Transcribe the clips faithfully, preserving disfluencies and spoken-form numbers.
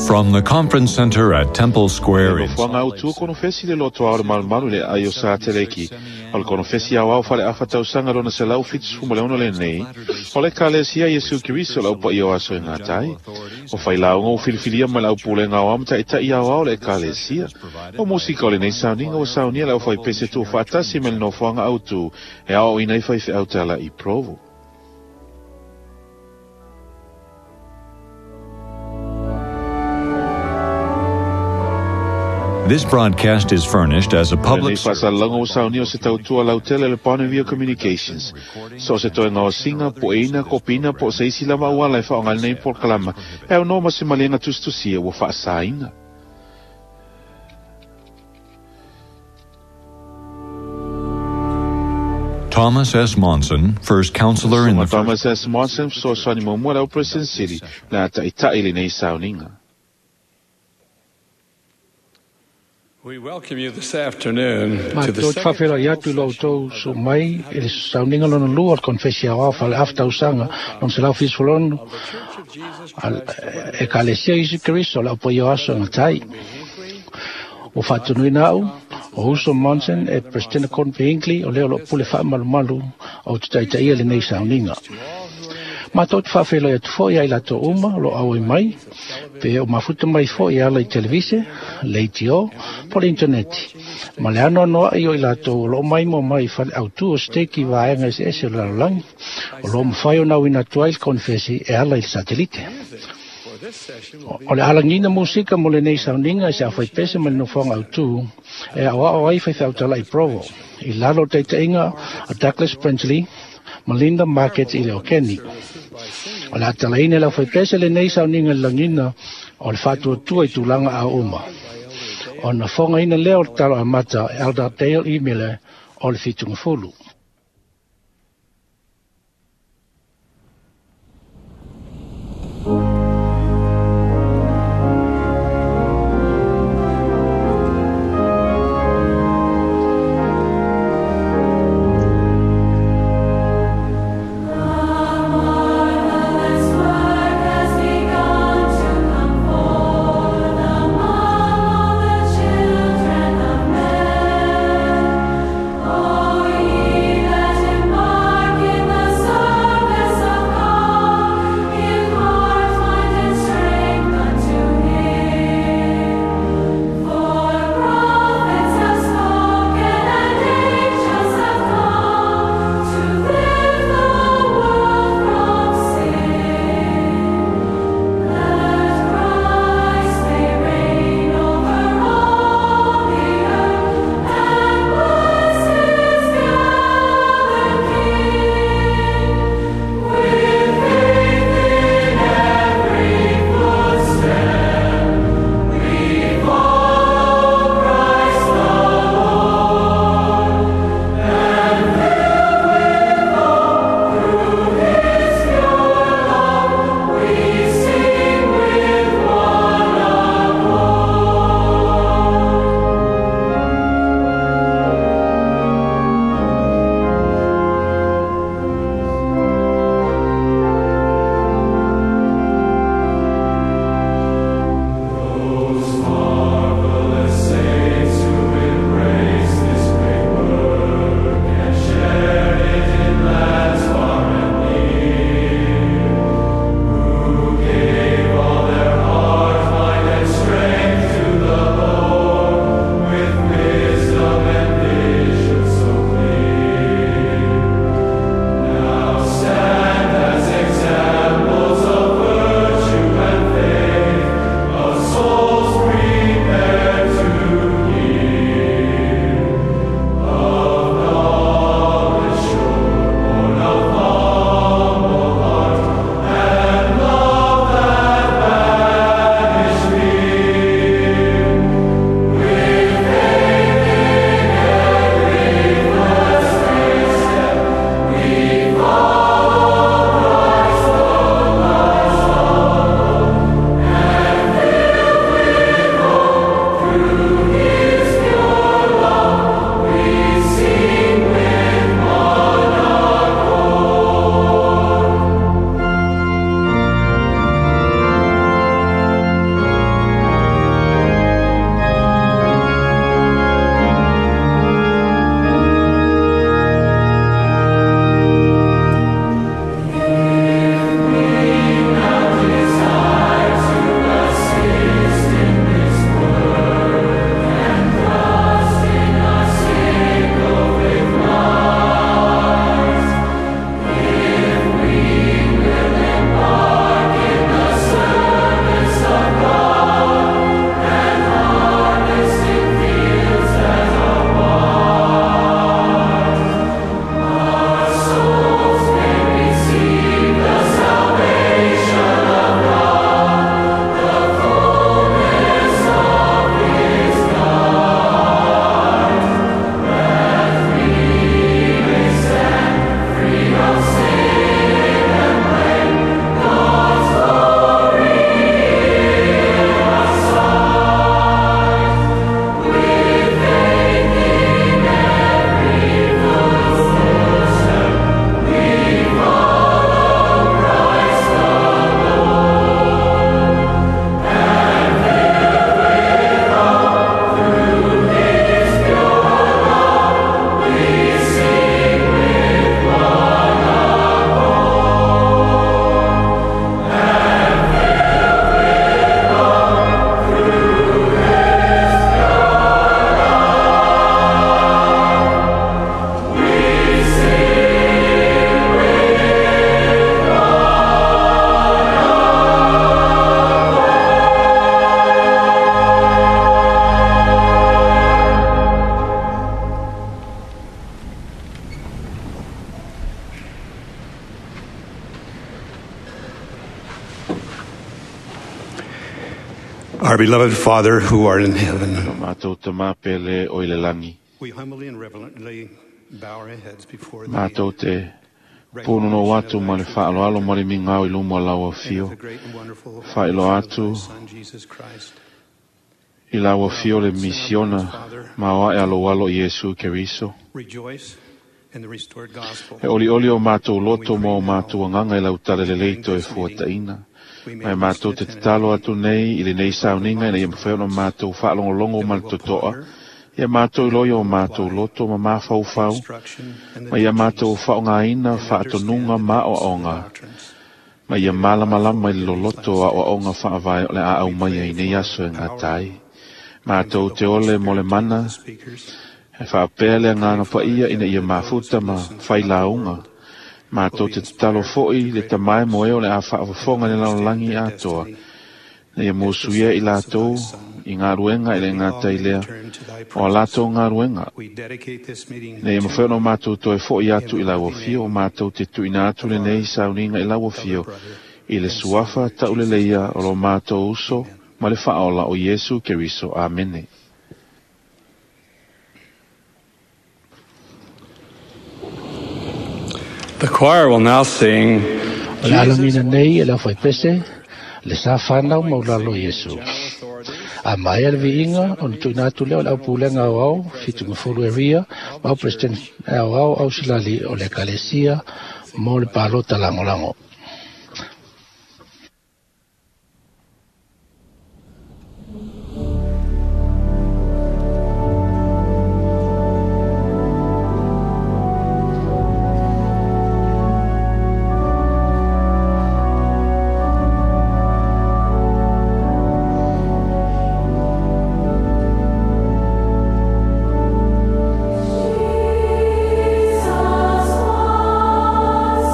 From the conference center at Temple Square in Nofoaga autu konofesi le loto ao le malumalu le ai o sa teleki. O le konofesi ao au fale afa tausaga lona selau fitusefulu ma le ono lenei. O le Ekalesia Iesu Keriso le aupaia o aso e gatai. O failauga ua filifilia mai le aupulega aoao ma taʻitaʻi aoao le Ekalesia. O musika o lenei sauniga ua saunia le aufaipese tuufaatasi mai le nofoaga autu e aoaoina ai faifeau talaʻi Provo. This broadcast is furnished as a public Lenei faasalalauga ua saunia o se tautua lautele le Bonneville Communications. So o se toega o siga, poeina, kopina, po o se isi lava auala e faaaoga ai lenei polokalama, e aunoa ma se maliega tusitusia ua faasaina. Thomas S. Monson, first counselor in the Susuga Thomas S. Monson, fesoasoani muamua le au President Sili, le a taʻitaʻi lenei sauniga. We welcome you this afternoon to the Matou te second faafeiloai atu i lo outou soo mai i le sauniga lona lua o le konofesi aoao faleafa tausaga lona selau fitusefulu ono of the Church of Jesus a Christ of Latter-day Ekalesia Iesu Keriso le aupaia o aso e gatai. Ua faatunuina au o Uso Monson e Presidente Gordon B. Hinckley o lea o loo pule faamalumalu o te taitaia lenei sauniga. to all who are in Matou te faafeiloai atu foʻi ai latou uma o loo auai mai, pe o mafuta mai foʻi e ala i televise, leitio, po le interneti. Ma le anoanoaʻi o i latou o loo maimoa mai i fale autū o steki vaega eseese o le lalolagi, o loo mafai ona auina atu ai le konofesi e ala i le satelite. music for this session will be O le alagina musika mo lenei sauniga e se aufaipese ma le nofoaga autū e aoao ai faifeau talaʻi Provo, i lalo o taitaʻiga a Douglas Brinsley ma Linda Market i le o Keni. services by singing O le atalaina e le aufaipese lenei sauniga i le lagina o le faatuatua i tulaga a uma. by Elder Dale Ona fogaina lea o le talo amata e Elder Dale E. Miller o le Fitugafulu. Marvelous work has begun to come forth among all the children of men. O ye Our beloved Father who art in heaven, Mātou te māpele o i le langi. we humbly and reverently bow our heads before thee. Mātou te pūnono atu ma le whaaloalo ma le mingao i lumo lau and afio. the great and wonderful Whailo mission of atu thy Son, Jesus Christ. i lau afio le misiona ma oa e alo alo Iesu Keriso. Rejoice in the restored gospel. E oli oli o mātou loto ma o mātou anganga i lau tale lelei toe fuataina. We may Mai mātou te tatalo atu nei i le nei sauninga ina ia mawhai ona mātou whaalongolongo ma le totoa. Ia mātou i loia o mātou loto ma māwhauwhau. instruction and the Ma ia mātou teachings whaongaina and whaatonunga understand ma o the aonga. doctrines. Ma ia malamalama i le loloto a o aonga whaavae o le a au mai ai nei aso e ngā tai. Mātou te ole mo le mana, The speakers, e whaapea le ngāna paia ina ia mafuta ma whai launga. Mātou te tatalo foi le tamae moe o le a whaawafonga le lalolagi atoa. Na ia mōsuia i lātou i ngā ruenga i le ngā tailea turn to thy o a lātou ngā ruenga. We dedicate this meeting Na ia to mawhai ona mātou toe foi atu i lau afio o mātou te tuina atu le nei sauninga i lau afio i le suafa tauleleia o lo mātou uso ma le whaola o Iesu Keriso. Amene. The choir will now sing O le alangina nei e le whaipese, le sa whanau maulalo Iesu. A mai le viinga, o na tuina atu leo le au pulenga au au, whitunga fulu e ria, ma au president au au au silali o le kalesia, mo le palota langolango. Jesus was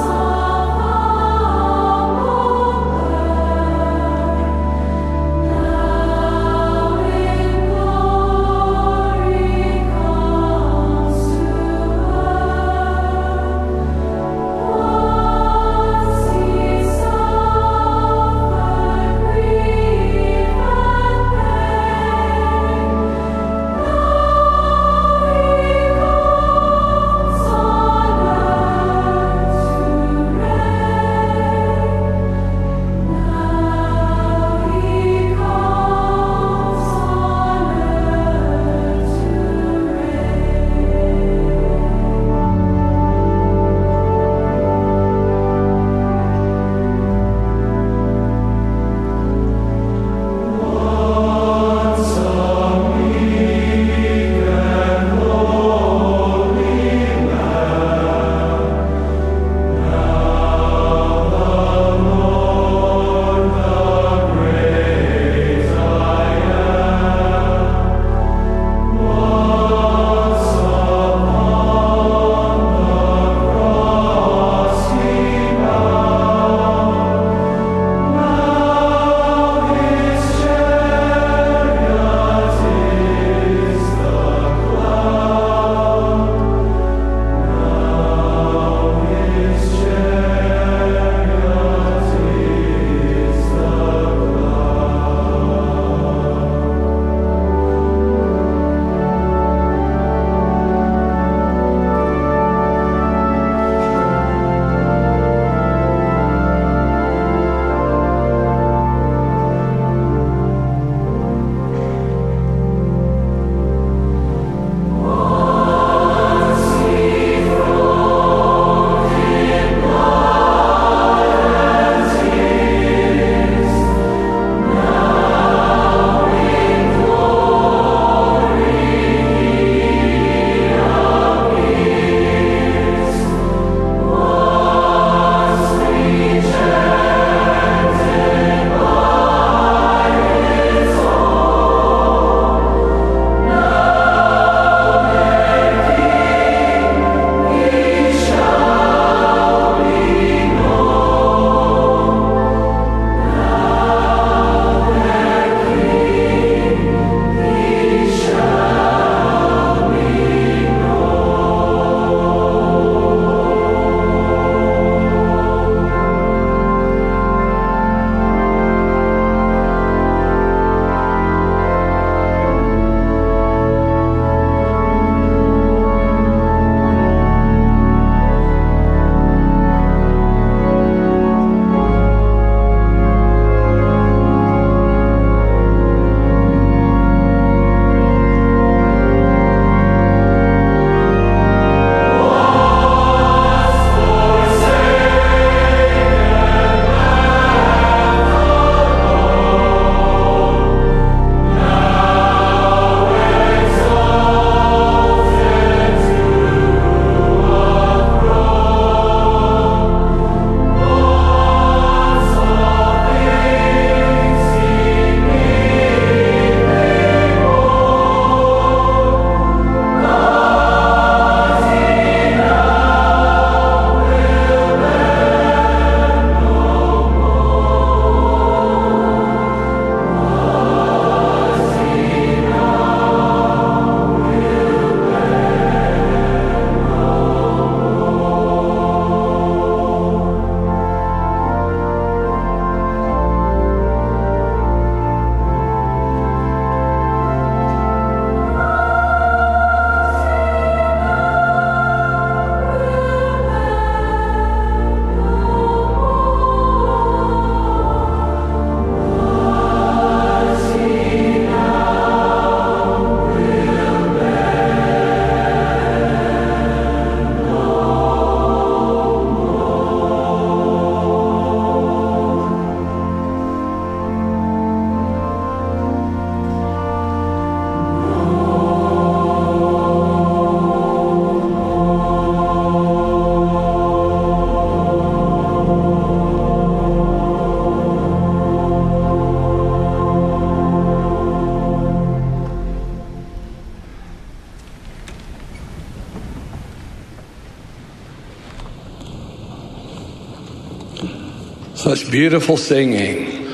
Such beautiful singing.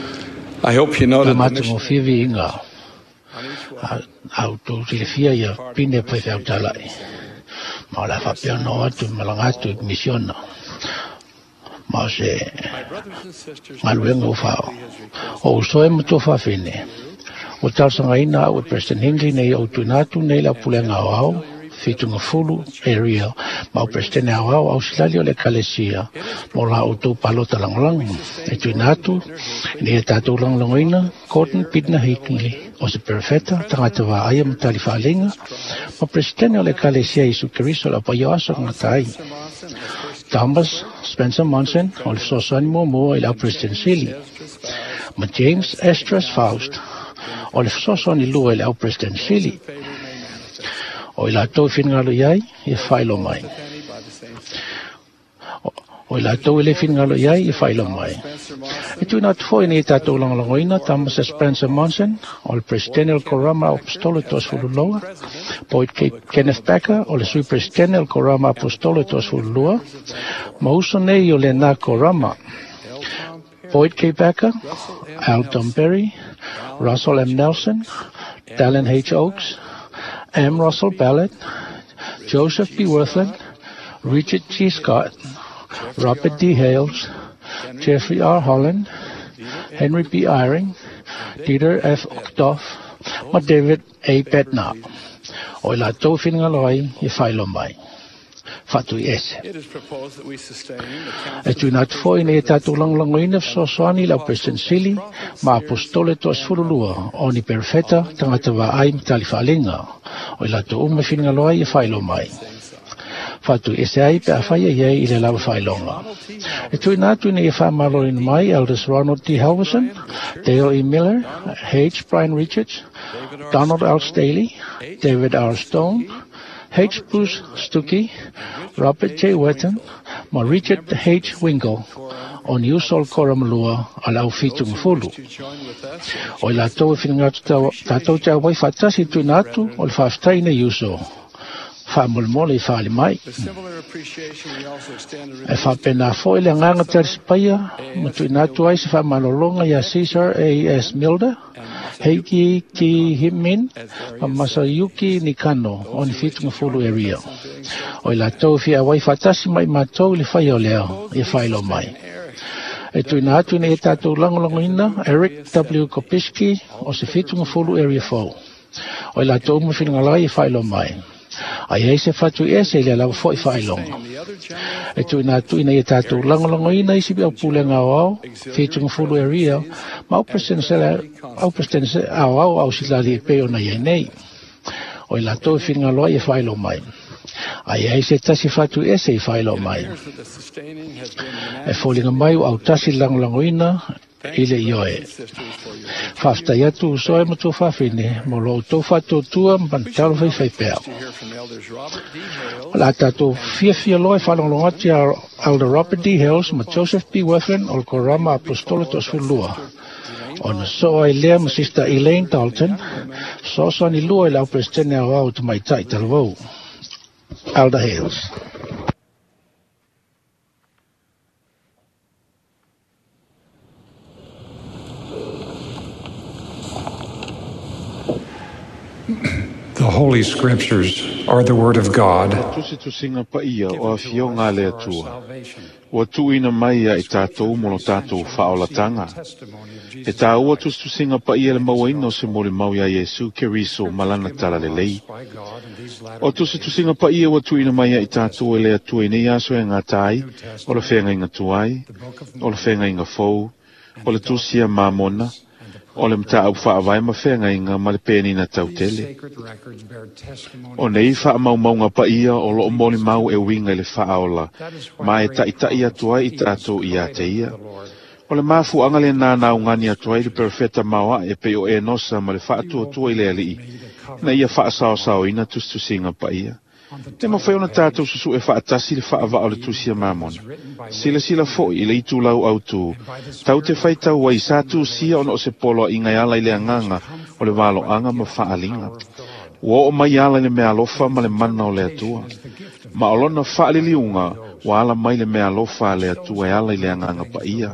I hope you noted the Tamata mission mo fivi inga. on each one. Au tō silifia ia pine pai whiau talai. Ma o la whapea no atu malanga atu i misiona. Ma o se My brothers and sisters, ngaluenga o whao. O usoe ma tō whawhine. O talsanga ina au e President Hinckley nei o tuina atu nei la pulenga o au, whitunga fulu area, ma o President au au au silali o le kalesia, mo la o tō palota langolango. E tuina atu, nei e tātou langolangoina, Gordon Pitner Hinckley, o se perfeta, tangata wā aia matali whaalinga, ma President o le kalesia Isu Keriso la paio aso ngā tai. Thomas Spencer Monson, o le sosani mua mua i lau President Sili. Ma James Esdras Faust, o le sosani lua i lau President Sili. O i latou finngalo iai, e whailo mai. O i latou i le finngalo iai, e whailo mai. E tuina atu foi nei tātou langolangoina, Thomas Spencer Monson, o le President el Korama Apostolo Toasfululoa, Boyd K. Kenneth Becker, o le Sui President el Korama Apostolo Toasfululua, ma uso nei o le nā Korama, Boyd K. Becker, Alton Berry, Russell M. Nelson, Dallin H. Oaks, M. Russell Ballard, Joseph B. Wirthlin, Richard G. Scott, Robert D. Hales, Jeffrey R. Holland, Henry B. Eyring, Dieter F. Uchtdorf, ma David A. Bednar. O i la tō whingalo ai, i whailo mai. Whatu i ese. It is proposed that we sustain the E tuina atu foi nei e tātou langolangoina fesoasoani lau President Sili ma apostole toasefululua o ni perfeta tagata vaai ma tali faalega. O i latou uma finagalo ai e faailoa mai. Whatu ese ai pe a whaia iai i le lawa whailonga. E tuina atu nei e whaamaloina mai Elders Ronald D. Halverson, Dale E. Miller, H. Brian Richards, Donald L. Staley, David R. Stone, H. Bruce Stuckey, Robert J. Wetton, ma Richard H. Winkle, o ni uso o le koramalua a lau whitunga fulu. O i latou e whingatu tātou te awai whaatasi tuina atu o le whaaftai nei uso. Whaamolmole i whaali mai. With similar appreciation, we also extend a E whapena fo i le nganga te arisipaia, ma tuina atu ai se whaamalolonga ia Caesar A. S. Milder, Heiki Ki Himin, ma Masayuki Nikano, o ni whitunga fulu area. O i latou fi awai whaatasi mai mātou i le whai o leo, i whailo mai. E tuina atu nei e tātou langolangoina, Eric W. Kopiski, o se whitunga fulu area fou. O i latou uma whiringalai i whailo mai. Ai ai se whatu ese i le lawa foi whailonga. E tuina atu ina i tātou langolangoina i sipi au pulenga o au, whitunga fulu area, ma au president au au au silali e peo na iai nei. O i latou whiringaloa i whailo mai. Ai ai se tasi whatu ese i whailo mai. Appears that the sustaining has been E fōlinga mai o au tasi langolangoina i le ioe. sisters for your Whaftai atu usoe ma tō whawhine, mo lo tō whātōtua ma talo whai whai pea. to hear from Elders Robert D. Hales, La tātou fiafia loa e whalongolongo atu ia Elder Robert D. Hales ma Joseph B. Wirthlin o le Korama Apostolo Toasefululua. O na soa ai lea ma Sister Elaine Dalton, soasoani lua i lau Presidente au au te maitai talavou. Elder Hales. The Holy Scriptures are the Word of God. Tusi tusinga pa ia o afioga a le Atua. Ua tuuina mai ia i tātou mo lo tātou faaolatanga. E tāua tusitusiga paia le mauaina o se molimau iā Iesu Keriso ma lana talalelei. O tusitusiga paia ua tuuina mai ia i tātou e le Atua i nei aso e gata ai, o le feagaiga tuai, o le feagaiga fou, o le tusi a Mamona, o le mataupu faavae ma feagaiga ma le penina tautele. O nei faamaumauga paia o loo molimau e uiga i le faaola, ma e taʻitaʻi atu ai i tatou ia te ia. O le mafuaga lenā naugani atu ai le perofeta maoaʻe pei o Enosa ma le faatuatua i le alii, na ia faasaosaoina tusitusiga paia. Te mafai ona tātou susuʻe faatasi le faavaa o le tusi a Mamona. Silasila foʻi i le itulau autū. Tau te faitau ai sa tusia ona o se poloaʻiga e ala i le agaga o le valoaga ma faaliga. Ua oo mai ala i le meaalofa ma le mana o le Atua. Ma o lona faaliliuga Ua ala mai le meaalofa a le Atua e ala i le Agaga Paia.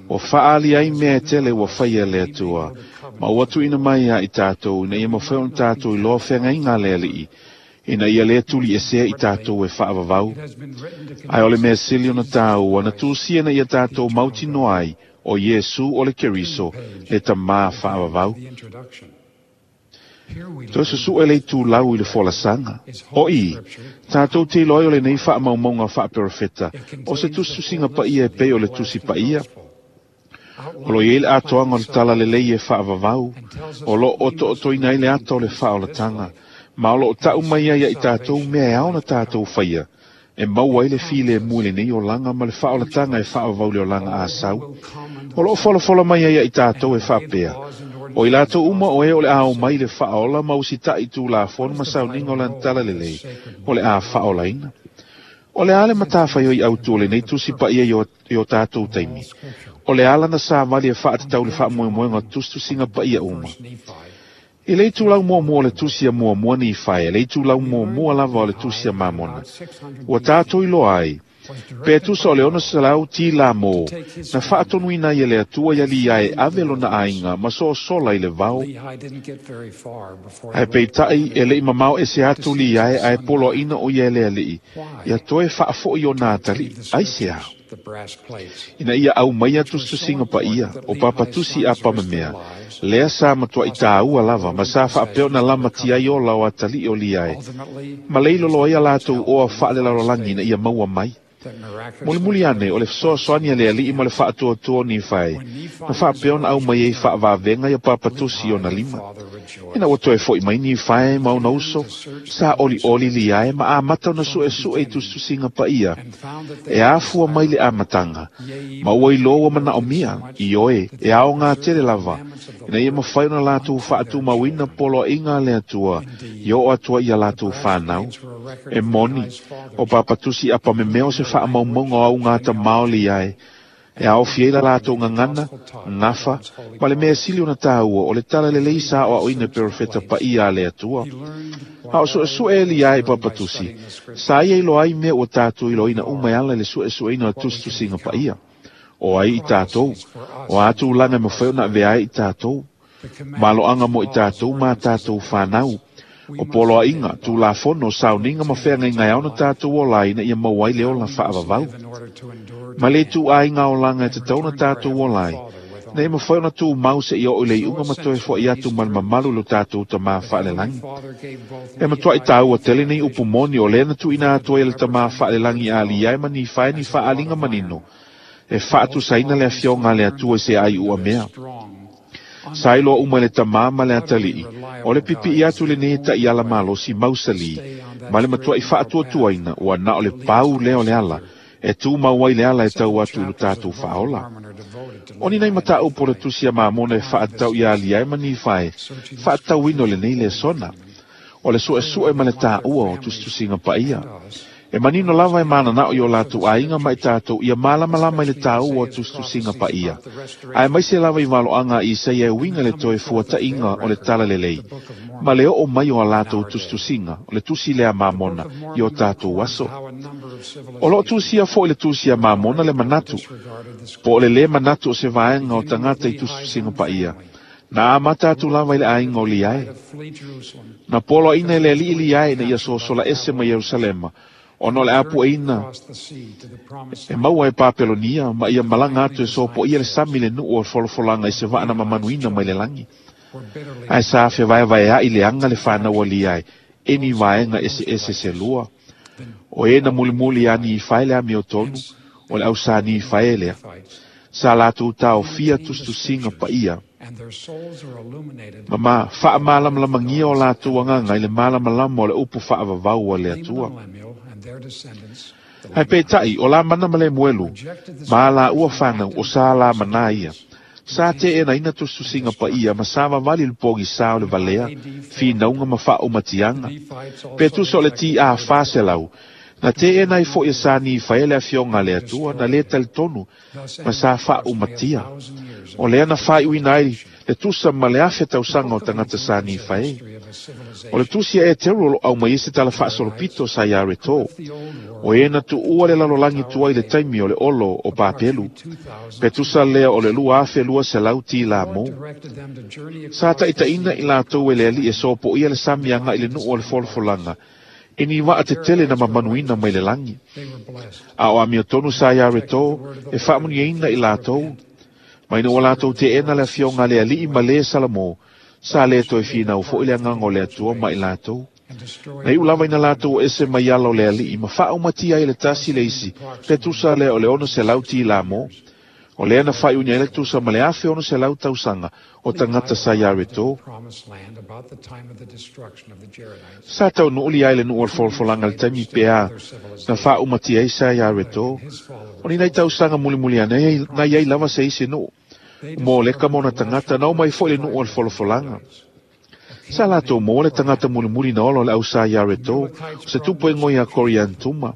Ua faaali ai mea e tele ua faia e le Atua, ma ua tuuina mai ia i tatou, ina ia mafai ona tatou iloa feagaiga a le Alii, ina ia lē tuliesea i tatou e faavavau. Ae o le mea sili ona tāua, na tusia ina ia tatou mautinoa ai, o Iesu o le Keriso, le Tamā faavavau. Toe susu'e le itulau i le folasaga. O i, tatou te iloa ai o lenei faamaumauga faaperofeta, o se tusitusiga paia e pei o le tusi paia. O lo i ai le atoaga o le talalelei e faavavau, o loo otootoina ai le ata o le faaolataga, ma o loo ta'u mai ai ia i tatou mea e ao ona tatou faia, e maua ai le filemu i lenei olaga ma le faaolataga e faavavau le olaga asau. O loo folafola mai ai ia i tatou e faapea, o i latou uma o e o le a omai i le faaola ma usita'i tulafono ma sauniga o lana talalelei, o le a faaolaina. O le a le matafaioi autū o lenei tusi paia i o, i o tatou taimi. O le ala na savali e faatatau le faamoemoega o tusitusiga paia uma. I le itulau muamua o le tusi a Muamua Nifae, le itulau muamua lava o le tusi a Mamona, ua tatou iloa ai, pe tusa o le ono selau tilamo, na faatonuina ai e le Atua ia Liae e ave lona aiga ma sosola i le vao. Ae peitai e le'i mamao ese atu Liae ae poloaʻina o ia e le Alii, ia toe faafo'i ona atali'i, aisea? Ina ia aumaia tusitusiga paia, o papatusi apamamea, lea sa matua'i tāua lava ma sa faapea ona lamatia ai ola o atali'i o Liae, ma le ilolo ai a latou oa faalelalolagi ina ia maua mai. Mulimuli ane o le fesoasoani a le Alii ma le faatuatua o Nifae, na faapea ona aumai ai faavavega ia papatusi i ona lima. Ina ua toe fo'i mai Nifae ma ona uso, sa olioli Liae ma amata ona su'esu'e i tusitusiga paia, e afua mai le amataga, ma ua iloa ua manaomia, ioe, e aogā tele lava, ina ia mafai ona latou faatumauina poloaʻiga a le Atua, ia oo atu ai ia latou fanau. E moni, o papatusi apamemea o se faamaumauga o augata tamā o Liae, e aofia ai la latou gagana, gafa, ma le mea sili ona tāua o le talalelei sa aoaoina e perofeta paia a le Atua. A o su'esu'e e Liae i papatusi, sa ia iloa ai mea ua tatou iloaina uma e ala i le su'esu'eina o tusitusiga paia. O ai i tatou, o a tulaga e mafai ona avea ai i tatou, malo'aga mo i tatou ma tatou fanau, o poloaʻiga, tulafono, sauniga ma feagaiga e ao ona tatou ola ai ina ia maua ai le ola faavavau. Ma le ituaiga olaga e tatau ona tatou ola ai, ina ia mafai ona tumau seia oo i le iuga ma toe fo'i atu ma le mamalu i lo tatou Tamā faalelagi. E matua'i tāua tele nei upu moni o lea na tuuina atu ai e le Tamā faalelagi a Liae ma Nifae ni faaaliga manino, e faatusaina le afioga a le Atua i se aiuamea. Sa iloa uma e le Tamā ma le Atalii, o le pipi'i atu lenei e ta'iala malosi mausalī, ma le matua'i faatuatuaina ua na o le pau lea o le ala, e tumau ai le ala e tau atu i lo tatou faaola. O ni nai mataupu o le tusi a Mamona e faatatau iā Liae ma Nifae, faatatauina o lenei lesona. O le su'esu'e ma le tāua o tusitusiga paia. E manino lava e manana'o i o latou aiga ma i tatou ia malamalama i le tāua o tusitusiga paia. Ae maise lava i valo'aga a Isaia e uiga i le toe fuata'iga o le talalelei, ma le oo mai o a latou tusitusiga, o le tusi lea a Mamona i o tatou aso. O loo tusia fo'i le tusi a Mamona le manatu, po o le lē manatu o se vaega o tagata i tusitusiga paia, na amata atu lava i le aiga o Liae. Na poloaʻina e le Alii Liae ina ia sosola ese ma Ierusalema, ona o le apu'eina e maua e Papelonia, ma ia malaga atu e sopo'ia le sami le nu'u o le folafolaga i se vaa na mamanuina mai le lagi. Ae sa fevaevaea'i le aga le fanau a Liae, e ni vaega eseese se lua. O e na mulimuli iā Nifae le amiotonu, o le ausā Nifae lea. Sa latou taofia tusitusiga paia, ma ma faamalamalamagia o latou agaga i le malamalama o le upu faavavau a le Atua. Ae peitai, o Lamana ma Lemuelu, ma a laua fanau o sa Lamanā ia, sa te'enaina tusitusiga paia ma sa vavali le pogisā o le valea, finauga ma faaumatiaga. Pe tusa o le T A fa selau, na te'ena ai fo'i e sa Nifae le afioga a le Atua, na lē talitonu, ma sa faaumatia. O lea na faaiuina ai Le tusa ma le afe tausaga o tagata sa Nifae. O le tusi a Eteru o loo aumai ai se tala faasolopito sa iā Reto. O e na tuua le lalolagi tuai le taimi o le olo o Papelu. Pe tusa lea o le lua afe lua selau tilā mō. Sa taʻitaʻina i latou e le aliʻi e sopoia le sami agaʻi le nuu o le folafolaga. E ni waa te tele na mamanuina mai le lagi. A o amiotonu sa iā Reto e faamuniaina i latou. Mai na ua latou teʻena le afioga a le aliʻi ma lē Salamo, sa lē toe finau foʻi le agaga o le Atua ma i latou. Na iʻu lava ina latou ese mai ala o le aliʻi ma faaumatia ai le tasi le isi, pe tusa lea o le ono selau tilā mō. O lea na faaiuina ai le tusa ma le afe ono selau tausaga o tagata sa iā Reto. Sa taunuu lia ai le nuu o le folafolaga le taimi peā na faaumatia ai sa iā Reto. O ni nai tausaga mulimuli ane na iai lava se isi nuu. Mo le ka mona tagata na omai foʻi le nuu o le folafolaga. Sa latou maua le tagata mulimuli na ola o le au sa iā Reto, o se tupu e goia Koriantuma.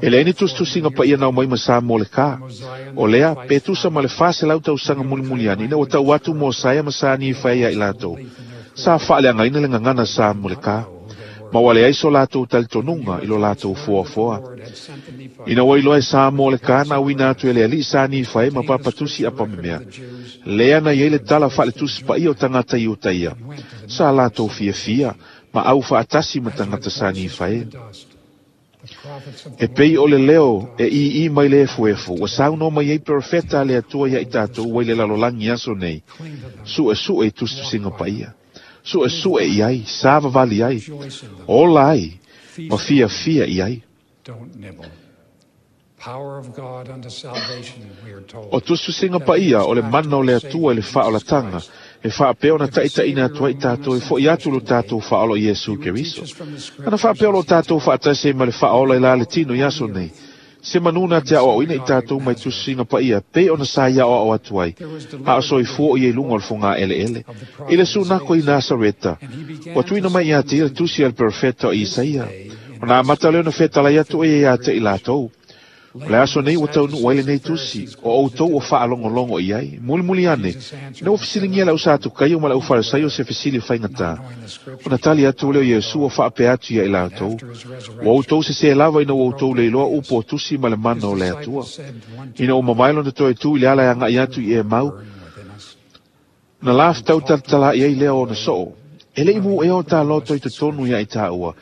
E leai ni tusitusiga paia na omai ma sa mo le kā. O lea, pe tusa ma le faselau tausaga mulimuli ane ina ua tau atu Mosaia ma sa Nifae ia i latou. Sa faaleagaina le gagana sa mo le kā. Ma ua leai so latou talitonuga i lo latou foafoa. Ina ua iloa e sa mo le kā na auina atu e le aliʻi sa Nifae ma papatusi apamemea. Lea na iai le tala faaletusi paia o tagata i uta ia. Sa latou fiafia ma au faatasi ma tagata sa Nifae. E pei o le leo e ii mai le efuefu, ua saunoa mai ai perofeta a le Atua ia i tatou ua i le lalolagi aso nei. Suʻesuʻe i tusitusiga paia. Suʻesuʻe i ai, savavali ai, ola ai, ma fiafia i ai. O tusitusiga paia o le mana o le Atua i le faaolataga, e faapea ona taʻitaʻina atu ai tatou e foʻi atu lo tatou faaola o Iesu Keriso. Ana faapea o loo tatou faatasi ai ma le faaola i la le tino i aso nei. Se manu na te aʻoaʻoina i tatou mai tusitusiga paia pei ona sa ia aʻoaʻo atu ai. A o soifua o ia i luga o le fogaʻeleʻele. I le sunako i Nasareta, ua tuuina mai iā te ia le tusi a le perofeta o Isaia. Ona amata lea ona fetalai atu oe ia te i latou. O le aso nei ua taunuu ai lenei tusi, o outou o faalogologo i ai. Mulimuli ane, ina ua fesiligia le au Satukaio ma le au Farisaio se fesili faigatā. Ona tali atu lea o Iesu ua faapea atu ia i latou. Ua outou sesē lava ina ua outou leiloa upu o tusi ma le mana o le Atua. Ina ua mavae lona toe tu i le ala e agaʻi atu i Emau, na lafetau talatalaʻi ai lea o ona soo. E leʻi mu ea o tāloto i totonu ia i tāua.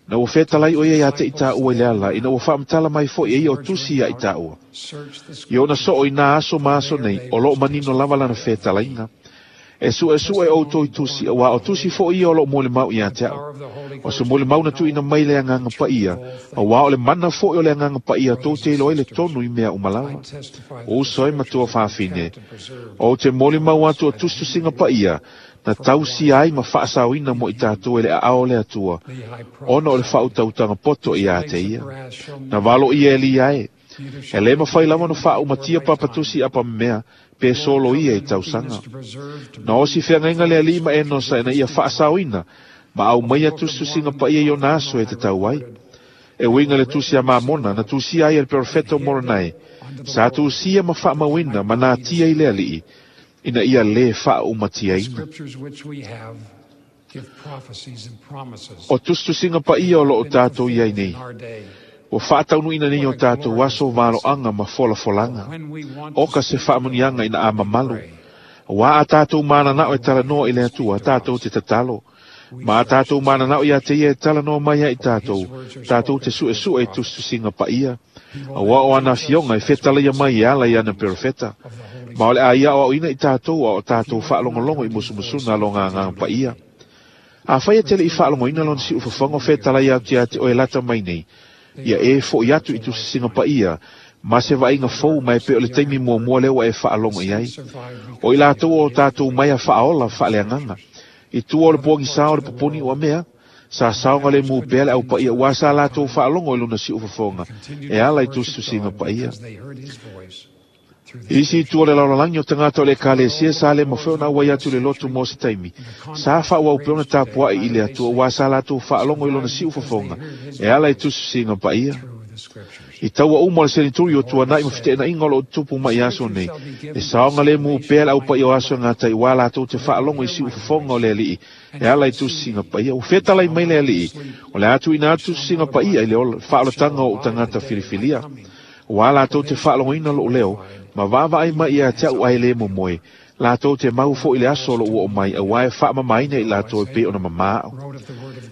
Na ua fetalai o ia ia te i tāua i le ala, ina ua faamatala mai foʻi e ia o tusi ia i tāua. I ona soo i nā aso ma aso nei, o loo manino lava lana fetalaiga. E suʻesuʻe outou i tusi, auā o tusi foʻi ia o loo molimau iā te au. O se molimau na tuuina mai le agaga paia, auā o le mana foʻi o le agaga paia tou te iloa ai le tonu i mea uma lava. O uso ai matua fafine. O te molimau atu o tusitusiga paia, na tausia ai ma faasaoina mo i tatou e le aao o le Atua, ona o le faautautaga poto iā te ia. Na valo ia e lia e. E lē mafai lava ona faaumatia papatusi apamemea, pe solo ia i tausaga. Na osi feagaiga le aliʻi ma Enosa ina ia faasaoina, ma aumaia tusitusiga paia i ona aso e tatau ai. E uiga le tusi a Mamona, na tusia ai e le perofeta o Moronai, sa tusia ma faamauina ma natia i le aliʻi, ina ia lē faaumatiaina. O tusitusiga paia o loo tatou iai nei. Ua faataunuuina nei o tatou aso valoaga ma folafolaga. Oka se faamuniaga ina a mamalu. Auā a tatou mananao e talanoa i le Atua, tatou te tatalo. Ma a tatou mananao iā te ia e talanoa mai ai tatou, tatou te suʻesuʻe i tusitusiga paia. Auā o ana afioga e fetalaia mai e ala i ana perofeta. Ma o le a ia aʻoaʻoina i tatou a o tatou faalogologo i musumusuna a loga agaga paia. Afai e te leʻi faalogoina lona siufofoga o fetalai atu iā te oe lata mai nei, ia e foʻi atu i tusisiga paia, ma se vaaiga fou ma e pei o le taimi muamua lea ua e faalogo i ai. O i latou o tatou mai a faaola faaleagaga. I tua o le puagisā o le poponi ua mea, sa saoga le mu pea le au paia ua sa latou faalogo i lona siufofoga e ala i tusitusiga paia. Isi i tua o le lalolagi o tagata o le Ekalesia sa le mafai ona auai atu i le lotu mo se taimi. Sa faauau pea ona tapuaʻi i le Atua ua sa latou faalogo i lona siufofoga e ala i tusitusiga paia. I taua uma o le senituri o tuanai ma feteenaiga o loo tutupu mai i aso nei. E saogalemu pea le aupaia o aso e gatai uā latou te faalogo i siufofoga o le alii e ala i tusiga paia. Ua fetalai mai le alii o le a tuuina atu tusiga paia i le faaolataga o ou tagata filifilia. Uā latou te faalogoina lou leo ma vaavaai mai ia te a'u ae lē momoe. Latou te mau fo'i le aso o lou oo mai auā e faamamaina i latou e pei ona mamā a'u.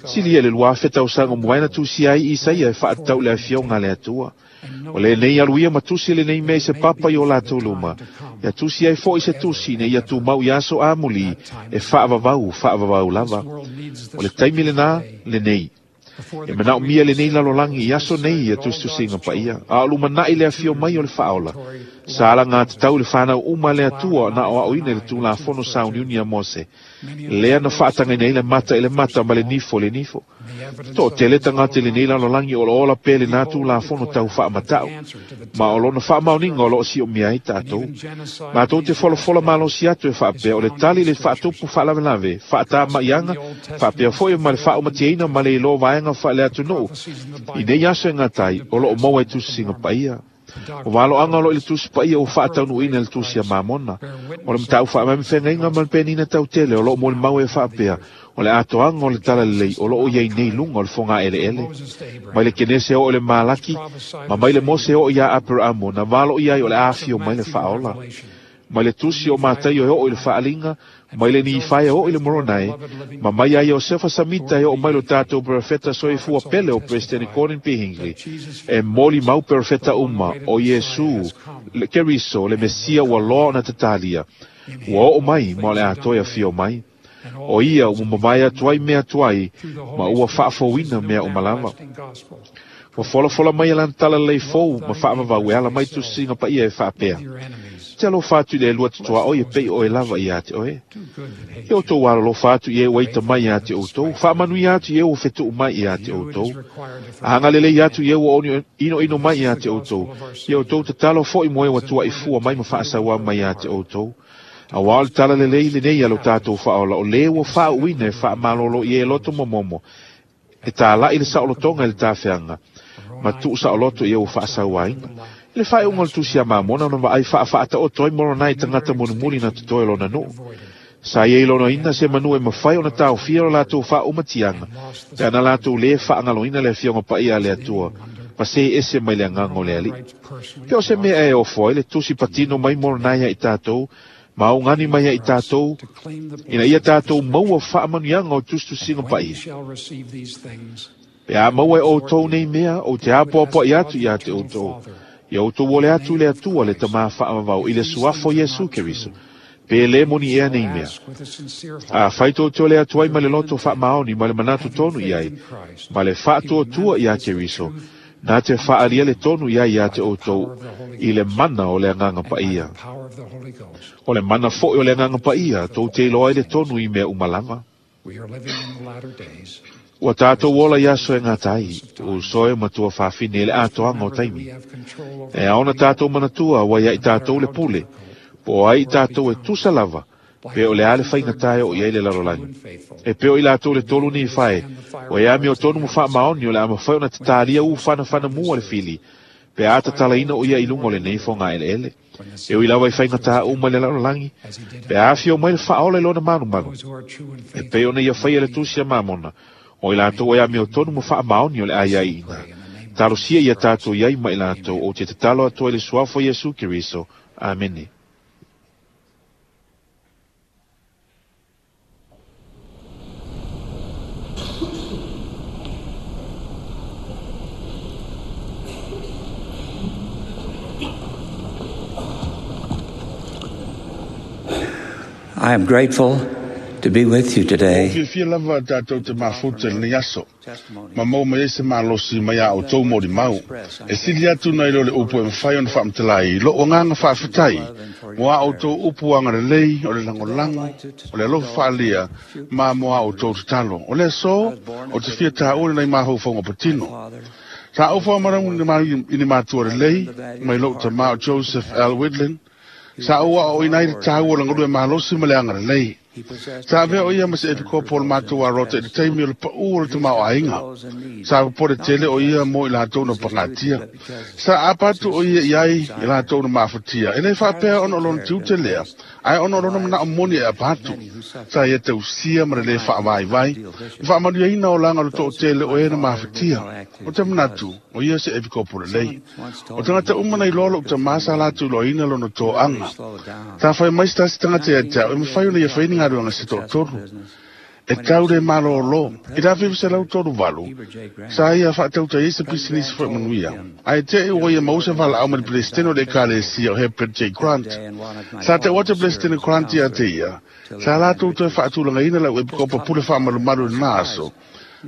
Silia le lua afe tausaga o muaena tusia ai Isaia e faatatau i le afioga a le Atua. O lenei alu ia ma tusi lenei mea i se papa i o latou luma. Ia tusi ai fo'i se tusi ina ia tumau i aso amulī e faavavau faavavau lava. O le taimi lenā lenei. E manaomia lenei lalolagi i aso nei ia tusitusiga paia. A o lumana'i le afio mai o le faaola. Sa alagatau le fanau uma le Atua na aoaoina i le Tulafono sauniuni a Mose. Lea na faatagaina ai le mata i le mata ma le nifo i le nifo. Toatele tagata i lenei lalolagi o loo ola pea lenā Tulafono tau faamata'u. Ma o lona faamaoniga o loo siomia ai tatou. Matou te folafola malosi atu e faapea o le tali i le faatupu faalavelave, faatamaiaga, faapea fo'i ma le faaumatiaina ma le iloa vaega faaleatunuu i nei aso e gatai o loo maua i tusisiga paia. O valoaga o loo i le tusi paia ua faataunuuina i le tusi a Mamona. O le mataupu faamaumafegaiga ma le penina tautele o loo molimau e faapea o le atoaga o le talalelei o loo iai nei luga o le fogaeleele. Mai le Kenese oo i le Malaki ma mai le Mose oo iā Aperaamo na valoia ai o le afio mai le faaola. Mai le tusi o Mataio e oo i le faaliga, mai le Nifae e oo i le Moronae, ma mai ia Iosefa Samita e oo mai lo tatou perofeta soifua pele o Presidente Gordon B. Hinckley. E molimau perofeta uma o Iesu le Keriso le Mesia ua loa ona tatalia. Ua oo mai ma o le a toe afio mai. O ia ua mavae atu ai mea tuai ma ua faafouina mea uma lava. Ua folafola mai e lana talalelei fou ma faavavau e ala mai tusisiga paia e faapea. Te alofa atu i le elua totoa e pei oe lava ia te oe. Ia outou alolofa atu i e ua ita mai ia te outou. Faamanuia atu i e ua fetuu mai ia te outou. Agalelei atu i e ua inoino mai ia te outou. Ia outou tatalo fo'i mo e ua tuaifua mai ma faasauā mai ia te outou. Auā o le talalelei lenei a lo tatou faaola o lē ua faauuina e faamalōlō i e loto momomo. E tāla'i le saolotoga i le tafeaga ma tuu saoloto i e ua faasauāina. I le faaiuga o le tusi a Mamona ona vaai faafaataoto ai Moronai tagata mulimuli na totoe lona nuu. Sa iai lonoina se manu e mafai ona taofia lo latou faaumatiaga pe ana latou lē faagaloina le afioga paia a le Atua ma se ese mai le agaga o le Alii. Pe o se mea e ofo ai le tusi patino mai Moronai ia i tatou ma augani mai ia i tatou ina ia tatou maua faamanuiaga o tusitusiga paia. Pe a maua e outou nei mea ou te apoapoai atu ia te outou. Ia outou ole atu i le Atua le Tamā faavavau i le suafa o Iesu Keriso. Pe lē moni ea nei mea. Afai tou te ole atu ai ma le loto faamaoni ma le manatu tonu i ai, ma le faatuatua iā Keriso, na te faalia le tonu i ai ia te outou i le mana o le Agaga Paia. O le mana fo'i o le Agaga Paia tou te iloa ai le tonu i mea uma lava. Ua tatou ola i aso e gatai, uso e matua faafine i le atoaga o taimi. E ao ona tatou manatua ua ia i tatou le pule, po o ai i tatou e tusa lava, pe o le a le faigatā e oo i ai le lalolagi. E pei o i latou le tolu Nifae, ua e amiotonu ma faamaoni o le a mafai ona tatalia u fanafanamua le fili, pe a tatalaina o ia i luga o lenei fogaeleele. E ui lava i faigatā uma i le lalolagi, pe a afio mai le faaola i lona malumalu. E pei ona ia faia le tusi a Mamona, o i latou e amiotonu ma faamaoni o le a iaiina. Talosia ia tatou iai ma i latou ou te tatalo atu ai le suafa o Iesu Keriso. Amene. I am grateful to be with you Ua today. fiafia lava tatou te mafuta i lenei aso, ma maua mai ai se malosi mai a outou molimau. E sili atu nai lo le upu e mafai ona faamatala ai lou agaga faafetai mo a outou upu agalelei, o le lagolago, o le alofa faaalia, ma mo a outou tatalo. O le aso, ou te fia taua lenei mafaufauga patino. Sa ou faamalamu i ni matua lelei, mai lou tamā o Joseph L. Widlin, sa ou aoaoina ai le taua o le galue malosi ma le agalelei. Sa avea o ia ma se epikopo o le matou arota i le taimi o le paʻu o le tamaoaiga. Sa popole tele o ia mo i latou na pagatia. Sa apa atu o ia i ai i latou na mafatia. E le faapea ona o lona tiute lea, ae ona o lona manao moni e apa atu. Sa ia tausia ma le lē faavaivai, ma faamanuiaina olaga o le toʻatele o e na mafatia. O te manatu, o ia se epikopo lelei. O tagata uma na iloa loʻu tamā sa latou iloaina lona toaga. Sa fai mai se tasi tagata ia te a'u e mafai ona ia faia ni galuega se toʻatolu. E tau le malōlō. I le afe iva selau tolu valu, sa ia faatautai ai se pisinisi fo'i manuia. Ae te'i ua ia maua se valaau mai le Peresetene o le Ekalesia o Herbert J. Grant. Sa ta'u atu le Peresetene Grant ia te ia, sa latou toe faatulagaina lau epikopo pule faamalumalu i lenā aso,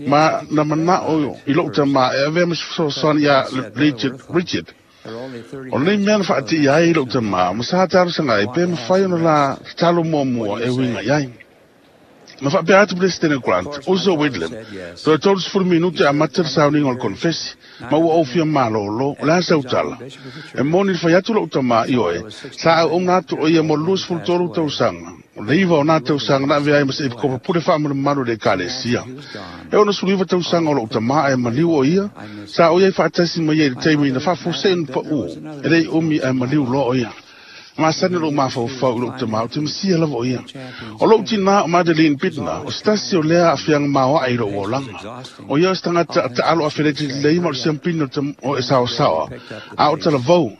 ma na mana'o i lo'u tamā e avea ma se fesoasoani iā Richard, Richard. O lenei mea na faatiia ai lo'u tamā, ma sa talosaga ai pe mafai ona la tatalo muamua e uiga i ai. Na faapea atu Peresetene Grant, uso Whitlam, toe tolu sefulu minute e amata le sauniga o le konefesi, ma ua ou fia malōlō, o le a sau tala. E moni le fai atu lo'u tamā i oe, sa auauna atu o ia mo le luasefulu tolu tausaga, o le iva o nā tausaga na avea ai ma se epikopo pule faamalumalu i le Ekalesia. E onosefuluiva tausaga o lo'u tamā ae maliu o ia, sa o ia i faatasi mai ai i le taimi na faafuase'i ona paʻū, e le'i umi ae maliu loa o ia. Masani lo'u mafaufau i lo'u tamā o te masia lava o ia. O lo'u tinā o Madeline Bittner, o se tasi o lea aafiaga maoaʻe i lo'u olaga. O ia o se tagata taʻalo afeleti lelei ma o le siampini o e saosaoa, a o talavou.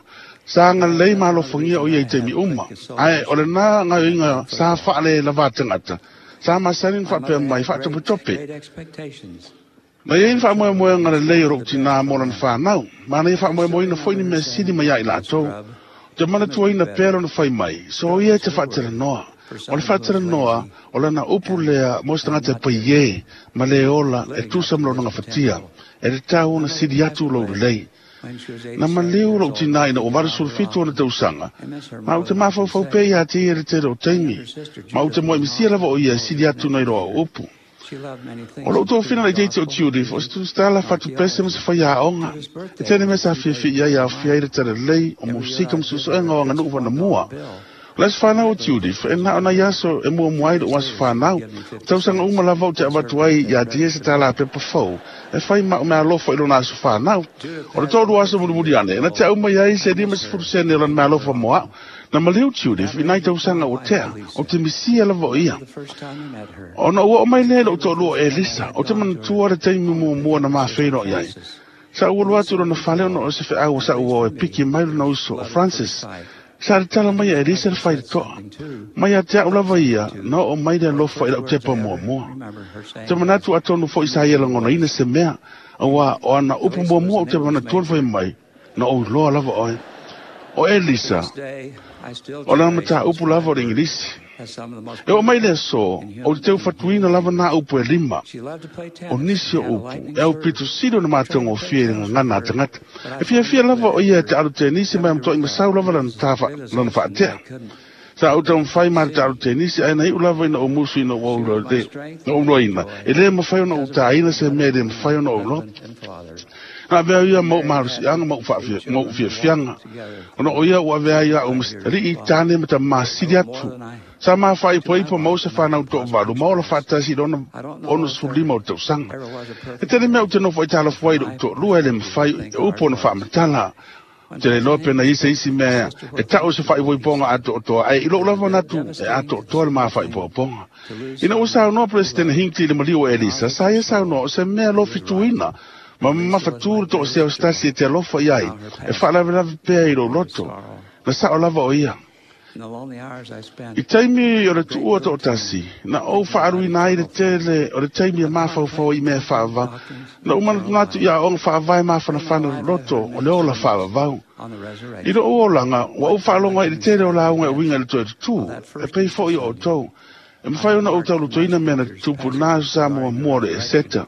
Sa agalelei ma alofagia o ia i taimi uma, ae o lenā gaoioiga sa faale lavā tagata, sa masani ona faapea mai faatopetope. Na iai le faamoemoega lelei o lo'u tinā mo lana fanau, ma na ia faamoemoeina fo'i ni mea sili mai ia i latou. Te manatuaina pea lona fai mai, so ia e te faatalanoa. O le faatalanoa, o lana upu lea mo se tagata e paiē ma le ola e tusa ma lona gafatia, e tatau ona sili atu lou lelei. Na maliu lo'u tinā ina ua valusefulu fitu ona tausaga, ma ou te mafaufau pea iā te ia i le tele o taimi, ma ou te moemisia lava o ia e sili atu nai loa o upu. O lo'u tofina laitiiti o Judith, o se tusitala fatupese ma se faiaoga. E tele mea sa fiafia i ai e aofia ai le talalelei o musika ma suesuega o aganuu vanamua. O le aso fanau o Judith, e na o nai aso e muamua ai lo'u aso fanau. O tausaga uma lava ou te avatu ai iā te ia se tālā pepa fou, e fai ma'u meaalofa i lona aso fanau. O le toʻalua aso mulimuli ane, na te au mai ai se lima sefulu sene o lana meaalofa mo a'u. Na maliu Judith i nai tausaga ua tea, o te misia lava o ia. Ona ua oo mai lea i lo'u toʻalua o Elisa, ou te manatua le taimi muamua na mafeiloai ai. Sa ou alu atu i lona fale ona o se feʻau o sa'u uo e piki mai lona uso o Francis. Sa tatala mai e Elisa le faitotoa. Mai ia te a'u lava ia, na oo mai le alofa i la'u tepa muamua. Ou te manatu atonu fo'i sa ia lagonaina se mea, auā o ana upu muamua ou te manatua le fai mai, na ou iloa lava oe. O Elisa, o lana mataupu lava o le Igilisi. E oo mai le aso, ou te teu fatuina lava nā upu e lima. O nisi o upu, e aupito sili ona matagofie i le gagana a tagata. E fiafia lava o ia e te alo tenisi ma e matua'i masau lava lana tā lona faatea. Sa ou taumafai ma le taalo tenisi ae na iʻu lava ina ou musu ina ua ou iloaina, e lē mafai ona ou tāina se mea e lē mafai ona ou iloa. Na avea ia ma ou malosiaga ma ou fiafiaga, ona o ia ua avea ai a'u ma alii tāne ma tamā sili atu. Sa ma faaipoipo maua se fanau toʻavalu ma ola faatasi i lona onosefululima o tausaga. E tele mea ou te nofo ai talafua ai lo'u toʻalua e lē mafai e upu ona faamatala. Ou te le iloa pe na i ai se isi mea e ta'u se faaipoipoga atoatoa, ae i lo'u lava manatu e atoatoa le ma faaipoipoga. Ina ua saunoa Peresetene Hinckley i le maliu o Elisa, sa ia saunoa o se mea lofituina ma mamafatū le toʻasea o se tasi e te alofa i ai, e faalavelave pea i lou loto. Na sa'o lava o ia. I taimi o le tuua toʻatasi, na ou faaaluina ai le tele o le taimi e mafaufau ai i mea faavavau. Na ou manatunatu i aoga faavae mafanafana o le loto o le ola faavavau. I lo'u olaga, ua ou faalogo ai i le tele o lauga e uiga i le toe tutū, e pei fo'i o outou. E mafai ona ou taulutoina mea na tutupu i lenā aso sa muamua o le Eseta.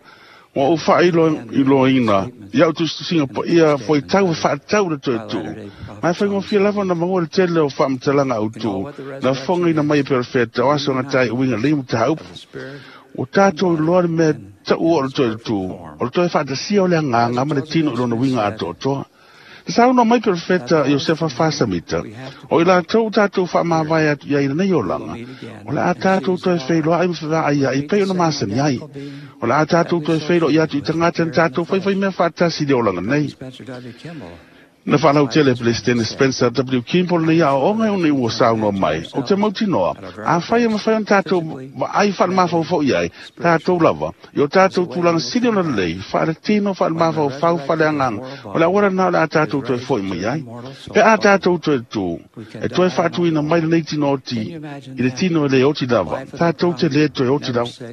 Ua ou faailoaina i a'u tusitusiga paia fuaitau e faatatau le toe tuu, ma e faigofie lava ona maua le tele o faamatalaga autū na fofogaina mai e perofeta o aso gatai uiga lei mataupu. Ua tatou iloa le mea taʻu o le toe tutū, o le toe faatasia o le agaga ma le tino i lona uiga atoatoa. Saunoa mai Perofeta Iosefa Fasamita, o i latou tatou faamavae atu i ai lenei olaga, o le a tatou toe feiloai ma fevaaiai pei ona masani ai. O le a tatou toe feiloai atu i tagata na tatou faifaimea faatasi i le olaga nei. Na faalautele Peresetene Spencer W. Kimball lenei aoaoga e ona ua saunoa mai, o te mautinoa, afai e mafai ona tatou vaai faalemafaufau i ai, tatou lava, i o tatou tulaga sili ona lelei, faaletino, faalemafaufau, faaleagaga, o le auala lena o le a tatou toe fo'i mai ai. Pe a tatou toe tu, e toe faatuina mai lenei tino oti, i le tino e le oti lava, tatou te le toe oti lava.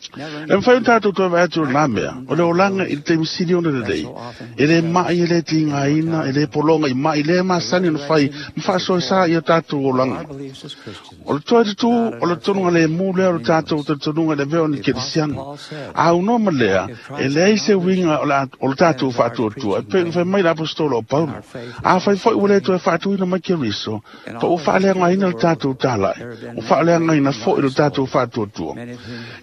E mafai ona tatou toe vaai atu lena mea, o le olaga i le taimi sili ona lelei, e le mai, e le tigaina, e le pologa i mai, le masani ona fai ma faasoesa i o tatou olaga. O le toe tutū, o le tonuga le mu lea o le tatou talitonuga i le avea o ni kerisiano. A unoa ma lea, e leai se uiga o le tatou faatuatua, e pei ona fai mai le aposetolo o Paulo. Afai foi ua le toe faatuina mai Keriso, pa ua faaleagaina le tatou talai, ua faaleagaina foi le tatou faatuatua.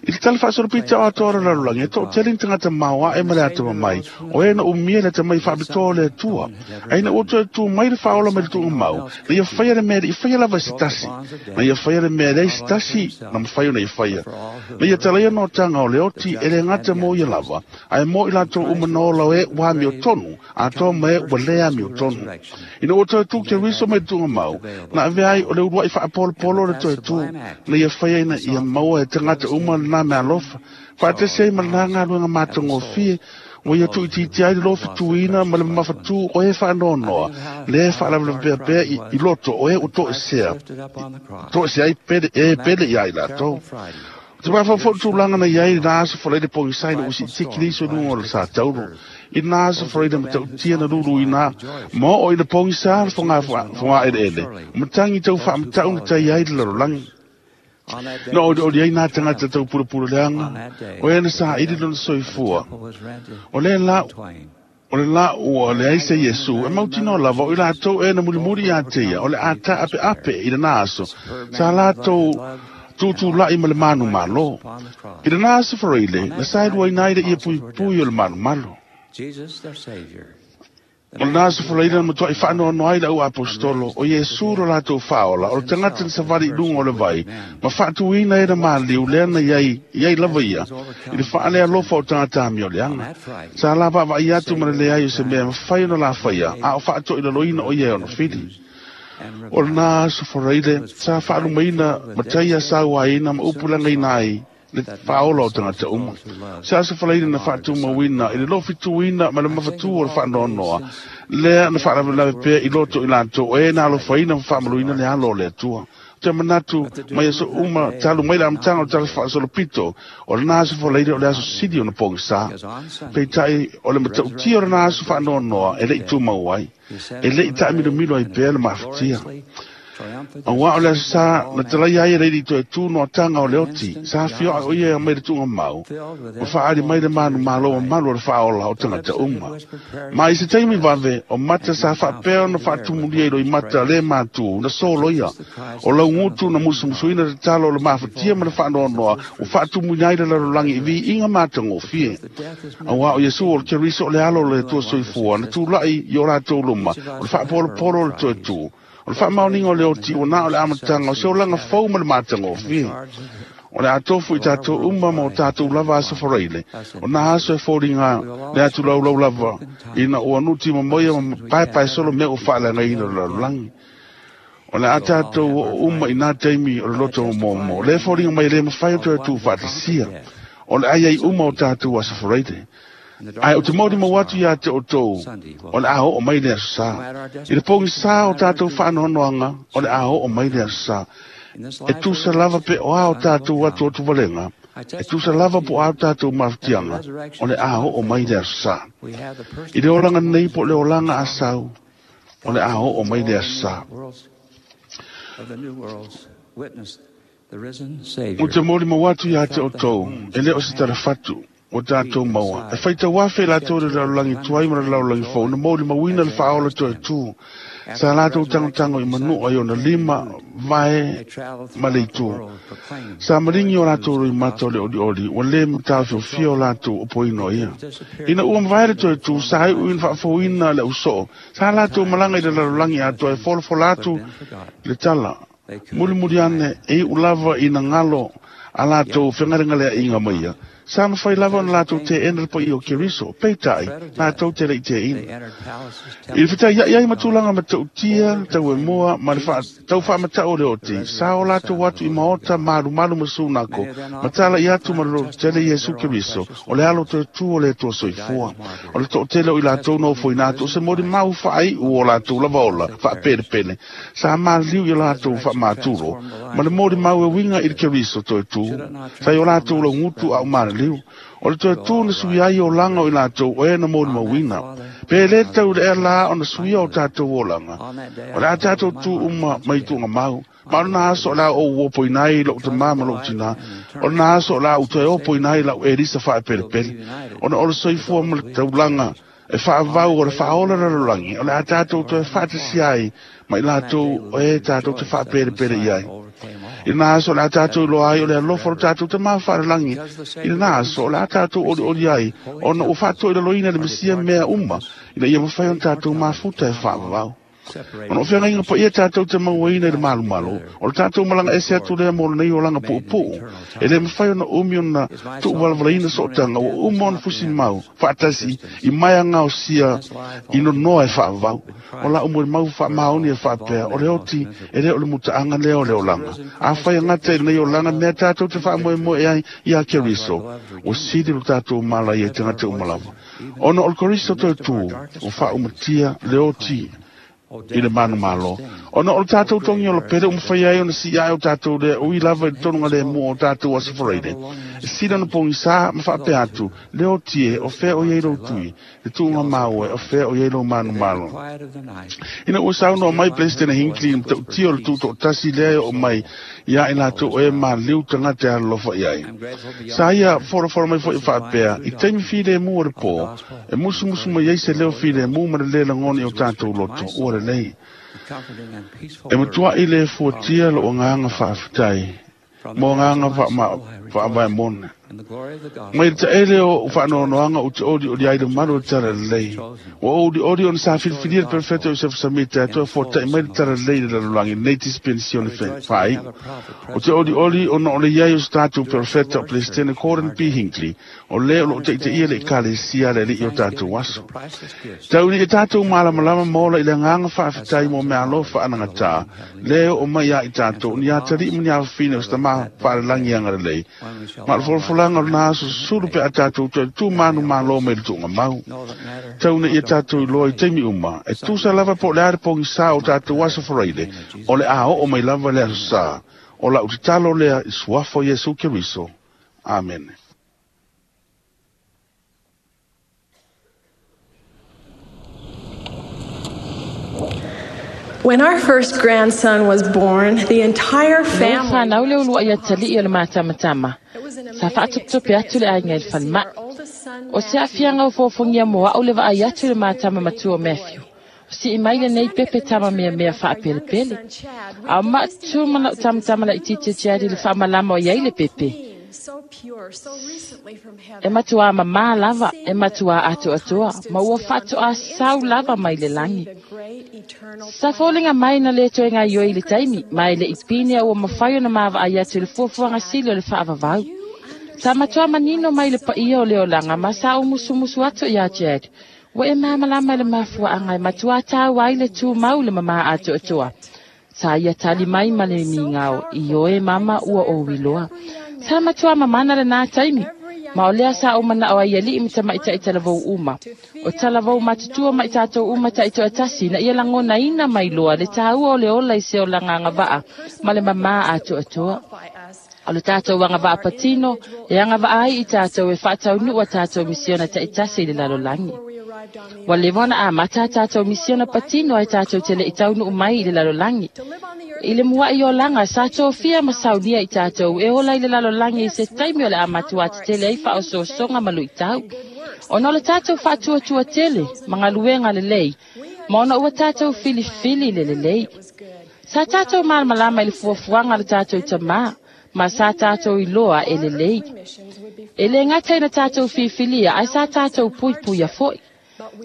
I le tala faasolopita o atoa o le lalolagi, e toatele ni tagata maoae ma le atamamai, o e na umia le atamai faapitoa o le Atua. Ae ina ua toe tu mai le faaola mai le tuugamau, na ia faia le mea e le i faia lava e se tasi, na ia faia le mea e leai se tasi na mafai ona ia faia. Na ia talaia notaga o le oti e le gata mo ia lava, ae mo i latou uma na ola o e ua amiotonu, atoa ma e ua le amiotonu. Ina ua toe tu Keriso mai le tuugamau, na avea ai o le uluai faapolopolo o le toe tu, na ia faia ina ia maua e tagata uma lena mea alofa, faatasi ai ma lena galuega matagofie, ua ia tuuitiitia ai le lofituina ma le mamafatū o e faanoanoa, le faalavelavea pea i, i loto o e ua toesea, toesea ai pele, e pele ia i latou. Te mafaufau tulaga na i ai lena aso folai le pogisai na usiitiki le iso i luga o le satauro. I lena aso folai le matautia na luluina ma oo i le pogisa le foga eleele, matagi tau faamatau na tai ai le lalolagi. Na olioli ai nā tagata tau pulapula leaga, o e na saili lona soifua. O le la, o le la ua leai se Iesu, e mautinoa lava o i latou e na mulimuli ia te ia, o le a taapeape i lena aso, sa latou tutulai ma le manumalo. I lena aso faraile, na saeluaina ai le ia puipui o le manumalo. O lena aso faraile na matuai faanoanoa ai le au apostolo, o Iesu lo latou faaola, o le tagata na savali i luga o le vai, ma faatuina e na maliu lea na iai, iai lava ia, i le faalealofa o tagata amioleaga. Sa la vaavaai atu ma le leai o se mea mafai ona lafaia, a o faatoilaloina o ia e ona fili. O lena aso faraile, sa faalumaina mataia sauaina ma upulagaina ai le faaola o tagata uma. Se aso faraile na faatumauina i le lofituina ma le mafatū o le faanoanoa, lea na faalavelave pea i loto i latou o e na alofaina ma faamaluina le alo o le Atua. Te manatu mai aso uma talu mai le amataga o le tala faasolopito, o lena aso faraile o le aso sili ona pogisa. Peitai o le matautia o lena aso faanoanoa e le i tumau ai, e le i taamilomilo ai pea le mafatia. Auā o le aso sa na talaia ai e le ili toe tū noataga o le oti, sa fioa o ia mai le tuugamau, ma faaali mai le manumalo mamalu o le faaola o tagata uma. Ma i se taimi vave, o mata sa faapea ona faatumulia i loimata le matū na soloia, o laugutu na musumusuina tatalo o le mafatia ma le faanoanoa, ua faatumuina ai le lalolagi i viiga matagofie. Auā o Iesu o le Keriso o le alo o le Atua soifua, na tulai i o latou luma, o le faapolopolo o le toe tū. O le faamaoniga o le oti ua na o le amataga o se olaga fou ma le matagofie. O le atofu i tatou uma ma o tatou lava aso faraile, o nā aso e foliga le atu laulau lava, ina ua nuti mamoia ma paepae solo mea ua faaleagaina o le lalolagi. O le a tatou oo uma i nā taimi o le loto momomo, le foliga mai le mafai o toe tuufaatasia. O le ai ai uma o tatou aso faraile. Ae o te mauri mau atu ia te outou, o le a oo mai le aso sa. I le pogisa o tatou faanoanoaga, o le a oo mai le aso sa. E tusa lava pe o a o tatou atu atu valega, e tusa lava po a o tatou mafatiaga, o le a oo mai le aso sa. I le olaga nei po le olaga a sau, o le a oo mai le aso sa. O te mauri mau atu ia te outou, e le o se talafatu, o tatou maua. E faitau afe latou le lalolagi tuai ma le lalolagi fou, na mauli mauina le faaola toe tū. Sa latou tagotago i manua i ona lima vae ma le itu. Sa maligi o latou loimata o le olioli, ua lē mataofiofia o latou opoina o ia. Ina ua mavae le toe tu, sa iu ina faafouina le ausoo. Sa latou malaga i le lalolagi atoa e folafola atu le tala. Mulimuli ane e iu lava ina galo a latou fegalegaleaʻiga mai ia. Sa mafai lava ona latou teena le paia o Keriso, peitai, latou te leʻi teina. I le fetaiaʻi ai ma tulaga matautia, tauemoa ma le taufaamataʻu o le oti, sa o latou atu i maota malumalu ma sunako, ma talaʻi atu ma le lototele Iesu Keriso, o le alo toe tu o le Atua soifua. O le toʻatele o i latou na ofoina atu o se molimau faaiʻu o latou lava ola faapelepele, sa maliliu ia latou faamaturo, ma le molimau e uiga i le Keriso toe tu, sa i o latou laugutu aʻo maliliu. O le toe tu na sui ai olaga o i latou o e na molimauina. Pe lē tau le ea lā ona suia o tatou olaga. O le a tatou tu uma mai tuugamau. Ma o lena aso o le a ou opoina ai loʻu tamā ma loʻu tinā. O lena aso o le a ou toe opoina ai lau elisa faapelepele. Ona o le soifua ma le taulaga e faavau o le faaola lalolagi. O le a tatou toe faatasia ai ma i latou o e tatou te faapelepele i ai. I lena aso o le a tatou iloa ai o le alofa o le tatou tamā faalelagi. I lena aso o le a tatou olioli ai ona ua faatoilaloina le Mesia mea uma ina ia mafai ona tatou mafuta e faavavau. Ona o feagaiga paia tatou te mauaina i le malumalo, o le tatou malaga ese atu lea mo lenei olaga puupuu. E lē mafai ona umi ona tuuvalavalaina sootaga ua uma ona fusi mau faatasi i maeagaosia i nonoa e faavavau. O lau molimau faamaoni e faapea, o le oti e lē o le mutaaga lea o le olaga. Afai agata i lenei olaga mea tatou te faamoemoe ai ia Keriso, ua sili lo tatou mala ia i tagata uma lava. Ona o le Keriso toe tu, ua faaumatia le oti i le manumalo. Ona o le tatou togi o le pele umafai ai ona siia ai o tatou lea ui lava i le tonuga lemu o tatou aso Faraile. E sili ona pogisā ma faapea atu, le oti e o fea o iai lou tui, le tuuga maua e o fea o iai lou manumalo. Ina ua saunoa mai Peresetene Hinckley i matautia o le tutoʻatasi lea e oo mai ia i latou o e maliliu tagata e alolofa i ai. Sa ia folafola mai foi faapea, i taimi filemu o le pō, e musumusu mai ai se leo filemu ma le lē lagona i o tatou loto, ua lelei. E matuaʻi le fuatia lou agaga faafetai mo agaga faavaemona. Mai le taele o ou faanoanoaga ou te olioli ai le malu o le tala lelei. Ua ou olioli ona sa filifilia le perofeta o Iosefa Samita e toe fuataʻi mai le tala lelei i le lalolagi lenei dispensione faaiʻu. O te olioli ona o le iai o se tatou perofeta o Peresetene Gordon B. Hinckley, o lē o loo taʻitaʻia le ekalesia a le aliʻi o tatou aso. Tau ina ia tatou malamalama ma ola i le agaga faafetai mo mea alofa anagatā, lē oo mai ia i tatou ni ataliʻi ma ni afafine o se tamā faalelagi agalelei. Ma o le folafolaga o lena aso susulu pe a tatou toe tu manumalo mai le tuugamau. Tau ina ia tatou iloa i taimi uma, e tusa lava po o le a le pogisā o tatou aso Faraile, o le a oo mai lava le aso sā. O lau tatalo lea i suafa o Iesu Keriso. Amene. When our first grandson was born, the entire Ina ua family fanau le uluaʻi ataliʻi o le matamatama, It was an sa amazing faatopetope atu le experience aiga i le to see falemai. our oldest son O se Matthew aafiaga o foafogia mo aʻu le vaai just atu i le new matama baby matua o boy. Matthew. O sii mai lenei While standing at pepe the tama nursery meamea with our youngest faapelepele. son Chad, we A o gazed into maʻatu the ma lau eyes of this tamatama new laʻitiiti little Chad i le spirit, faamalama o iai le so pepe. clean, so pure, so recently from E heaven. matuā mamā We could lava, see e that matuā all atoatoa, time stood ma ua still, and for faatoā an sau instant lava we mai could le see lagi. the great eternal Sa plan. foliga mai na lē toe The gaioi i le secret taimi, of ma e life leʻi was pine a crystal ua mafai clear ona maavaai and atu i le whispered to fuafuaga Chad, sili o le Do faavavau. you Sa matuā understand why manino it's mai le so paia o le important olaga to ma remain sa clean umusumusu and atu iā pure? Chad. Ua e Yes, malamalama i le I mafuaaga e reply. matuā tāua ai le Yes, tumau le mamā I atoatoa. get it. Sa ia tali That mai moment ma le was so migao, i powerful oe that I mama ua desire ou for iloa. every young Sa man matuā mamana lenā taimi, every young ma o lea adult, sa ou and manaʻo ai aliʻi ma each one tamaitaʻi of talavou us uma. to O feel talavou and matutua know ma i the tatou uma importance of taʻitoatasi living na ia a holy lagonaina and mai true loa le life. tāua o le ola i se olaga It is agavaʻa our ma personal le mamā privilege that will atoatoa. qualify us O le to tatou fulfill our agavaʻa patino individual e earthly agavaʻa ai i missions. tatou e Our faataunuʻu a tatou personal misiona mission taʻitasi i le began long lalolagi. before we arrived on the Ua earth. leva ona amata a And we tatou pray for the misiona life patino we ai were tatou te leʻi called taunuʻu to mai i le live. lalolagi. To live on the earth I at le a muaʻi time of olaga sa temptations and tofia ma challenges saunia i with wicked tatou e ways. ola i le lalolagi i se This, with taimi o our le amatuā account of our tetele ai exceeding faaosoosoga faith ma luʻitau. and good works Ona o that le are tatou because of our faatuatua having tele chosen ma the galuega Lord. lelei, We Ma ona ua tātou filifili le lelei. Sa tātou malamalama i le fuafuaga a le tātou tamā, ma sa tātou iloa e lelei. E le gata ina tātou filifilia, ae sa tātou puipuia fo'i.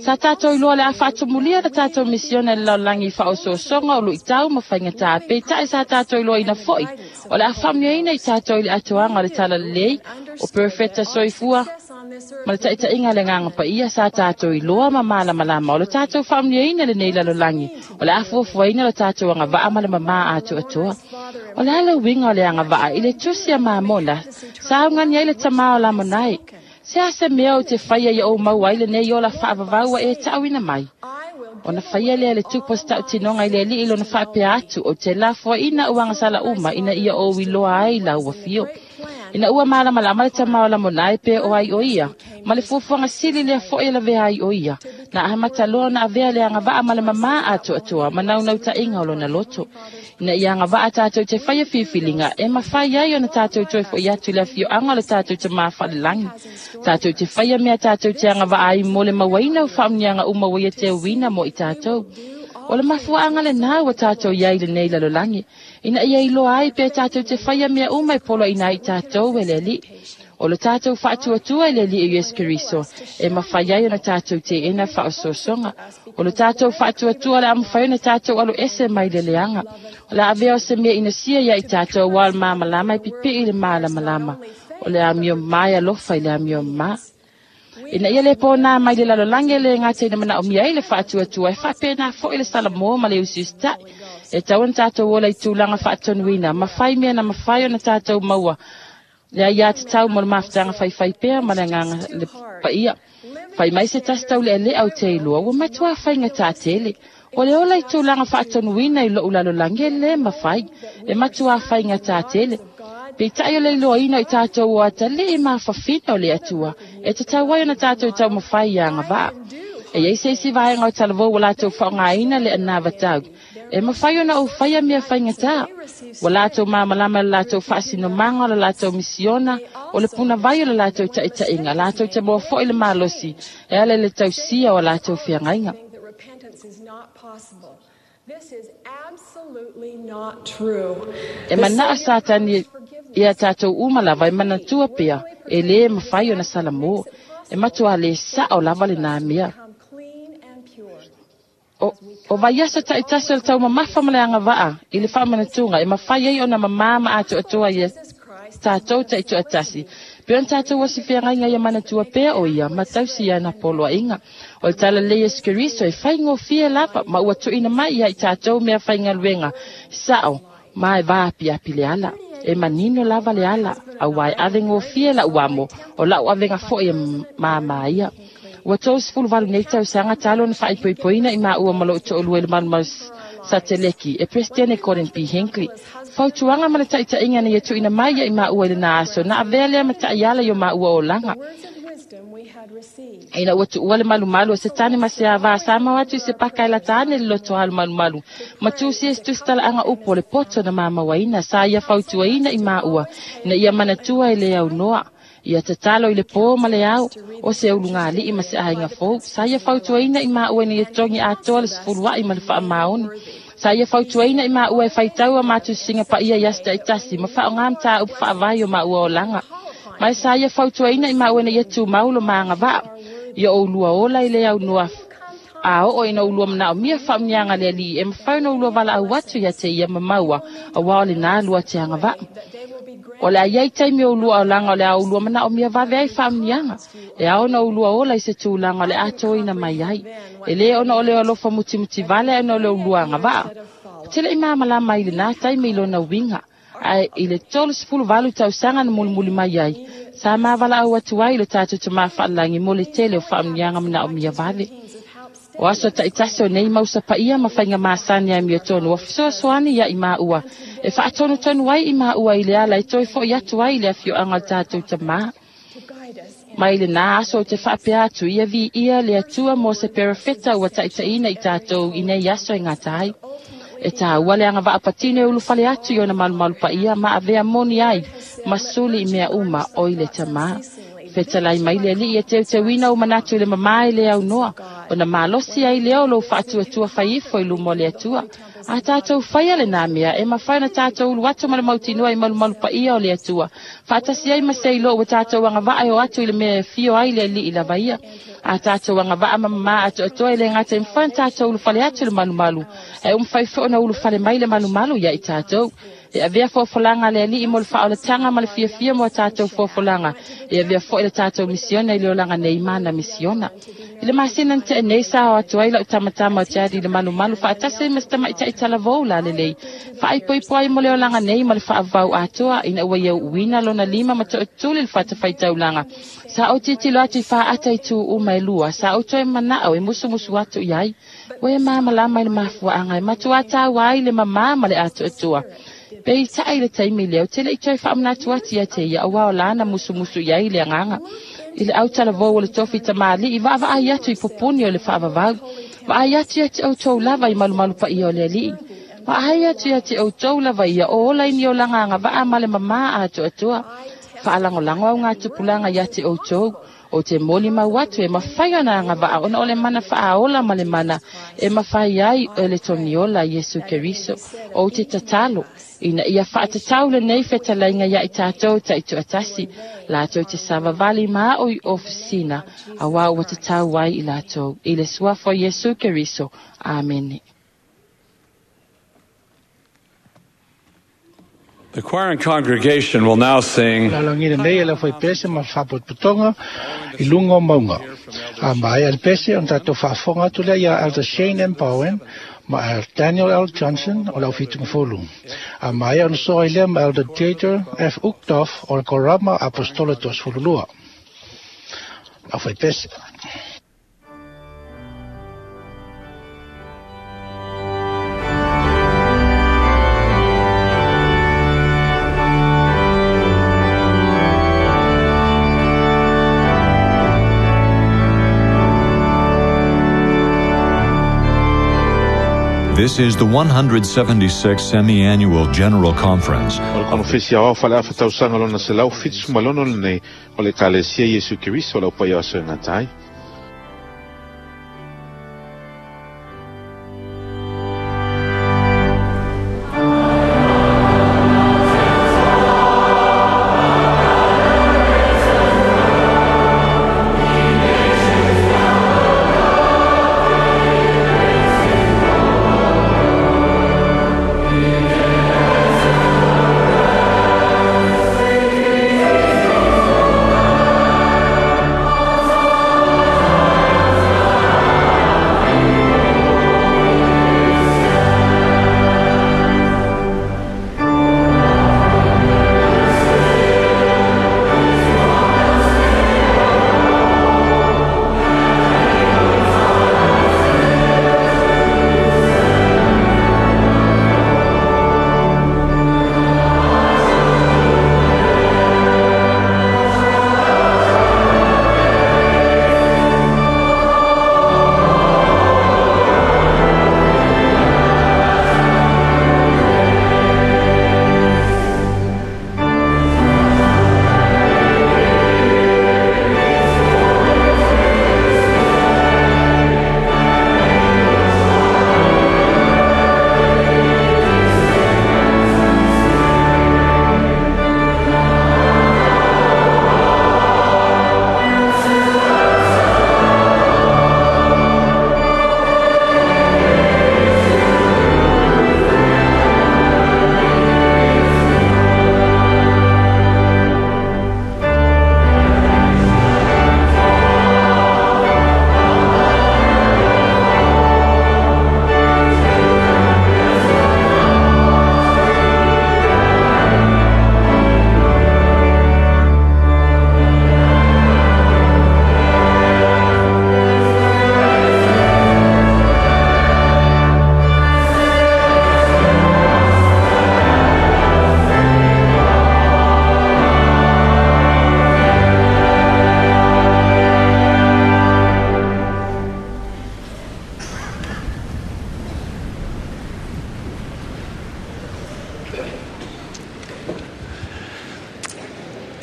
Sa tātou iloa le a faatumulia le tātou misiona i le lalolagi i faaosoosoga o luitau ma faigatā, peitai sa tātou iloaina fo'i o le a faamanuiaina i tātou i le atoaga o le talalelei o Perofeta soifua ma le taitaiga le agaga paia. Sa tātou iloa ma malamalama o le tātou faamanuiaina lenei lalolagi o le a fuafuaina le tātou agavaa ma le mamā atoatoa. O le a le uiga o le agavaa i le tusi a Mamona sa augani ai le tamā o Lamonai. Se a se mea o te whaia i o mau ai lenei ola whaavavau e tauina mai. Ona whaia lea le tupo stau tinonga i le alii lona whaapea atu o te lafoa ina uanga sala uma ina ia o iloa ai la ua fio. Ina ua malamalama le tamā o Lamonai pe o ai o ia, ma le fuafuaga sili lea fo'i e lavea ai o ia. Na ahamata loa na avea le agavaa ma le mamā atoatoa ma naunautāiga o lona loto. Ina ia agavaa tātou te whaia filifiliga e mafai ai ona tātou toe fo'i atu i le afioaga o le tātou tamā faalelagi. Tātou te whaia mea tātou te agavaa ai mo le mauaina o faamanuiaga uma ua ia teuina mo i tātou. O le mafuaaga lenā ua tātou iai lenei lalolagi. Ina ia iloa ai pe tātou te whaia mea uma e poloaina ai tātou e le Alii. O le tātou faatuatua i le Alii Iesu Keriso e mafai ai ona tātou teena faaosoosoga. O le tātou faatuatua le a mafai ona tātou alo ese mai le leaga. O le avea o se mea inasia ia i tātou ua o le malamalama e pipii i le malamalama. O le amio mai alofa i le amio mā. Ina ia le pōnā mai le lalolagi e le gata ina manaomia ai le faatuatua e faapena fo'i le salamo ma le usiusita'i. E tau ona tātou ola i tulaga faatonuina, ma fai mea na mafai ona tātou maua. Le aiā tatau mo le mafutaga faifai pea ma le agaga le paia. Fai mai se tasi tau le'ale'a o te iloa, ua matuā faigatā tele. O le ola i tulaga faatonuina i lo'u lalolagi e lē mafai, e matuā faigatā tele. Peitai o le iloaina i tātou o atalii mafafina o le Atua, e tatau ai ona tātou taumafai ia agavaa. E iai se isi vaega o talavou ua latou faaaogāina le anavatau. E mafai ona ou faia mea faigatā. Ua latou malamalama i le latou faasinomaga o le latou misiona, o le punavai o le latou taitaiga, latou te maua fo'i le malosi e ala i le tausia o a latou feagaiga. This is absolutely not true. E manaa Satani ia tātou uma lava e manatua pea e lē mafai ona salamo. E matua le sa'o lava lenā mea. O, o vaiaso ta'itasi o le taumamafa ma le agavaa i le faamanatuga e mafai ai ona mamā ma atoatoa ia tātou ta'itoatasi. Pe ona tātou osi feagaiga ia manatua pea o ia ma tausi ana poloaiga. O le talalelei Iesu Keriso e faigofie lava ma ua tuuina mai ia i tātou mea faigaluega sa'o ma e vaapiapi le ala. E manino lava le ala, auā e avegofie la'u amo o la'u avega fo'i e māmā ia. Ua tolu valu nei tausaga talo ona faaipoipoina i maua ma lo'u to'alua i le malumalu sateleki e Presidente Gordon B. Hinckley. Fautuaga ma le taitaiga na ia tuuina mai ia i maua i lenā aso na avea lea ma ta'iala i o maua olaga. Ina ua tuua le malumalu o se tane ma se avā sa mau atu i se paka e lata ane le loto alu malumalu. Ma tusi e se tusitalaaga upu o le poto na mamauaina sa ia fautuaina i maua ina ia manatua e le aunoa. Ia tatalo i le pō ma le ao o se ulugalii ma se aiga fou. Sa ia fautuaina i maua ina ia togi atoa le sefulua'i ma le faamaoni. Sa ia fautuaina i maua e faitau a matusiga paia i aso ta'itasi ma faaaogā matāupu faavae o maua olaga. Mai sa ia fautuaina i maua ina ia tumau lo maagavaa. Ia oulua ola i le aunoa a oo ina ulua manaomia faamanuiaga a le Alii e mafai ona ulua valaau atu ia te ia ma maua auā o lenā lua te agavaa. O le a iai taimi o ulua olaga o le a ulua manaomia vave ai faamanuiaga. E ao ona ulua ola i se tulaga o le atoaina mai ai. E lē ona o le alofa mutimuti vale ae ona o le ulua agavaa. O te le'i malamalama i lenā taimi i lona uiga. Ae i le tolu valu tausaga na mulimuli mai ai, sa mavalaau atu ai i le tātou tamā faalelagi mo le tele o faamanuiaga manaomia vave. O aso ta'itasi o nei mausa paia ma faiga masani ai miotonu ua fesoasoani ia i maua e faatonutonu ai i maua i le ala e toe fo'i atu ai i le afioaga o le tātou tamā. Mai lenā aso o te faapea atu ia viia le Atua mo se perofeta ua taitaʻina i tātou i nei aso e gata ai. E tāua le agavaa patino e ulufale atu i ona malumalu paia ma avea moni ai ma suli i mea uma o i le tamā. Fetalai mai le Alii e teuteuina o manatu i le mamā e le aunoa. Ona malosi ai lea o lou faatuatua faifo i luma o le Atua. A tātou whaia le nā mea, e mawhai na tātou ulu atu ma le mautinoa i malumalu paia o le Atua. Whaatasi ai ma sei lo ua tātou anga vaa o atu i le mea e fio ai le alii lava ia. A tātou anga vaa mamama atu atoa i le ngata i mwhai tātou ulu whale atu le malumalu. E umwhai fo na ulu whale mai le malumalu ia i tātou. E avea fofolanga le alii mo le whaolatanga ma le fiafia mo tātou fofolanga. E avea fo i le tātou misiona i le olanga nei mana misiona. I le masina nte nei sa o atu ai lau tamatama o te adi le malumalu whaatase ma stama i tai talavou la lelei. Whaaipoipo ai mo le olanga nei ma le whaavau atoa ina ua iau uina lona lima ma to'otuli le whatafaitaulanga. Sa o titilo atu i whaata i tū uma e lua. Sa o toe manao e musumusu atu i ai. Ua e māmalama i le mafuaanga e matua tāu ai le mamā ma le atu atua. Pei ta'i le taimi leo, te lei toi whaamnatu ati ia te ia, aua o lana musumusu ia i le anganga. I le autalavou o le tofi tamali, i vaavaai atu i pupuni o le whaavavau. Vaai atu ia te outou lava i malumalu pa ia o le alii. Vaai atu ia te outou lava ia o ola i ni o langa vaa ma le mamā atu atua. Whaalangolango au ngā tupulanga ia te outou. O te moli mau atu e mawhai ana anga vaa ona o le mana whaaola ma le mana e mawhai ai e le toniola Yesu Keriso. O te tatalo ina ia whaatatau le nei whetalainga ia i tātou ta i tuatasi lātou te savavali maa o i ofisina a wā ua te tau ai i lātou. I le suafo Yesu Keriso. Amene. The choir and congregation will now sing. Lalangina nei le foi pese ma faapotopotoga i luga o mauga. A mai le pese ona tatou faafofoga atu lea ia Elder Shane M. Bowen ma Elder Daniel L. Johnson o le aufitugafulu. A mai ona soa i lea ma Elder Dieter F. Uchtdorf o le Korama Apostola Toasefululua. Au foi pese. This is the one hundred seventy-sixth Semi-Annual General Conference. O le konofesi aoao faleafatausaga lona selau fitu malono lenei o le Ekalesia Iesu Keriso o le aupaia o aso e gata ai.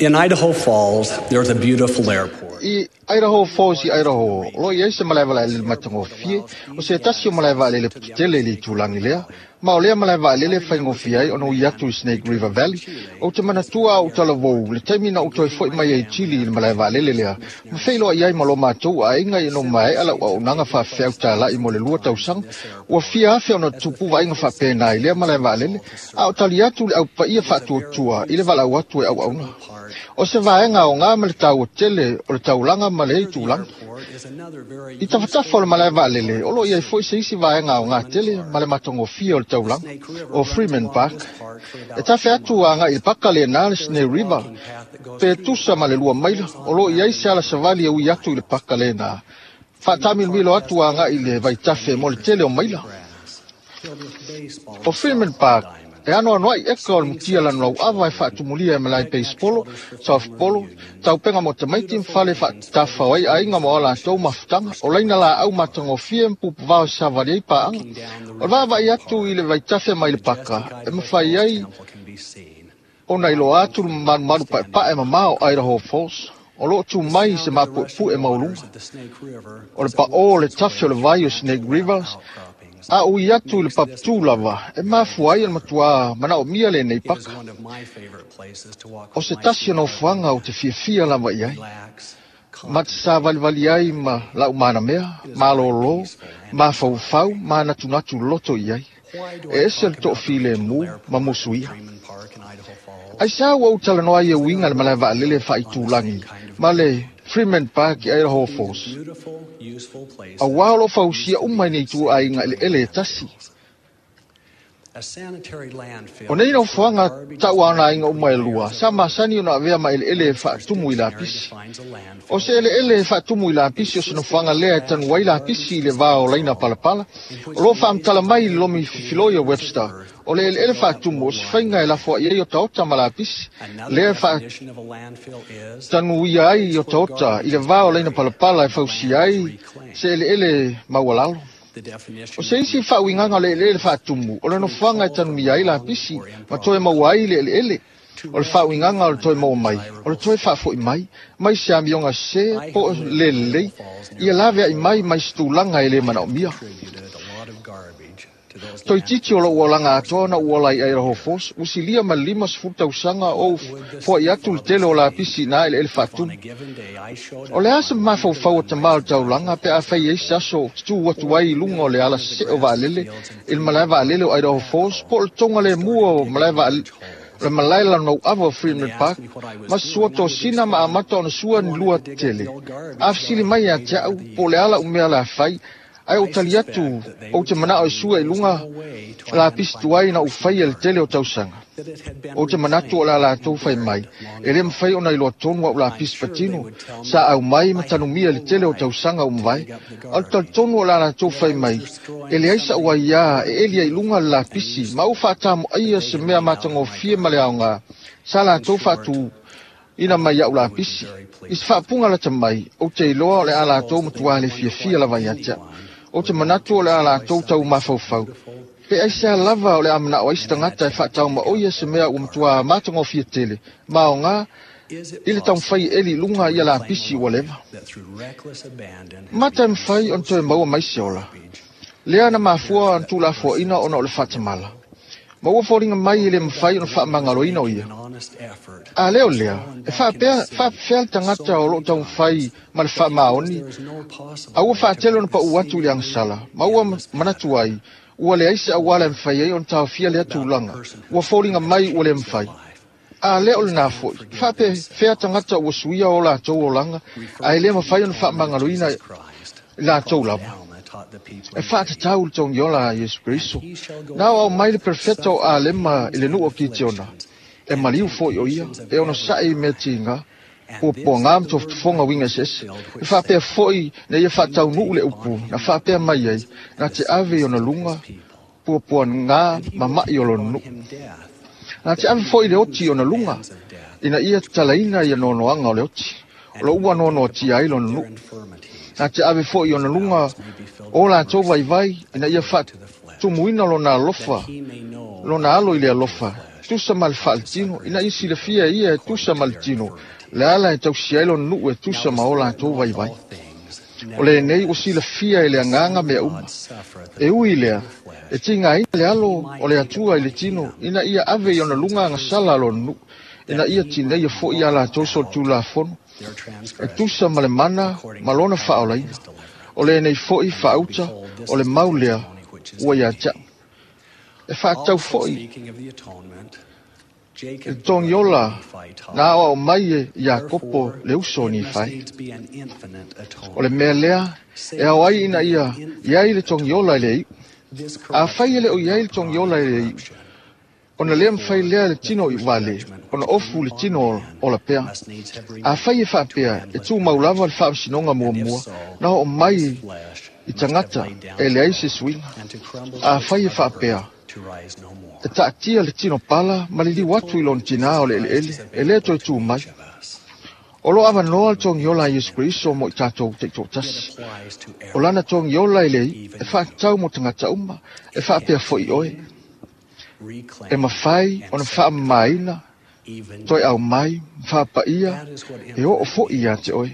In Idaho Falls, there's a beautiful airport. I Idaho Falls i Idaho, o loo i ai se malae vaalele matagofie, o se tasi o malae vaalele tetele i le itulagi lea, ma o lea malae vaalele e faigofie ai ona ui atu i Snake River Valley. Ou te manatua a ou talavou le taimi na ou toe fo'i mai ai Chile i le malae vaalele lea, ma feiloai ai ma lo matou aiga ina ua maea lau auaunaga faafefeau tala'i mo le lua tausaga. Ua fia afe ona tupu vaaiga faapena i lea malae vaalele, a o tali atu le aupaia faatuatua i le valaau atu e auauna. O se vaega aoga ma le taua tele o le taulaga ma le itulagi. I tafatafa o le malae vaalele, o loo i ai fo'i se isi vaega aoga tele ma le matagofie o le taulaga, o Freeman Park. E tafe atu aga'i i le paka lenā le Snake River, pe tusa ma le lua maila, o loo i ai se ala savali e ui atu i le paka lenā. Faatamilomilo atu aga'i i le vaitafe mo le tele o maila. O Freeman Park, e anoanoa'i eka o le mutia lanulau'ava e faatumulia e malae peisipolo, softbolo, taupega mo tamaiti ma fale faatafao ai aiga mo a latou mafutaga, o laina laau matagofie ma pupuvao e savali ai paaga. O le vaavaai atu i le vaitafe mai le paka, e mafai ai ona iloa atu le malumalu paepae mamao o Idaho Falls, o loo tu mai se mapuepue maualuga. O le paʻō o le tafe o le vai o Snake Rivers, a ui atu i le papatū lava, e mafua ai o le matuā manaomia lenei paka. O se tasi o nofoaga ou te fiafia lava i ai. Ma te savalivali ai ma la'u manamea, malōlō, mafaufau, manatunatu loto i ai. E ese le to'afilemu ma musuia. Aisā ua ou talanoa ai e uiga le malae vaalele faaitulagi ma le Freeman Park i Idaho Falls. Auā o loo fausia uma i nei ituaiga eleele e tasi. O nei nofoaga ta'u aiga uma e lua, sa masani ona avea ma eleele e faatumu i lapisi. O se eleele e faatumu i lapisi o se nofoaga lea e tanu ai lapisi i le vā o laina palapala. O loo faamatala mai i le lomi fifiloi o Webster, o le eleele faatumu o se faiga e lafoa'i ai otaota ma lapisi, lea e faatanuia ai otaota i le vā o laina palapala e fausia ai se eleele maualalo. O se isi faauigaga o le eleele faatumu, o le nofoaga e tanumia ai lapisi ma toe maua ai le eleele. O le faauigaga o le toe maua mai, o le toe faafo'i mai, mai se amioga sesē po o le lelei, ia lavea'i mai mai se tulaga e lē manaomia. Toititi o lou olaga atoa ona ou ola i Idaho Falls, ua silia ma le lima sefulu tausaga o ou foa'i atu le tele o lapisi iinā eleele faatumu. O le a se mafaufau o tamā o le taulaga pe afai ai se aso tu atu ai i luga o le ala se'e o vaalele i le malae vaalele o Idaho Falls po o le toga lemua o malae vaalele le malae lanulau'ava o Freeman Park, ma sua tosina ma amata ona sua ni lua tele. A fesili mai ia te a'u po o le ala umea le afai, ae ou tali atu ou te mana'o e sua i luga lapisi tuai na ou faia le tele o tausaga. Ou te manatu o le a latou fai mai, e lē mafai ona iloa tonu a'u lapisi patino, sa aumai ma tanumia le tele o tausaga ua mavae. A o le talitonu o le a latou fai mai, e leai sa'u aiā e eli ai luga le lapisi, ma ou faatamo'aia se mea matagofie ma le aogā, sa latou faatu ina mai a'u lapisi. I se faapuga lata mai, ou te iloa o le a latou matuā le fiafia lava ia te a'u. Ou te manatu o le a latou tau mafaufau. Pe aisea lava o le a mana'o ai se tagata e faataumaoia se mea ua matuā matagofie tele, ma aogā i le taumafai e eli i luga ia lapisi ua leva. Mata e mafai ona toe maua mai se ola. Lea na mafua ona tuulafoaʻina ona o le faatamala. Ma ua foliga mai e lē mafai ona faamagaloina o ia. A lea o lea, e faapea faapefea le tagata o loo taumafai ma le faamaoni, a ua faatele ona paʻu atu i le agasala, ma ua manatu ai, ua leai se auala e mafai ai ona taofia lea tulaga, ua foliga mai ua lē mafai. A lea o lenā fo'i, faapefea tagata ua suia o latou olaga, ae lē mafai ona faamagaloina i latou lava. E faatatau le togiola a Iesu Keriso. Na aoao mai le perofeta o Alema i le nuu o Kitiona, e maliu fo'i o ia, e onosa'i i mea tiga, puapuagā ma tofotofoga uiga eseese. E faapea fo'i na ia faataunuu le upu, na faapea mai ai, na te ave i ona luga, puapuagā ma ma'i o lona nuu. Na te ave fo'i le oti i ona luga, ina ia tatalaina ia noanoaga o le oti, o loo ua noanoatia ai lona nuu. Na te ave fo'i ona luga o latou vaivai, ina ia faatumuina lona alofa, lona alo i le alofa, tusa ma le faaletino, ina ia silafia e ia e tusa ma le tino, Le ala e tausi ai lona nuu e tusa ma o latou vaivai. O lenei ua silafia e le agaga mea uma. E ui lea, e tigaina le alo o le Atua i le tino, ina ia ave i ona luga agasala a lona nuu, ina ia tineia fo'i a latou solitulafono, e tusa ma le mana ma lona faaolaina. O lenei fo'i faauta o le mau lea ua ia te a'u. E faatatau fo'i le togiola na aoao mai e Iakopo le uso o Nifai. O le mea lea e ao ai ina ia iai le togiola i le iu. Afai e le o iai le togiola i le iu, ona lea mafai lea le tino i vale, ona ofu le tino o la pea. Afai e faapea e tumau lava le faamasinoga muamua, na oo mai i tagata e leai se suiga. Afai e faapea e taatia le tino pala ma le liu atu i lona tinā o le eleele, e lē toe tū mai. O lo avanoa le togiola a Iesu Keriso mo i tatou taitoatasi. O lana togiola e le iu, e faatatau mo tagata uma, e faapea fo'i oe. E mafai ona faamamaina, toe aumai, ma faapaia, e oo fo'i ia te oe.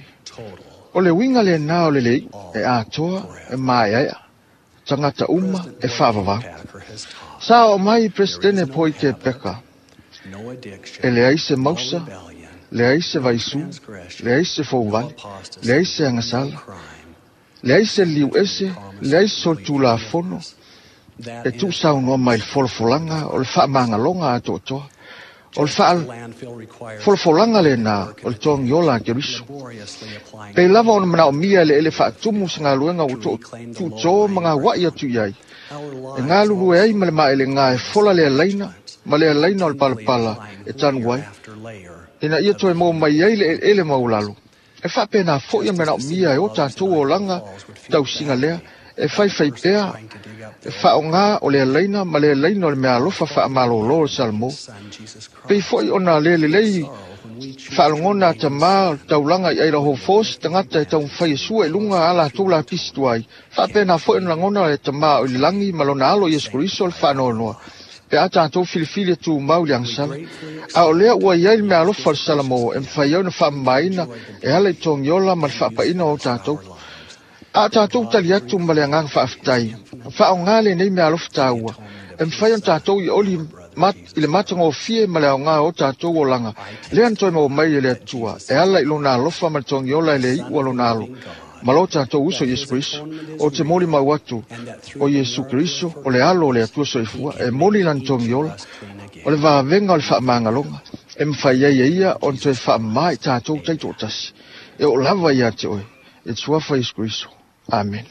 O le uiga lenā o le le iu, e atoa, e maeaea, tagata uma e faavavau. Sa oo mai Peresetene Poi Te Peka, e leai se mausa, leai se vaisū, leai se fouvale, leai se agasala, leai se liu ese, leai se solitulafono, e tuusaunoa mai le folafolaga o le faamagaloga a toatoa. O le faafolafolaga lenā o le togiola a Keriso. Pei lava ona manaomia e le ele faatumu se galuega ua tuutō ma gaua'i atu i ai. E galulue ai ma le maelegā e fola le alaina ma le alaina o le palapala e tanu ai, ina ia toe maua mai ai le eleele maulalo. E faapenā fo'i a manaomia e o tatou olaga tausiga lea, e faifai pea e faaogā o le alaina ma le alaina o le meaalofa faamalōlō o le Salamo. Pei fo'i ona le lelei faalogona a tamā o le taulaga i Idaho Falls, tagata e taumafai e sua i luga a latou lapisi tuai. Faapenā fo'i ona lagona le tamā o i le lagi ma lona alo Iesu Keriso le faanoanoa, pe a tatou filifili e tumau i le agasala. A o lea ua iai le meaalofa o le Salamo e mafai ai ona faamamaina e ala i togiola ma le faapaina o tatou. A tatou tali atu ma le agaga faafetai, faaogā lenei meaalofa taua, e mafai ona tatou i oli i le matagofie ma le aogā o tatou olaga, lea na toe maua mai e le Atua, e ala i lona alofa ma le togiola e le iu a lona alo, ma lo tatou uso Iesu Keriso. O te moli mau atu o Iesu Keriso, o le alo o le Atua soifua, e moli lana togiola, o le vavega o le faamagaloga, e mafai ai e ia ona toe faamamā i tatou taitoatasi. E oo lava ia te oe, e suafa Iesu Keriso. Amen.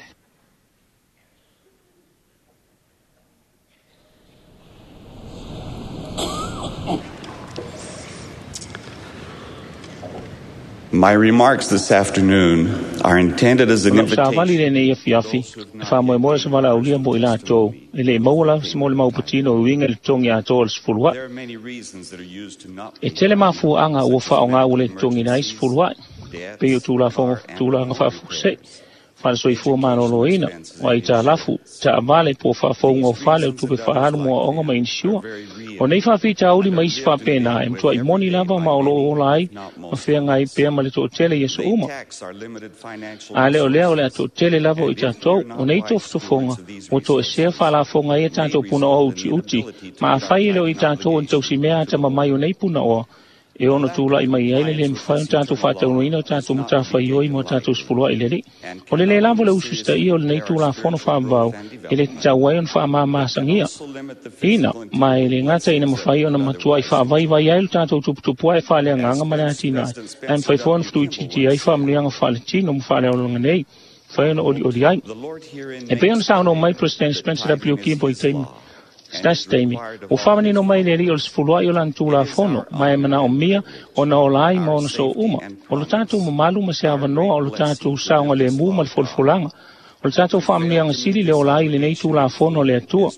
My remarks this afternoon are intended as an invitation. Savali lenei afiafi, e faamoemoe se valaaulia mo i latou, e le maua lava se molimau patino i uiga i le totogi atoa o le sefulua'i. E tele mafuaaga ua faaogā ua le totogiina ai sefulua'i, pei o tulafono tulaga faafuasei, faalesoifua malōlōina, o aitalafu, taavale po o faafouga o fale o tupe faaalu mo aoga ma inisiua. O nei faafitauli ma isi faapenā e matua'i moni lava ma o loo ola ai ma feagai pea ma le toatele i aso uma. A lea o lea o le a toatele lava o i tatou, o nei tofotofoga ua toesea faalafoga ai a tatou punaoa utiuti, ma afai e le o i tatou ona tausimea atamamai o nei punaoa, e ono tula'i mai ai le lē mafai ona tatou faataunuina o tatou matafaioi mo tatou sefulua'i le Alii. O le lē lava le ususitaia o lenei tulafono faavavau e le tatau ai ona faamamasagia ina, ma e le gata ina mafai ona matua'i faavaivai ai lo tatou tuputupu ae faaleagaga ma le atinae, ae mafai foi ona fetuitiiti ai faamanuiaga faaletino ma faaleolaga nei, fai ona olioli ai. E pei ona saunoa mai President Spencer W. Kimball i taimi se taimi, ua faamanino mai le Alii o le sefulua'i o lana tulafono, ma e manaomia ona ola ai ma ona soo uma. O lo tatou mamalu ma se avanoa o lo tatou saogalēmū ma le folafolaga, o le tatou faamanuiaga sili le ola ai i lenei tulafono a le Atua.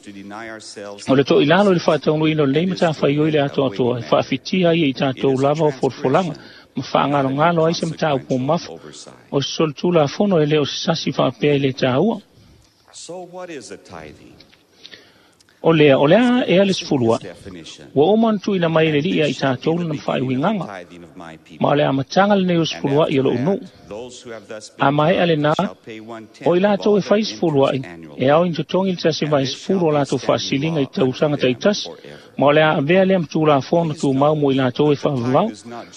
O le to'ilalo i le faataunuuina o lenei matafaioi le atoatoa e faafitia ai e i tatou lava o folafolaga ma faagalogalo ai se mataupu mamafa o se solitulafono e le o se sasi faapea i le tāua. So what is a tithing? O lea, o lea e ale sefulu a'i. Ua uma ona tuuina mai e le Alii ia i tatou lana faaiuigaga. Ma o le amataga lenei o le sefulu a'i o lo'u nuu. A maea lenā, o i latou e fai sefulu a'i, e ao ina totogi le tasi vae sefulu o latou faasiliga i tausaga taitasi, ma o le a avea lea ma tulafono tumau mo i latou e faavavau.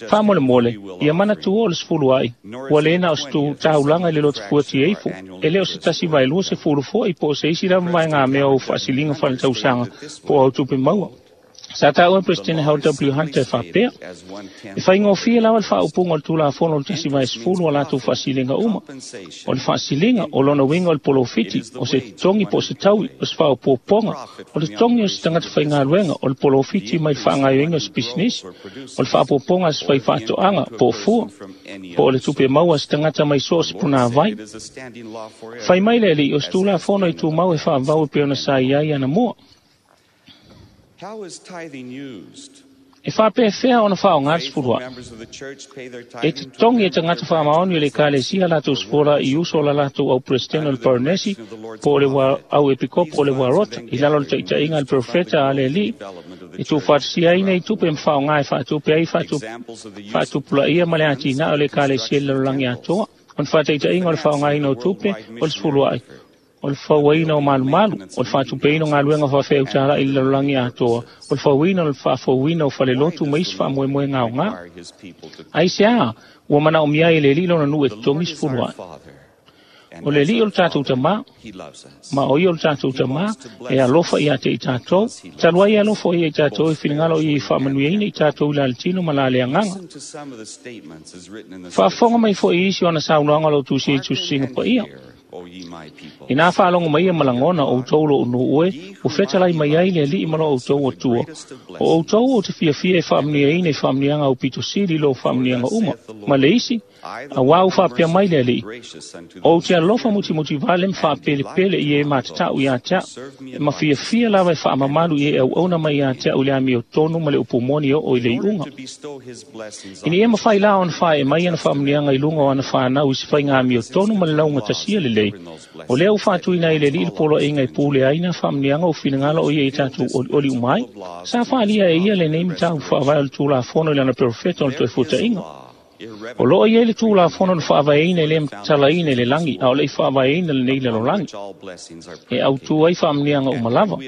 Faamolemole, ia manatua o le sefulu a'i, ua le na o se taulaga i le lotofua tieifo, e le o se tasi vaelua sefulu fo'i po o se isi lava vaegamea o faasiliga faaletausaga po o au tupe maua. Sa taua e Peresetene Howard W. Hunter e faapea, e faigofie lava le faaupuga o le Tulafono o le tasi vae sefulu o latou faasiliga uma. O le faasiliga, o lona uiga o le polofiti, o se totogi po o se taui, o se faaopoopoga, o le totogi o se tagata faigaluega, o le polofiti mai le faagaoioiga o se pisinisi, o le faaopoopoga a se faifaatoaga po o fua, po o le tupe maua a se tagata mai so o se punāvai. Fai mai le Alii, o se Tulafono e tumau e faavavau e pei ona sa i ai anamua. How is tithing used? E faapefea ona faaaoga le sefulu a'i. E totogi e tagata faamaoni o le Ekalesia latou sefula i uso o la latou au peresetene o le Parenesi po o le au epikopo o le Uarota i lalo o le taitaiga a le perofeta a le Alii e tuufaatasia ai nei tupe ma faaaoga e faatupe ai faatupulaia ma le atinae o le Ekalesia i le lalolagi atoa. O le faataitaiga o le faaaogaina o tupe o le sefulu a'i, o le fauaina o malumalu, o le faatupeina o galuega faafeautala'i i le lalolagi atoa, o le fauina o le faafouina o falelotu ma isi faamoemoega aoga. Aisea, ua manaomia ai e le Alii lona nuu e totogi sefulu a'i. O le Alii o le tatou Tamā, ma o ia o le tatou Tamā, e alofa ia te i tatou, talu ai e alofa ia i tatou e finagalo o ia i faamanuiaina i tatou i la le tino ma la le agaga. Faafofoga mai foi i isi o ana saunoaga o lo o tusia i tusisiga paia. Inā faalogo mai ia ma lagona o outou lo'u nuu e, ua fetalai mai ai le Alii ma lo outou Atua. O outou ou te fiafia e faamanuiaina i faamanuiaga aupito sili i lo faamanuiaga uma. Ma le isi, auā ua faapea mai le Alii, o ou te alofa mutimutivale ma faapelepele i e matata'u iā te a'u, e mafiafia lava e faamamalu i e auauna mai iā te a'u i le amiotonu ma le upu moni e oo i le iuga. Ina ia mafai la ona faaee mai ana faamanuiaga i luga o ana fanau i se faiga amiotonu ma le laugatasia lelei, o lea ua faatuina ai le Alii le poloaiga e pule ai nā faamanuiaga o finagalo o ia i tatou olioli uma ai. Sa faaalia e ia lenei mataupu faavae o le Tulafono i lana perofeta o le Toefuataiga. O loo i ai le Tulafono na faavaeina e le matalaina i le lagi, a o le i faavaeina lenei lalolagi, e autū ai faamanuiaga uma lava.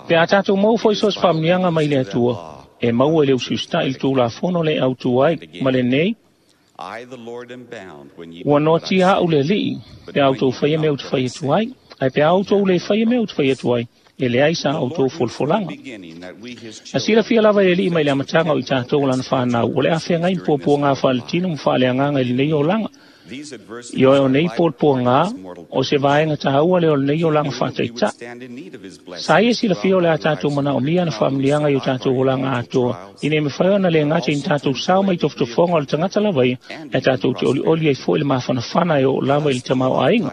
Pe a tatou maua foi so o se faamanuiaga mai le Atua, e maua i le usiusita'i i le Tulafono le autū ai, ma lenei, ua noatia a'u le Alii, pe a outou faia mea ou te fai atu ai, ae pe a outou lē faia mea ou te fai atu ai, e leai sa outou folafolaga. Na silafia lava e le Alii mai le amataga o i tatou o lana fanau, o le a feagai ma puapuagā faaletino ma faaleagaga i lenei olaga. Ioe o nei puapuagā, o se vaega taua lea o lenei olaga faataita'i. Sa ia silafia o le a tatou manaomia ana faamanuiaga i o tatou olaga atoa, ina ia mafai ona le gata i ni tatou sao mai tofotofoga o le tagata lava ia, ae tatou te olioli ai foi i le mafanafana e oo lava i le tamaoaiga.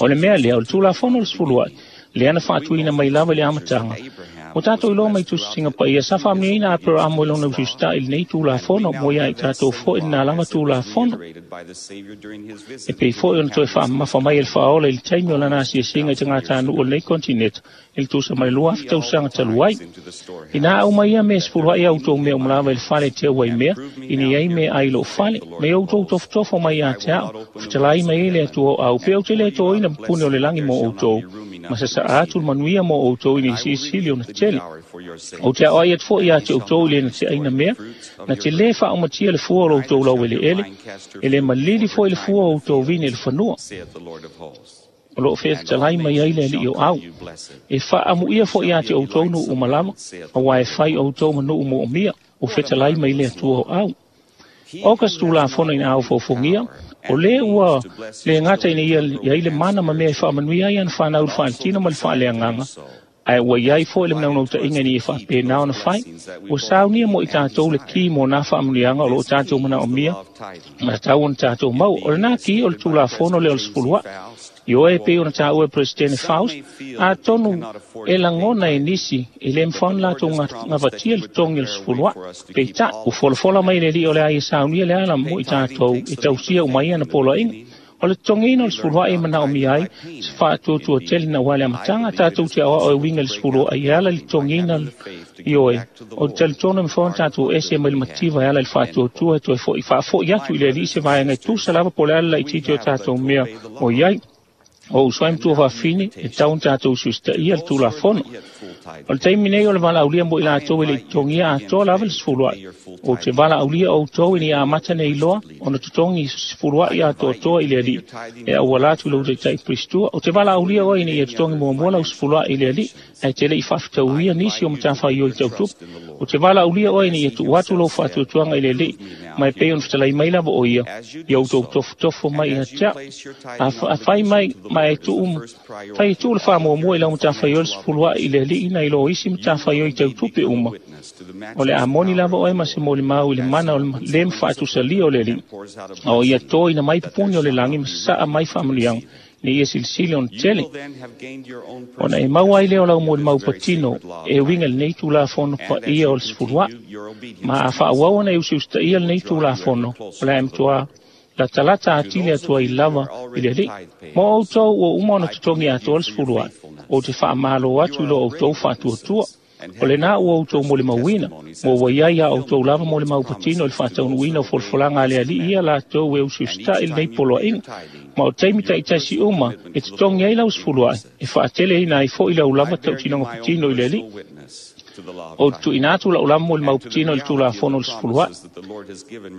O le mea lea, o le Tulafono o le sefulu a'i, lea na faatuina mai lava i le amataga. Ua tatou iloa mai tusisiga paia, sa faamanuiaina a Aperamo i lona usiusita'i i lenei Tulafono, mo ia i tatou foi lenā lava Tulafono. E pei foi ona toe faamamafa mai e le Faaola i le taimi o lana asiasiga i tagatanuu o lenei kontineta i le tusa ma le lua afe tausaga talu ai. Inā aumai ia mea sefulu a'i a outou mea uma lava i le fale e teu ai mea, ina ia i ai mea ai i lou fale, ma ia outou tofotofo mai ia te a'u, fetalai mai ai le Atua o au, pe ou te le toina pupuni o le lagi mo outou, ma sasa'a atu le manuia mo outou ina ia silisili ona tele. Ou te aoai atu foi ia te outou i le na te'aina mea, na te lē faaumatia le fua o lo outou laueleele, e lē malili foi le fua o outou vine i le fanua. O loo fetalai mai ai le Alii o au. E faaamuia foi ia te outou nuu uma lava, auā e fai outou ma nuu moomia, ua fetalai mai le Atua o au. O ka se Tulafono ina aufofogia, o lē ua le gata ina ia i ai le mana ma mea e faamanuia ai ana fanau i le faaletino ma le faaleagaga, ae ua i ai foi le manaunautāiga ina ia faapena ona fai. Ua saunia mo i tatou le ki mo nā faamanuiaga o loo tatou manaomia ma tatau ona tatou maua. O lenā ki o le Tulafono lea o le sefulu a'i. Ioe e pei ona taua e Peresetene Faust, atonu e lagona e nisi e lē mafai ona latou gavatia le totogi o le sefulu a'i. Peitai, ua folafola mai le Alii o le a ia saunia le ala mo i tatou e tausia uma ai ana poloaiga. O le totogiina o le sefulua'i e manaomia ai se faatuatua tele na ua le amataga tatou te aoao e uiga i le sefulua'i e ala i le totogiina ioe. O te talitonu e mafai ona tatou ese mai le mativa e ala i le faatuatua e toe fo'i faafo'i atu i le Alii se vaega e tusa lava po o le a le laitiiti o tatou mea o i ai. O uso ai matua faafafine e tatau ona tatou usiusitaia le Tulafono. O le taimi nei o le valaaulia mo i latou e le i totogia atoa lava le sefulua'i. Ou te valaaulia outou ina ia amata nei loa ona totogi sefulua'i atoatoa i le Alii e auala atu i lou taitai Peristua. Ou te valaaulia oe ina ia totogi muamua lau sefulua'i i le Alii ae te le i faafetauia nisi o matafaioi tau tupe. Ou te valaaulia oe ina ia tuu atu lou faatuatuaga i le Alii ma e pei ona fetalai mai lava o ia, ia outou tofotofo mai ia te a'u. Afai mai ma e tuu fai e tuu le faamuamua i lau matafaioi le sefulua'i i le Alii nai lo isi matafaioi tau tupe uma. O le a moni lava oe ma se molimau i le mana o le lē mafaatusalia o le Alii, a o ia toina mai pupuni o le lagi ma sasaa mai faamanuiaga ina ia silisili ona tele. Ona e maua ai lea o lau molimau patino e uiga i lenei Tulafono paia o le sefulua'i. Ma a faaauau ona e usiusitaia lenei Tulafono, o le a e matuā latalata atili atu ai lava i le Alii. Mo outou ua uma ona totogi atoa le sefulua'i, ou te faamālo atu i lo outou faatuatua. O lenā ua outou molimauina, ma ua i ai a outou lava molimau patino i le faataunuuina o folafolaga a le Alii ia latou e usiusita'i lenei poloaiga. Ma o taimi taitasi uma e totogi ai lau sefulua'i, e faateleina ai foi lau lava tautinoga patino i le Alii. Ou te tuuina atu lau lava molimau patino i le Tulafono o le sefulua'i,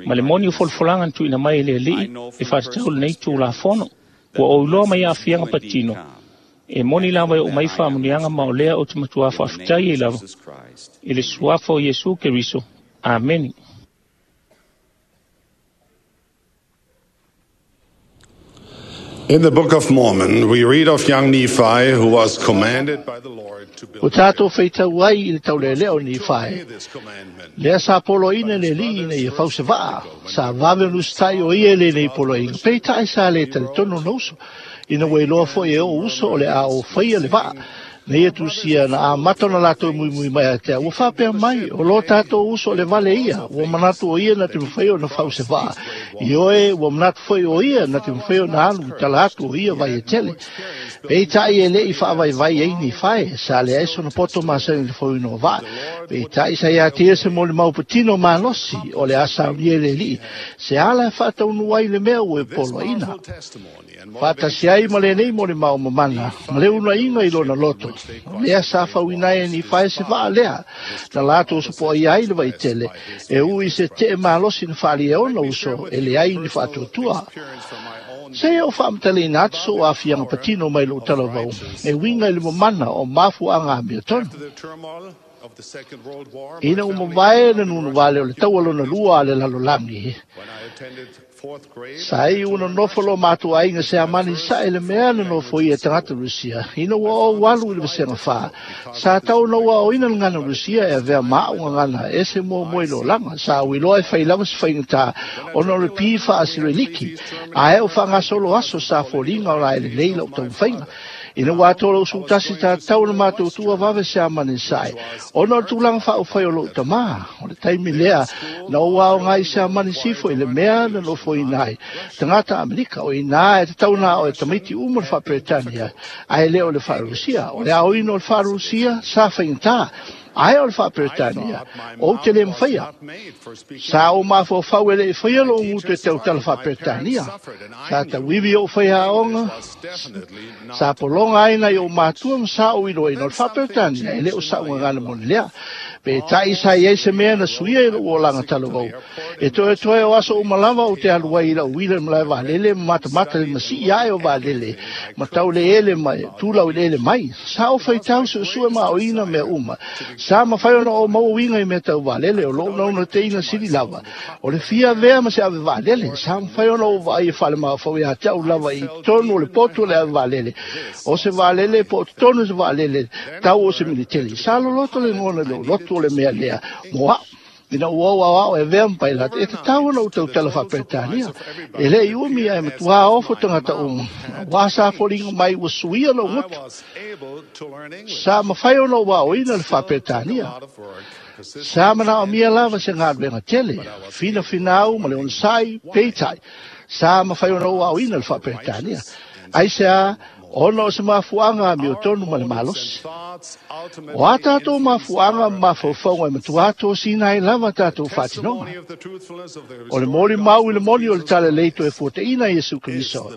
ma le moni o folafolaga na tuuina mai e le Alii e faatatau lenei Tulafono. Ua ou iloa mai aafiaga patino, e moni lava e oo mai faamanuiaga ma o lea ou te matuā faafetai ai lava i le suafa o Iesu Keriso. Ameni. In the Book of Mormon, we read of young Nephi who was commanded by the Lord to build O tātou whaitau ai i le taulelea o Nifai. Lea sa poloina le alii ina ia fause vaa, sa vave ona usitai o ia i lenei poloaiga. Peitai sa le talitonu ona uso, ina ua iloa foi e o'u uso o le a o faia le vaa. Na ia tusia na amata ona latou muimui mai ia te au, ua faapea mai, o lo tātou uso o le vale ia, ua manatu o ia na te mawhai ona fause vaa. Ioe, ua manatu foi o ia na te mawhai ona alu i tala atu o ia vai e tele. Peitai e le i faavaivai ai Nifai, sa le ai sona poto masani le fauina o vaa. Peitai sa ia tia se molimau patino malosi o le a saunia i le alii, se ala e faataunuu ai le mea ua e poloaiina. Faatasi ai ma lenei molimau mamana, ma le unaiga i lona loto. O lea sa fauina ai e Nifai se vaa lea, na latou sopoaia ai le vaitele, e ui se tee malosi na faaalia ona uso e leai ni faatuatua. Se ia o faamatalaina atu so'u aafiaga patino mai lo'u talavau, e uiga i le mamana o mafuaaga amiotonu. Ina ua mavae le nunuvale o le taua lona lua a le lalolagi, sa iu ona nofo lo matou aiga se amani sae le mea na nofoia e tagata Rusia. Ina ua ou alu i le vasega fa, sa tau ona ua aoina le gagana Rusia e avea ma a'u gagana ese muamua i lolaga. Sa ou iloa e fai lava se faigata ona o le pi faasiriliki, ae o faagasolo aso sa foliga o la e lelei la'u taumafaiga. Ina ua atoa lou sutasi tatau ona matou tuua vave se amani sae, ona o le tulaga faaufai o lo'u tamā. O le taimi lea na ou aoga ai se amani sifo i le mea na nofoina ai tagata Amerika, o inā e tatau na ao e tamaiti uma le faaperetania, ae le o le faarusia. O le aoina o le faarusia sa faigata, ae o le faaperetania ou te le mafaia. Sa ou mafaufau e le i faia lo'u gutu e tautala faaperetania. Sa tauivi o'u faiaoga, sa pologa ai nai o'u matua ma sa ou iloaina o le faaperetania e le o sa'u gagana moni lea. Peitai sa i ai se mea na suia i lo'u olaga talavau. E toetoe o aso uma lava ou te alu ai i la'u uila i le malae vaalele ma matamata i le masii ae o vaalele ma tau le ele mai, tulau i le ele mai. Sa ou faitau suesue ma aoina mea uma. Sa mafai ona ou maua uiga i mea tau vaalele o lo'u naunautaiga sili lava. O le fia avea ma se ave vaalele, sa mafai ona ou vaai e faalemafaufau ia te a'u lava i totonu o le potu o le ave vaalele. O se vaalele po o totonu o se vaalele tau o se militeli. Sa loloto le gona i lo'u loto o le mea lea mo a'u. Ina ua ou aoao e avea ma pailata, e tatau ona ou tautala faaperetania. E le i umi ae matuā ofo tagata uma, auā sa foliga mai ua suia lou gutu. Sa mafai ona ou aoina le faaperetania. Sa manaomia lava se galuega tele, finafinau ma le onosai, peitai. Sa mafai ona ou aoina le faaperetania. Aisea, ona o se mafuaaga amiotonu ma le malosi. O a tatou mafuaaga ma mafaufauga e matua tosina ai lava tatou faatinoga. O le molimau i le moni o le talalelei toe fuataina Iesu Keriso.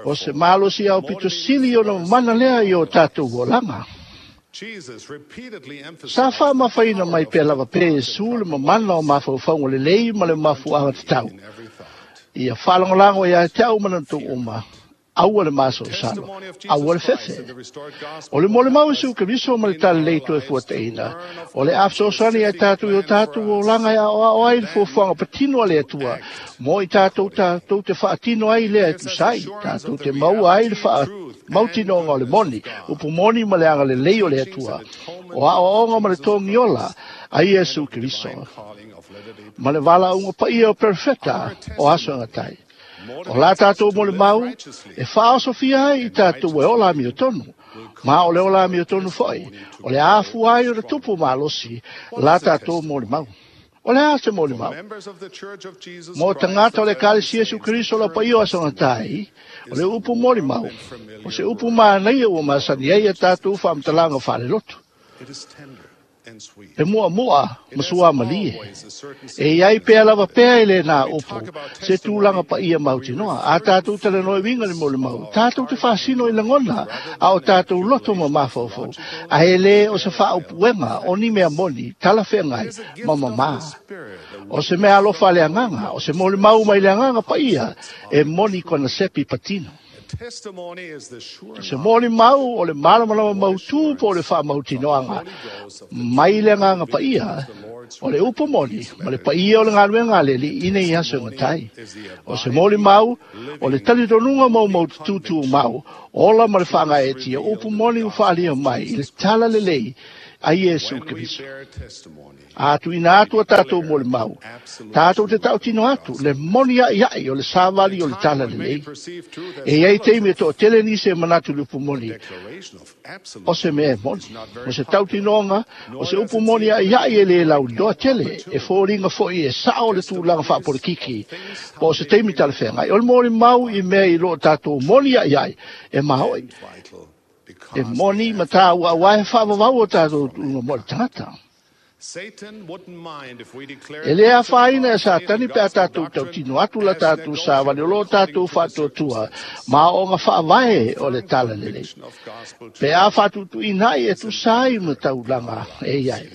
O se malosi aupito sili ona mamana lea i o tatou olaga. Sa faamafaina mai pea lava pea Iesu le mamana o mafaufauga lelei ma le mafuaaga tatau. Ia faalagolago ia te au ma na tou uma. Aua le masalosalo, aua le fefe. O le molimau Iesu Keriso ma le talalelei toe fuataina, o le a fesoasoani ia tatou i o tatou olaga e aoao ai le fuafuaga patino a le Atua, mo i tatou tatou te faatino ai lea e tusa ai, tatou te maua ai le faamautinoga o le moni, upu moni ma le agalelei o le Atua, o aoaoga ma le togiola a Iesu Keriso, ma le valaauga paia o perofeta o aso e gatai. O la tatou molimau e faaosofia ai i tatou e ola amiotonu, ma o le ola amiotonu foi, o le afua ai o le tupu malosi la tatou molimau. O le a se molimau? Mo tagata o le Ekalesia Iesu Keriso o le paia o aso gatai, o le upu molimau, o se upu manaia ua masani ai a tatou faamatalaga faalelotu. E muamua ma suamalie. E iai pea lava pea i lena upu, se tulaga paia mautinoa. A tatou talanoa e uiga le molimau, tatou te faasino i lagona, a o tatou loto ma mafaufau. Ae le o se faaupuega o ni mea moni, talafeagai ma mamā. O se mea alofa a le agaga, o se molimau mai le agaga paia, e moni kona sepi patino. Se molimau o le malamalama mautū po o le faamautinoaga mai le agaga paia, o le upu moni ma le paia o le galuega a le Alii ina i aso e gatai. O se molimau o le talitonuga maumautututumau, ola ma le faagaeetia, upu moni ua faaalia mai i le talalelei a Iesu Keriso. A tuuina atu a tatou molimau, tatou te tautino atu le moni a'ia'i o le savali o le talalelei. E iai taimi e to'atele nisi e manatu i le upu moni, o se mea e moni. O se tautinoga, o se upu moni a'ia'i e lē lauiloa tele, e foliga fo'i e sa'o le tulaga faapolokiki, po o se taimi talafeagai. O le molimau i mea i loo tatou moni a'ia'i e mao'i. E moni ma tāua auā e faavavau o tatou tuuga mo le tagata. E lē afaina e Satani pe a tatou tautino atu la tatou savali o loo tatou faatuatua ma aoaoga faavae o le talalelei. Pe a faatuutuuina ai e tusa ai ma taulaga e iai.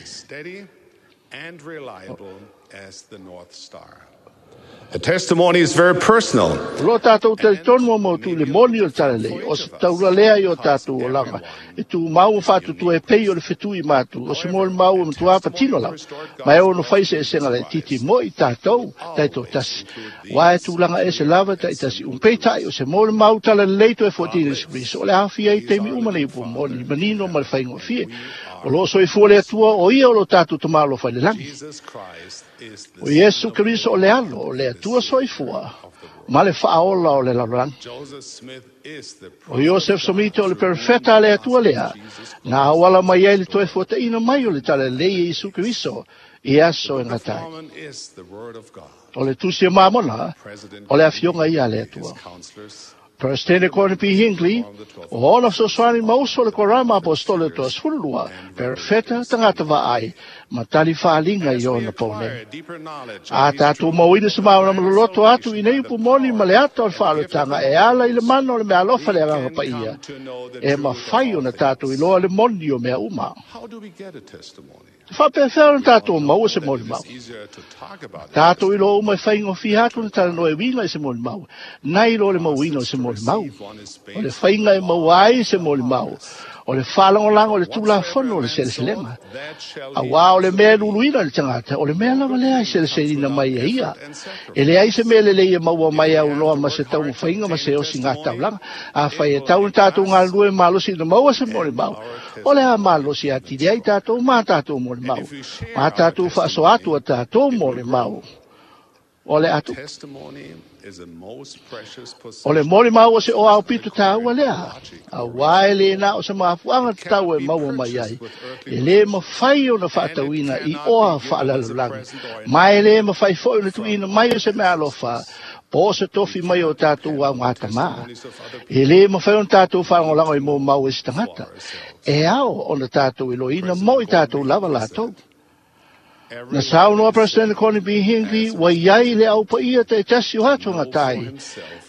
A testimony is very personal. O loo tatou talitonu o mautū i le moni o le talalelei, o se taula lea i o tatou olaga, e tumau ma faatutua e pei o le fetui matu, o se molimau e matua patino lava, ma e ono fai seʻeseʻega laitiiti mo i tatou taitoatasi. Uā e tulaga ese lava taʻitasi umpeitai, o se molimau talalelei toe fuatina Iesu Keriso, o le aofia ai taimi uma nei upu moni, manino ma le faigofie. O loo soifua le Atua, o ia o lo tatou tamalofa i le lagi. O Iesu Keriso o le alo, o le Atua soifua, ma le faaola o le lalolagi. O Iosef Somita o le perofeta a le Atua lea, na auala mai ai le toe fuataina mai o le talalelei e Iesu Keriso i aso e gatai. O le tusi e Mamona, o le afioga ia a le Atua. Presidente Gordon P. Hinckley, o ona fesoasoani ma uso o le Korama Apostolo o Toasefululua, perofeta tagata vaai, ma tali faaliga i ona pau nei. A tatou mauina se malamalama loloto atu i nei upu moni ma le ata o le faaolotaga e ala i le mana o le meaalofa le agaga paia, e mafai ona tatou iloa le moni o mea uma. Te faapefea ona tatou maua se molimau. Tatou iloa uma e faigofie atu na talanoa e uiga i se molimau, nai lo le mauina o se molimau. O le faiga e maua ai se molimau, o le faalagolago o le tulafono o le seleselega. Auā o le mea e luluina i le tagata, o le mea lava lea e seleselina mai e ia. E leai se mea lelei e maua mai auloa ma se taumafaiga ma se osiga taulaga. Afai e tau na tatou galulue malosi ina maua se molimau, o le a malosi atili ai tatou ma tatou molimau, ma tatou faasoa atu a tatou molimau. O le atu. O le molimau o se oao pito tāua lea, auā e lē na o se mafuaaga tatau e maua mai ai, e lē mafai ona faatauina i oa faalalolagi, ma e lē mafai foʻi ona tuuina mai o se meaalofa Po o se tofi mai o tātou au ngā tamā. E le mawhai o tātou whaangolago i mō mau e se tangata. E ao o na tātou i loina mo i tātou lava lātou. Na saunoa President Gordon B. Hinckley, wa iai le au pa ia te tasi o hatu ngā tai.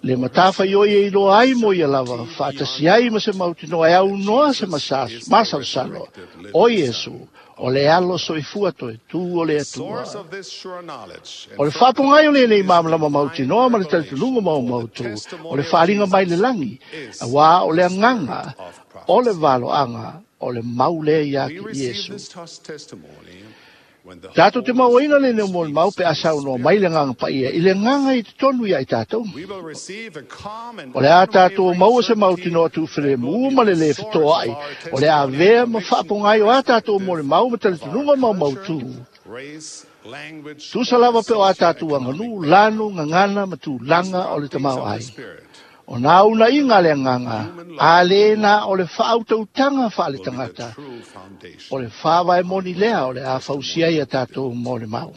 Le matafa i oi e iloa ai mo ia lava, whaatasi ai ma se mautinoa e au noa se masalosalo. O Iesu, o le alo soifua toe tū o le Atua. O le whaapongai o le nei māmalama mautinoa ma le talitulunga mau mautu, o le whaalinga mai le langi, a wā o le anganga, o le valoanga, o le maulea ia ki Iesu. Tātou te mauaina le neo mō mau pe asau no mai le nganga paia, i le nganga i te tonu ia i tātou. O le a tātou maua se mautinoa tūwhere mū ma le le whitoa ai, o le a vea ma whaapongai o a tātou mō le mau ma talitununga mau mautū. Tusa lava pe o a tātou anganu, lanu, ngangana, ma tūlanga o le tamau ai. O nā una inga le nganga, a le nā o le whaautautanga wha le tangata, o le whāwae moni lea o le a whausia ia tātou mō le mau.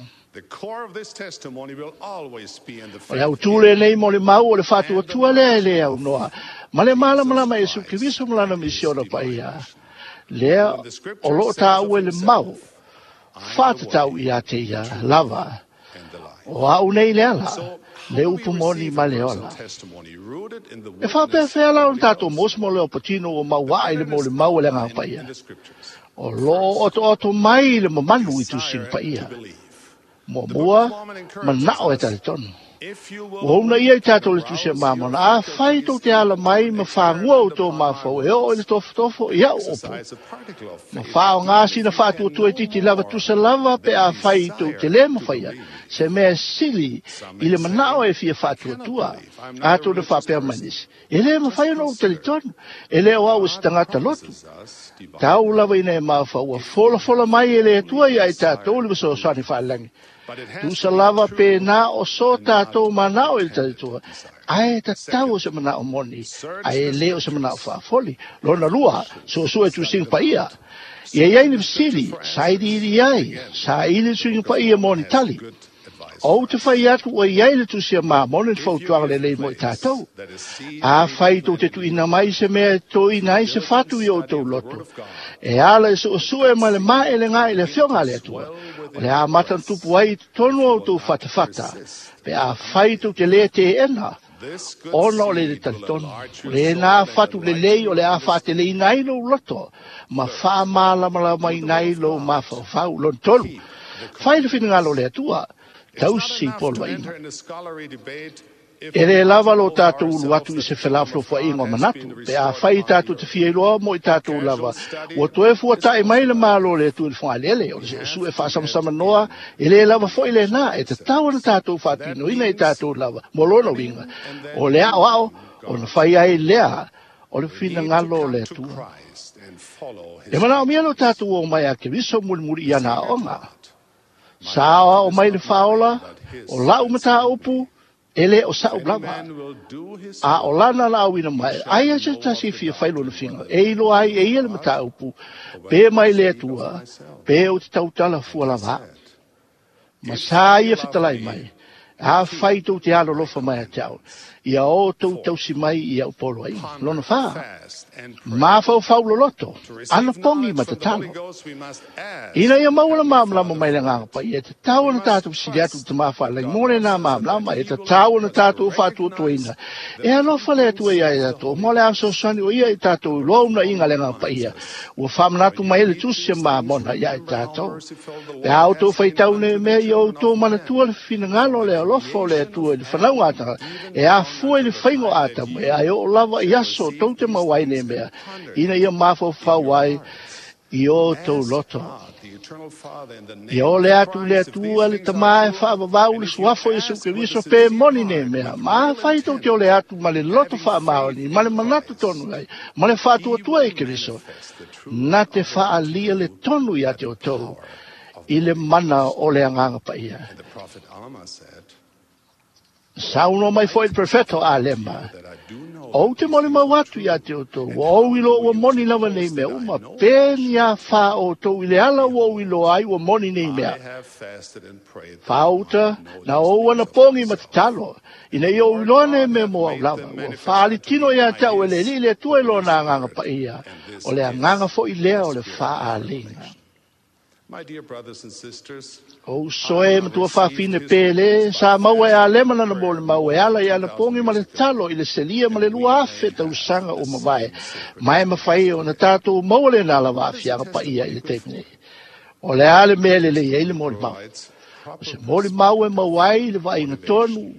O le autule nei mō le mau o le whātuatua lea e lea au noa, ma le malamalama e su Keriso malana misiona paia, lea o loo tā ue le mau, whātatau i a te ia lava, o au nei le ala, le upu moni ma le ola. E whapea whea la o tātou mosmo leo patino o maua i le mō le mau le ngā paia. O lo oto oto mai le mamanu i tusin paia. Mua mua, manao e tale tonu. Ua una ia i tātou le tusi a mamona, a whai tō te ala mai ma whāngua o tō mawhau, e o i le tofotofo i au opo. Ma whāo ngā sina whātuatua i titi lava tusa lava pe a whai tō te le mawhaia, se mea sili i le manao e fia whātuatua, a tō le whāpea manisi. E le mawhai ona o talitonu, e le o au e se tangata lotu. Tau lava ina e mawhau, ua fola fola mai e le atua ia i tātou le wasoaswani whaalangi. Tusa lava pe nā o so tātou manao e le talitua. Ae tatau o se manao moni, ae le o se manao whaafoli. Lona lua, so so e tusinga paia. Ia iai ni fisili, sairi iri ai, saili tusinga paia moni tali. O te whai atu o iai le tusia mā moni le whautuanga le lei mo i tātou. A whai tō te tuina mai se mea tō ina ai se whatu i o tō loto. E ala e so sue ma le maa ele ngā i le whionga le atua. O le a matan tupu ai tonu au tō whatawhata. Pe a whai tō te le te ena. Ona o le le talitonu. O le nā whatu le lei o le a whate le inai lo loto. Ma wha mālamala mai nai lo mawhau lon tolu. Whai le whingalo le atua. Tausi polo ina. E le lava lo tātou ulu atu i se whelaflofua ingo manatu. Pe a whai tātou te fia iloa mo i tātou lava. Ua toe fua tae mai le malo le tu i le whangalele. O le se su e whaasamasama noa. E le lava fo i le nā. E te tau ana tātou whātino ina i tātou lava. Mo lono winga. O le ao ao. O na whai ai lea. O le whina ngalo o le atua. E mana o mea lo tātou o mai a Keriso muri muri i ana onga. Sa o mai le whaola, o lau mata upu, e le o sa'u lava. A o lana la au ina mai, ai a se tasi fia whailo na whinga, e ilo ai e ia le mata upu, pe mai le atua, pe o te tautala fua lava. Ma sa ia whitalai mai, a whai tō te alo lofa mai a te au, ia o tō tausi mai i au polo ai, lona wha. Mā whau whau loloto, ana pongi ma te talo. Ina ia maua la māmlama mai le nganga pai, e te tau ana tātou sili atu te māwha lai mōre nā māmlama, e te tau ana tātou whātuatuaina. E alofa le atua ia e tātou, mō le asosani o ia i tātou loa una inga le nganga pai ia. Ua whamanatu mai le tusi māmona ia i tātou. E au tō whaitau ne mea i au tō manatua le whinangalo le alofa o le atua i le whanau ātanga. E a fua i le whaingo ātamu, e ai o lava i aso tau te mauai ne mea. Ina ia māwhau whau ai i o tō loto. Ia o le atu le atua le tamā e whaavavau le suafo i su Keriso pe moni ne mea. Ma whai tau te o le atu ma le loto whaamaoni, ma le manatu tonu ai, ma le whaatuatua i Keriso. Nā te whaalia le tonu ia te o tau, i le mana o le anganga paia. Saunoa mai fo'i le perofeta o Alema, ou te molimau atu ia te outou, ua ou iloa ua moni lava nei mea uma, pe ni a fā outou i le ala ua ou iloa ai ua moni nei mea. Fāuta, na ou anapogi ma tatalo, ina ia ou iloa nei mea mo au lava, ua faalitino ia te au e le Alii le Atua i lona agaga paia, o le agaga fo'i lea o le faaaliga. O uso e matua faafine pele, sa maua e Alema lana molimau e ala i anapogi ma le tatalo i le selia ma le lua afe tausaga o mavae, ma e mafai ona tatou maua lena lava aafiaga paia i le taimi nei. O le a le mea e lelei ai le molimau. O se molimau e maua ai i le vaaiga tonu,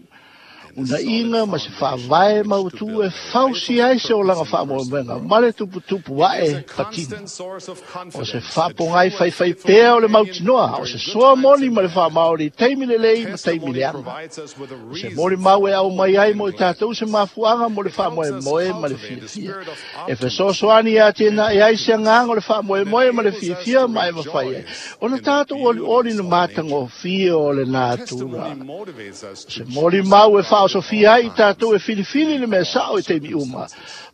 unaiga ma se faavae mautu e fausi ai se olaga faamoemoega ma le tuputupu ae patino. O se faapogai faifai pea o le mautinoa, o se soa moni ma le faamaoni i taimi lelei ma taimi leaga. O se molimau e aumai ai mo i tatou se mafuaaga mo le faamoemoe ma le fiafia. E fesoasoani ia tenaʻi ai se agaga o le faamoemoe ma le fiafia ma e mafai ai ona tatou olioli le matagofie o le natura. O se molimau e faaosofia ai i tatou e filifili le mea sa'o i taimi uma,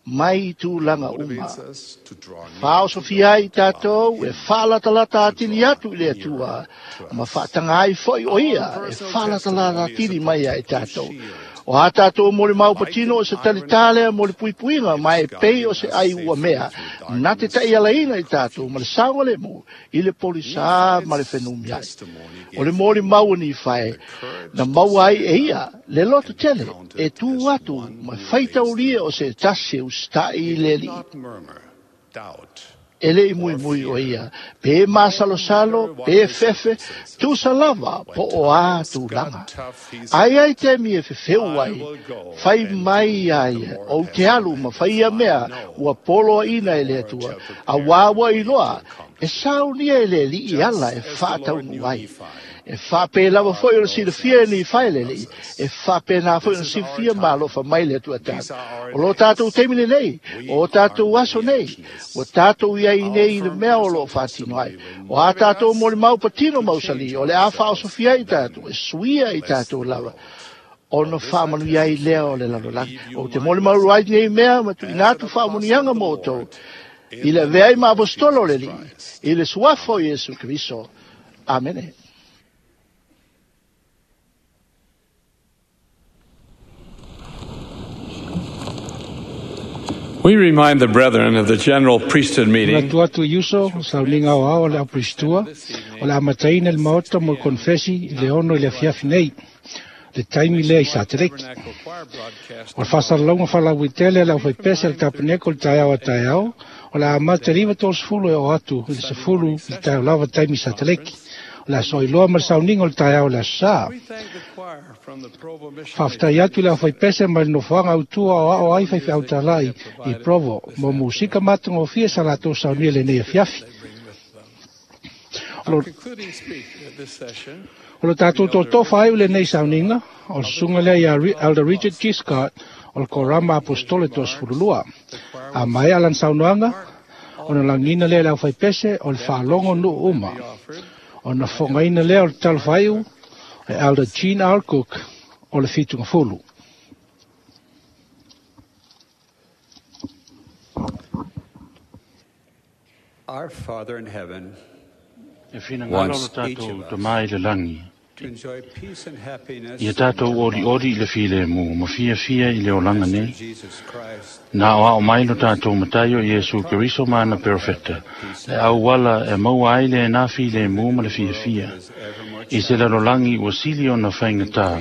mai i tulaga uma. Faaosofia ai i tatou e faalatalata atili atu i le Atua, ma faataga ai fo'i o ia e faalatalata atili mai ai tatou. O a tatou molimau patino o se talitā lea mo le puipuiga, ma e pei o se ai ua mea, na te ta'ialaina i tatou ma le saogalemu i le polisā ma le fenumiai. O le molimau o Nifae, na maua ai e ia le loto tele e tū atu ma faitaulia o se tasi e usita'i i le Alii. E le i muimui o ia, pe masalosalo, pe fefe, tusa lava po o a tulaga. Ai ai taimi e fefeu ai, fai mai ia ia, ou te alu ma fai ia mea ua poloaina e le Atua, auā ua iloa, e saunia e le Alii ala e faataunuu ai. E faapē lava fo'i o le silafia e Nifae le Alii, e faapēnā fo'i ona silafia ma alofa mai le Atua tatou. O lo tatou taimi lenei, o tatou aso nei, ua tatou iai nei i le mea o loo faatino ai. O a tatou molimau patino mausali, o le a faaosofia ai tatou, e suia i tatou lava, ona faamanuia ai lea o le lalolagi. Ou te molimau ai nei mea ma tuuina atu faamanuiaga mo outou, i le avea ai ma aposetolo o le Alii, i le suafa o Iesu Keriso. Amene. We remind the brethren of the general priesthood meeting. Manatu atu i uso, sauniga aoao o le auperistua, o le amataina i le maota mo le konfesi i le ono i le afiafi nei, le taimi lea i Sateleki. O le faasalalauga faalauaitele a le aufaipese a le tapeneko i le taeao a taeao, o le a amata i le iva tolusefulu e oo atu i le sefulu i le taeao lava taimi i Sateleki. O le a soailoa ma le sauniga o le taeao o le aso sā. Faafetai atu i le aufaipese mai le nofoaga autua o ao ai faifeau talai i Provo mo musika matagofie sa latou saunia lenei afiafi. O lo tatou totofa ai o lenei sauniga, o le susuga lea ia Elder Richard G. Scott o le Korama Apostole toasefululua. A maea lana saunoaga, ona lagina lea i le aufaipese o le faalogo nuu uma. Ona fogaina lea o le talofaiu e Elder Gene R. Cook o le fitugafulu. Our Father in heaven E finagalo o wants lo each tatou of us tamā i le lagi, to enjoy peace and happiness ia tatou olioli i le filemu ma fiafia i le olaga nei. Jesus Christ Na aoao mai lo tatou matai o Iesu Keriso ma ana perofeta, le auala e maua ai lenā filemu ma le fiafia, i se lalolagi ua sili ona faigata,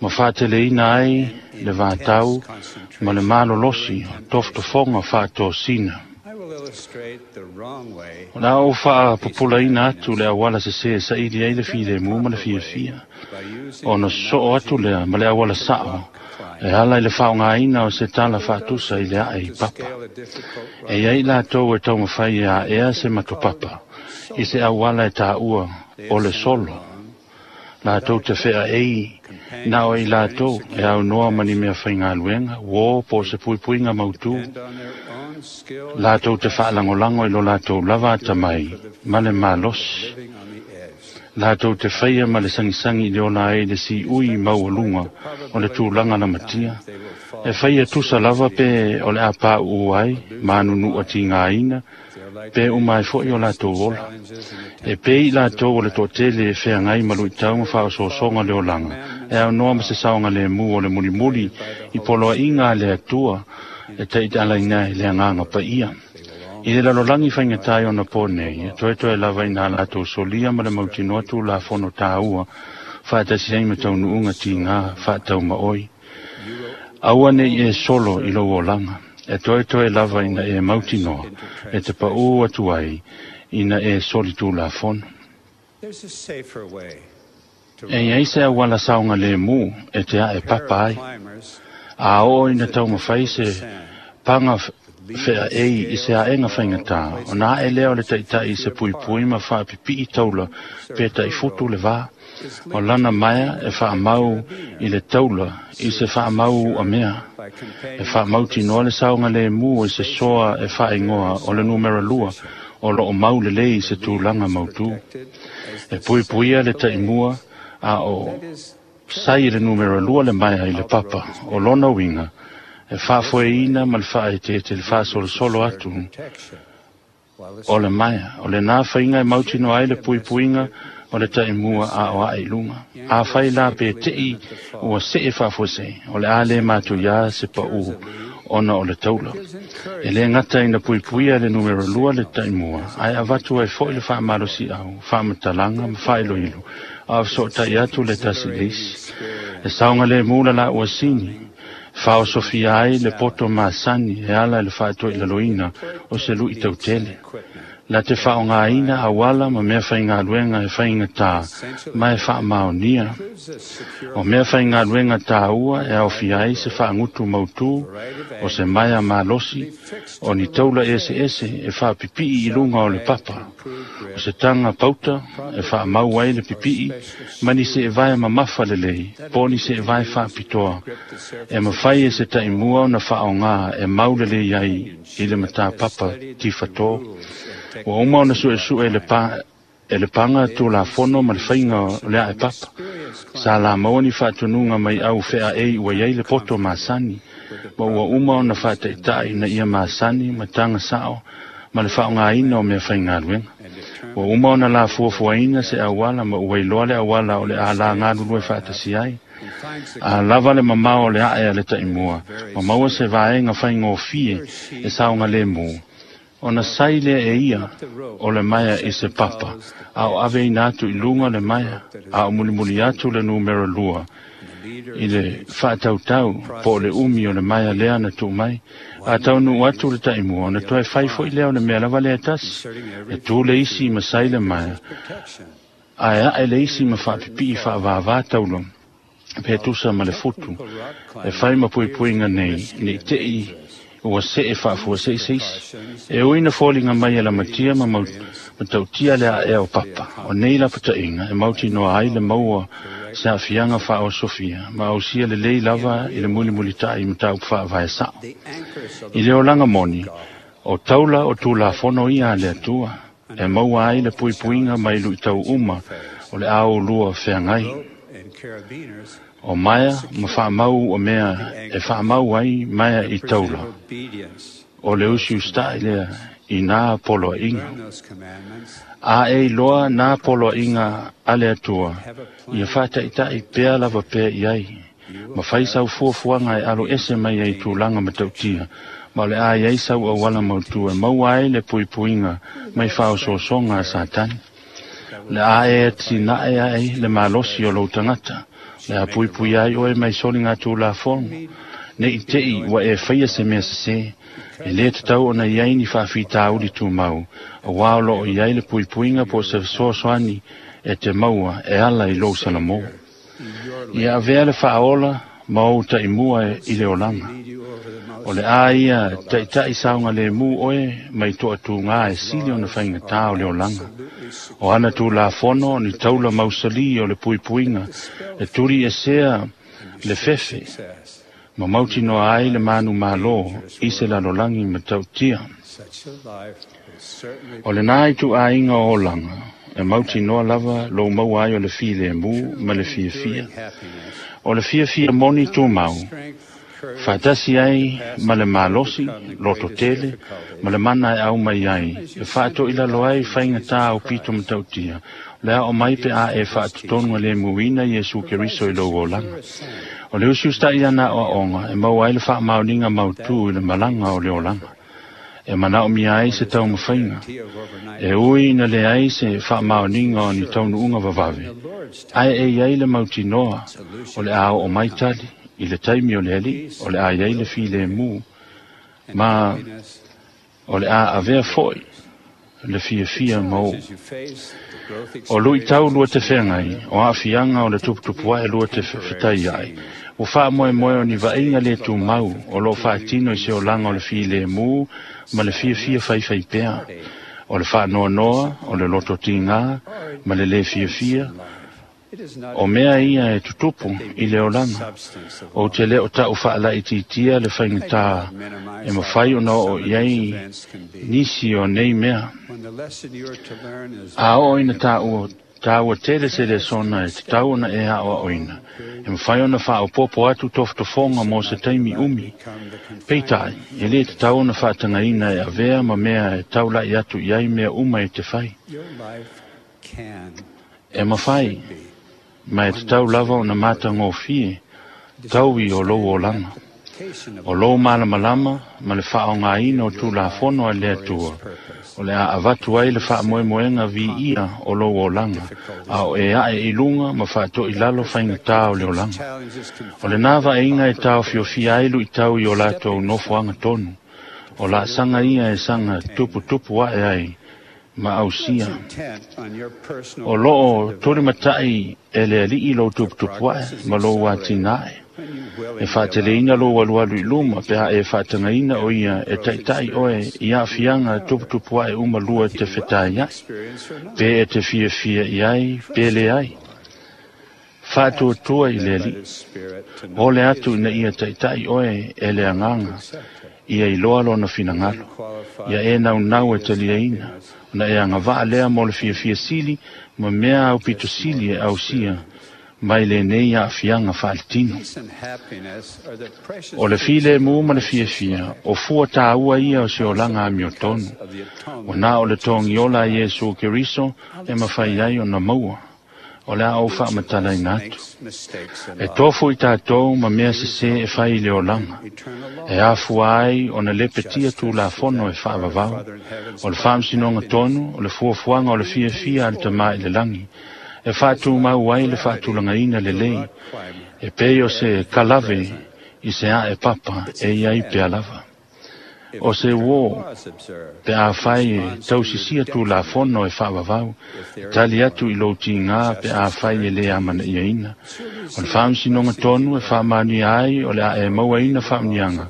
ma faateleina ai le vatau ma le malolosi o tofotofoga faatosina. I will illustrate the wrong way O le a ou faapupulaina atu le auala sesē e saili ai le filemu ma le fiafia, ona sosoo atu lea ma le auala sa'o e ala i le faaaogāina o se tala faatusa i le ae i papa. E iai latou e taumafai e aʻea se matopapa i se auala e taua o le solo. Latou te feaei na o i latou e aunoa ma ni mea faigaluega, uō po o se puipuiga mautū. Latou te faalagolago i lo latou lava atamai ma le malosi. Latou te faia ma le sangisangi i le ola ai le siui maualuga o le tulaga lamatia. E faia tusa lava pe o le a pāuu ai, ma anunuua tigāina, pe uma ai foʻi o latou ola. E pei i latou o le toatele e feagai ma luʻitau ma faaosoosoga le olaga, e aunoa ma se saoga lemu o le mulimuli i poloaiga a le Atua e taʻialaina ai le agaga paia. I le lalolagi faigatā i ona pō nei, e toetoe lava ina latou solia ma le mautinoa tulafono tāua faatasi ai ma taunuuga tigā faataumaʻoi. Aua nei e solo i lou olaga, e toetoe lava ina e mautinoa, e te paʻū atu ai ina e soli tulafono. E iai se auala saoga lemu e te aʻe papa ai. A oo ina taumafai se paga feaei i se aega faigatā, ona aʻe lea o le taʻitaʻi i se puipui ma faapipii taula pe taʻifutu le vā. O lana maea e faamau i le taula i se faamau uamea. E faamautinoa le saoga lemu i se soa e faaigoa o le numera lua o loo mau lelei i se tulaga mautū. E puipuia le taʻimua a o sai i le numera lua le maea i le papa o lona uiga e faafoeina ma le faaeteete le faasolosolo atu o le maea. O lenā faiga e mautinoa ai le puipuiga o le taʻimua a o aʻe i luga. Afai la pe teʻi ua see faafuasei, o le a lē matuiā se paʻū ona o le taula. E lē gata ina puipuia le numera lua le taʻimua, ae avatu ai foʻi le faamalosiʻau, faamatalaga ma faailoilo, a o fesoʻotaʻi atu le tasi le isi. E saoga lemu la laʻu asini, faaosofia ai le poto masani e ala i le faatoilaloina o se luʻi tautele. La te faaogāina auala ma mea faigaluega e faigatā ma e faamaonia. O mea faigaluega tāua e aofia ai se faagutu mautū o se maea malosi o ni taula eseese e faapipii i luga o le papa. O se taga pauta e faamau ai le pipii ma ni seevae mamafa lelei po o ni seevae faapitoa e mafai e se taʻimua ona faaogā e mau lelei ai i le matapapa tifatō. Ua uma ona suʻesuʻe e le pa e le paga tulafono ma le faiga o le aʻe papa. Sa lamaua ni faatunuga mai au feaei ua iai le poto masani, ma ua uma ona faataʻitaʻi ina ia masani ma taga saʻo ma le faaogāina o mea faigaluega. Ua uma ona lafuafuaina se auala ma ua iloa le auala o le alā galulue faatasi ai. A lava le mamao o le aʻe a le taʻimua, ma maua se vaega faigofie e saoga lemu. Ona sai lea e ia o le maea i se papa, a o aveina atu i luga le maea, a o mulimuli atu le numera lua i le faatautau po o le umi o le maea lea na tuu mai. A taunuu atu le taʻimua, ona toe fai foʻi lea o le mea lava lea e tasi. E tū le isi ma sai le maea, ae aʻe le isi ma faapipii faavāvā taula pe tusa ma le futu e fai ma puipuiga nei nei teʻi ua see faafuasei se isi. E ui na foliga mai e lamatia ma matautia le aʻea o papa. O nei lapataʻiga e mautinoa ai le maua se aafiaga faaosofia ma ausia lelei lava i le mulimulitaʻi mataupu faavae saʻo. I le olaga moni, o taula o tulafono ia a le Atua e maua ai le puipuiga mai luʻitau uma o le aoulua feagai. O maea ma faamau o mea e faamau ai maea i taula. O le usiustaʻi lea i nā poloaiga. A e iloa nā poloaiga a le Atua, ia faataʻitaʻi pea lava pea i ai. Ma fai sau fuafuaga e alo ese mai ai tulaga matautia, ma o le a iai sau auala mautū e maua ai le puipuiga mai faaosoosoga a Satani. Le a e atinaʻe ai le malosi o lou tagata, le a puipui ai oe mai soliga tulafono. Nei teʻi ua e faia se mea sesē, e lē tatau ona iai ni faafitauli tumau, auā o loo iai le puipuiga po o se fesoasoani e te maua e ala i lou salamō. Ia avea le faaola ma ou taʻimua i le olaga. O le a ia taʻitaʻi saoga lemu oe mai toʻatūgā e sili ona faigatā o le olaga. O ana tulafono o ni taula mausalī o le puipuiga e tuli esea le fefe ma mautinoa ai le manu mālō i se lalolagi matautia. O lenā ituaiga o olaga E mautinoa lava lou maua ai o le filemu ma le fiafia. O le fiafia moni tumau, faatasi ai ma le malosi, loto tele, ma le mana e aumai ai, e faatoilalo ai faigata au pito matautia, le ao mai pe a e faatotonu a lemuina Iesu Keriso i lou olaga. O le usiusitai ana aoaoga e maua ai le faamaoniga mautū i le malaga o le olaga. E manaomia ai se taumafaiga. E ui ina leai se faamaoniga o ni taunuuga vavave, ae e iai le mautinoa o le a oo mai tali i le taimi o le alii, o le a iai le filemu, ma o le a avea fo'i le fiafia ma oo. O luitau lua te feagai, o aafiaga o le tuputupu ae lua te fetai ai, ua faamoemoe o ni vaaiga le tumau o loo faatino i se olaga o le filemu ma le fiafia faifai pea, o le faanoanoa, o le loto tigā ma le lē fiafia, o mea ia e tutupu i le olaga. Ou te le o ta'u faalaitiitia le faigata e mafai ona oo i ai nisi o nei mea. A oo ina tāua tāua tele se lesona e tatau ona e aʻoaʻoina, e mafai ona faaopopo atu tofotofoga mo se taimi umi. Peitai, e lē tatau ona faatagaina e avea ma mea e taulaʻi atu i ai mea uma e te fai. E mafai, ma e tatau lava ona matagofie taui o lou olaga. O lou malamalama ma le faaaogāina o tulafono a le Atua, o le a avatu ai le faamoemoega viia o lou olaga, a o e ae i luga ma faatoilalo faigata o le olaga. O lenā vaaiga e taofiofia ai luitau i o latou nofoaga tonu, o laasaga ia e saga tuputupu ae ai ma ausia. O loo tulimataʻi e le alii lou tuputupu ae ma lou atinae. E faateleina lou alualu i luma pe a e faatagaina o ia e taʻitaʻi oe i aafiaga tuputupu ae uma lua te fetai ai, pe e te fiafia i ai, pe leai. Faatuatua i le alii. Ole atu ina ia taʻitaʻi oe e le agaga, ia iloa lona finagalo, ia e naunau e taliaina, ona e agavaa lea mo le fiafia sili ma mea au pito sili e ausia mai lenei aafiaga faaletino. O le filemu ma le fiafia, o fua tāua ia o se olaga amiotonu. Ua na o le togiola a Iesu Keriso e mafai ai ona maua. O le a ou faamatalaina atu. E tofu i tatou ma mea sesē e fai i le olaga. E afua ai ona lepetia tulafono e faavavau. O le faamasinoga tonu, o le fuafuaga o le fiafia a le tamā i le lagi. E faatumau ai le faatulagaina lelei, e pei o se kalave i se ae papa e iai pea lava. O se uō, pe afai e tausisia tulafono e faavavau, e tali atu i lou tigā pe afai e lē amanaʻiaina. O le faamasinoga tonu e faamanuia ai o le a e mauaina faamanuiaga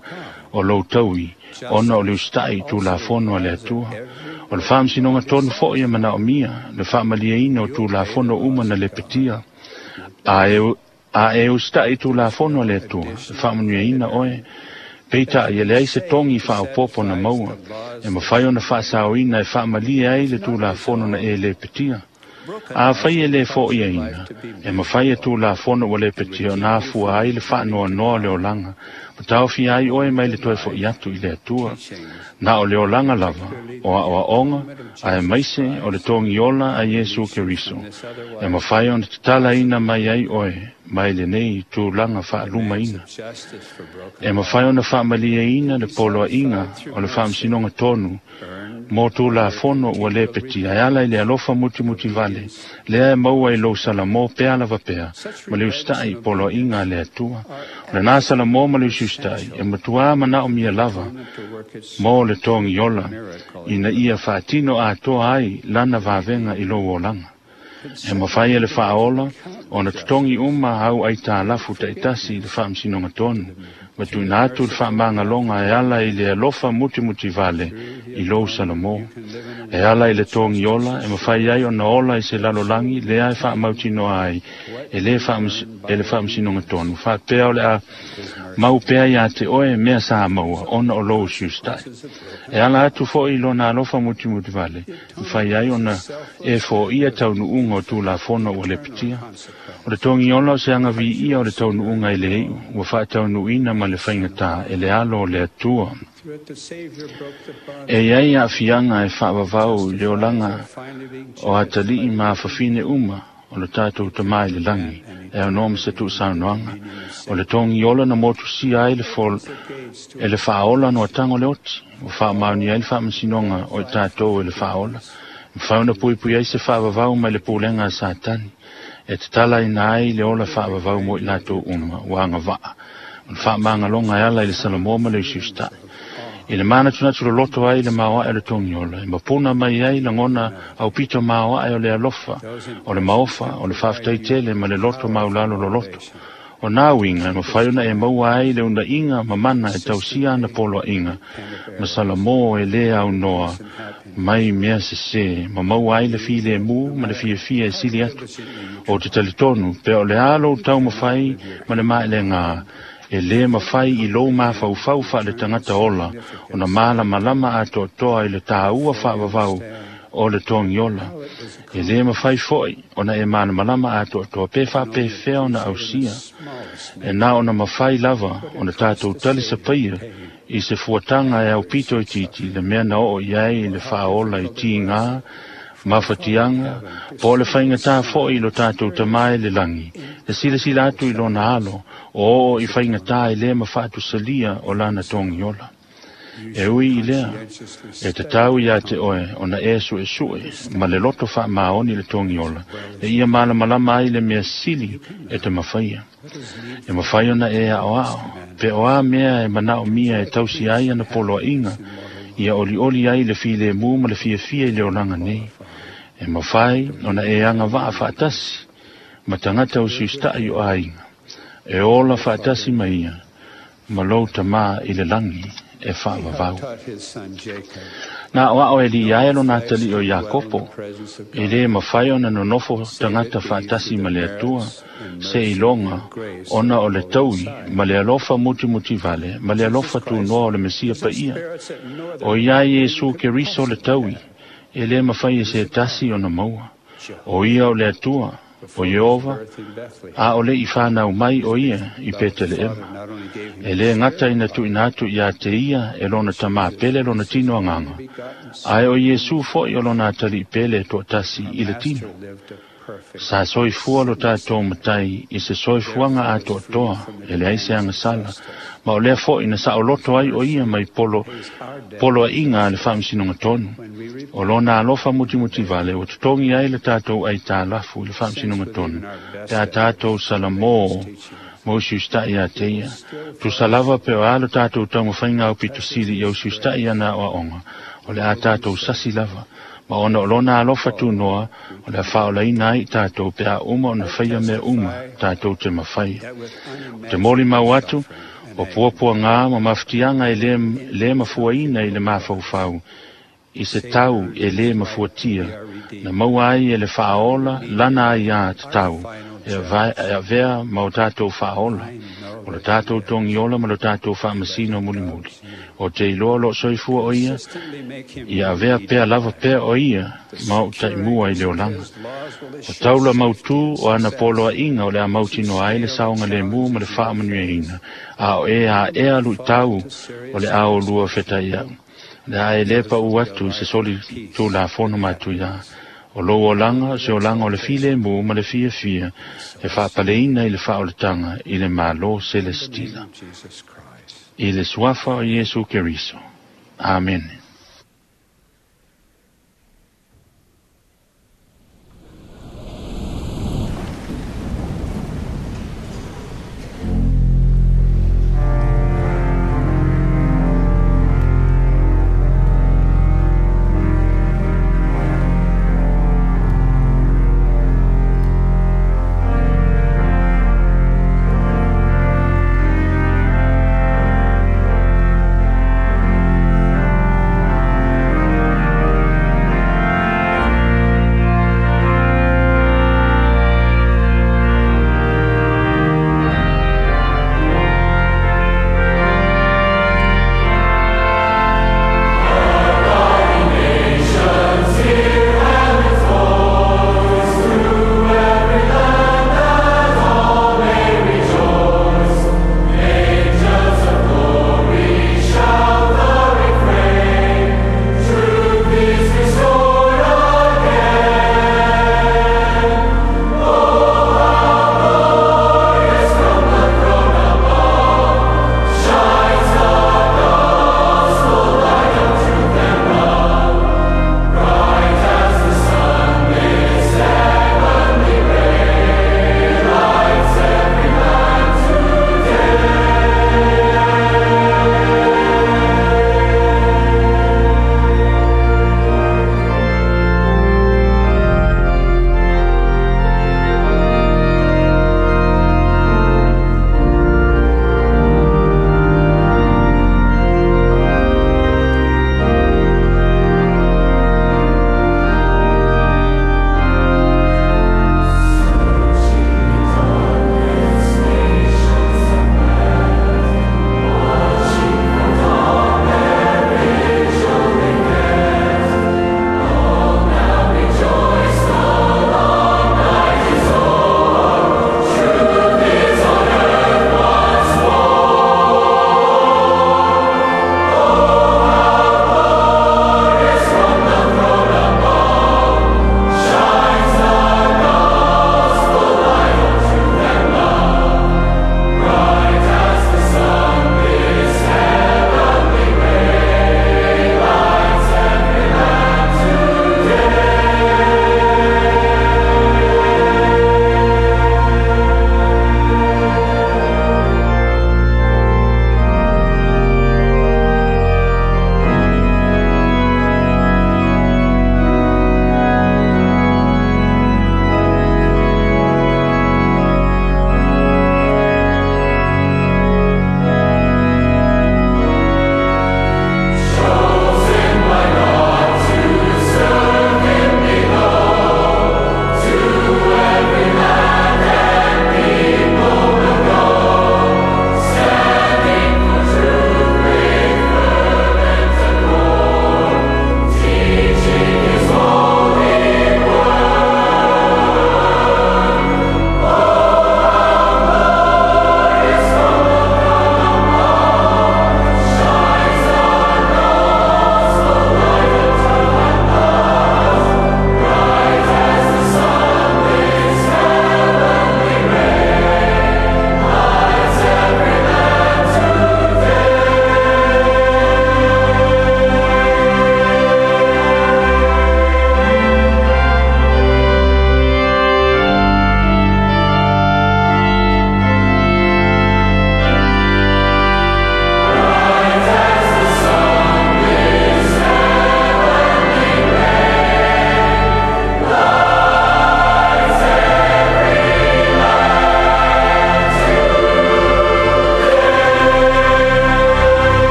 o lou taui, ona o le usitaʻi i tulafono a le Atua. O le faamasinoga tonu foʻi e manaomia le faamalieina o tulafono uma na lepetia. A e, a e usitaʻi i tulafono a le Atua, e faamanuiaina oe. Peitai e leai se togi faaopopo na maua, e mafai ona faasaoina e faamalie ai le tulafono na e lepetia. Afai e lē foʻiaina, e mafai e tulafono ua lepetia ona afua ai le faanoanoa o le olaga, ma taofia ai oe mai le toe foʻi atu i le Atua. Na o le olaga lava, o aʻoaʻoga, ae maise o le togiola a Iesu Keriso, e mafai ona tatalaina mai ai oe mai lenei tulaga faalumaina. E mafai ona faamalieina le poloaʻiga o le faamasinoga tonu mo tulafono ua lepetia e ala i le alofa mutimuti vale, lea e maua i lou salamō pea lava pea, ma le usitaʻi i poloaʻiga a le Atua. O lenā salamō ma le usiusitaʻi e matuā manaomia lava mo le togiola, ina ia faatino atoa ai lana vavega i lou olaga. E mafai e le faaola ona totogi uma au aitalafu taʻitasi i le faamasinoga tonu, ma tuuina atu le faamagaloga e ala i le alofa mutimuti vale i lou salamō. E ala i le togiola e mafai ai ona ola i se lalolagi lea e faamautinoa ai E lē e le faamasinoga tonu faapea o le a mau pea iā te oe mea sa maua ona o lou usiusitai. E ala atu foʻi i lona alofa mutimuti vale mafai ai ona e foʻia taunuuga o tulafono ua lepetia. O le togiola o se agaviia o le taunuuga i le iʻu ua faataunuuina ma le faigatā e le alo o le Atua. E iai aafiaga e faavavau i le olaga o atalii ma afafine uma o le tatou tamā i le lagi e aunoa ma se tuusaunoaga. O le togiola na motusia ai le fol e le faaola noataga o le oti ua faamaonia ai le faamasinoga o i tatou e le faaola. Mafai ona puipui ai se faavavau mai le pulega a Satani e tatalaina ai le ola faavavau mo i latou uma ua agavaa. O le faamagaloga e ala i le Salamo ma le usiusitai. I le manatunatu loloto ai le maoae o le togiola, e mapuna mai ai lagona aupito maoae o le alofa, o le maofa, o le faafetaitele ma le loto maulalo loloto. O nā uiga e mafai ona e maua ai le unaiga ma mana e tausia ana poloaiga ma Salamo e lē aunoa mai mea sesē ma maua ai le filemu ma le fiafia e sili atu. O te talitonu pea o le a lou taumafai ma le maelegā e lē mafai i lou mafaufau faale tagata ola ona malamalama atoatoa i le tāua faavavau o le togiola. E lē mafai foʻi ona e malamalama atoatoa pe faapefea ona ausia. E na ona mafai lava ona tatou tali sapaia i se fuataga e aupito itiiti le mea na oo i ai i le faaola i tigā mafatiaga po o le faigatā foʻi i lo tatou tamā i le lagi le silasila atu i lona alo o oo i faigatā e lē mafaatusalia o lana togiola. E ui i lea e tatau iā te oe ona e suʻesuʻe ma le loto faamaoni le togiola e ia malamalama ai le mea sili e te mafaia. E mafai ona e aʻoaʻo pe o a mea e manaʻomia e tausi ai ana poloaiga ia olioli ai le filemu ma le fiafia i le olaga nei. E mafai ona e agavaa faatasi ma tagata usiusitai o aiga e ola faatasi ma ia ma lou tamā i le lagi e faavavau. Na o ao e li ae lona atalii o Iakopo e lē mafai ona nonofo tagata faatasi ma le Atua se iloga ona o le taui ma le alofa mutimutivale ma le alofa tunoa o le Mesia paia. O ia Iesu Keriso le taui e lē mafai e se tasi ona maua. O ia o le Atua o Ieova a o le i whanau mai o ia i Peteleema. E le ngata ina tuina atu ia te ia e lona tamā pele lona tino anganga. Ae o Iesu foi o lona atali pele toatasi i le tino. Sa soifua lo tātou matai i se soifuaga atoatoa e leai se agasala, ma o lea foʻi na saʻoloto ai o ia mai polo poloaiga a le faamasinoga tonu. O lona alofa mutimutivale ua totogi ai le tatou aitālafu i le faamasinoga tonu pe a tatou Salamo ma usiusitai iā te ia. Tusa lava pe o a lo tatou taumafaiga aupitosili ia usiusitai ana aoaoga o le a tatou sasi lava. Ma ona o lona alofa tunoa o le a faaolaina ai tatou pe a uma ona faia mea uma tatou te mafaia. O te molimau atu o puapuagā ma mafatiaga e lē, lē mafuaina i le mafaufau i se tau e lē mafuatia na maua ai e le faaola lana ai ā tatau e avea ma o tatou faaola o le tatou togiola ma lo tatou faamasino mulimuli. O te iloa loo soifua o ia ia avea pea lava pea o ia ma o taimua i le olaga. O taula mautū o ana poloaiga o le a mautinoa ai le saoga lemu ma le faamanuiaina a o e aʻea luʻitau o le a olua fetaiaʻu. Le a e lē paʻu atu i se soli tulafono matuiā. O lou olaga o se olaga o le filemu ma le fiafia e faapaleina i le faaolataga i le Mālō Selestila. I le suafa o Iesu Keriso. Amene.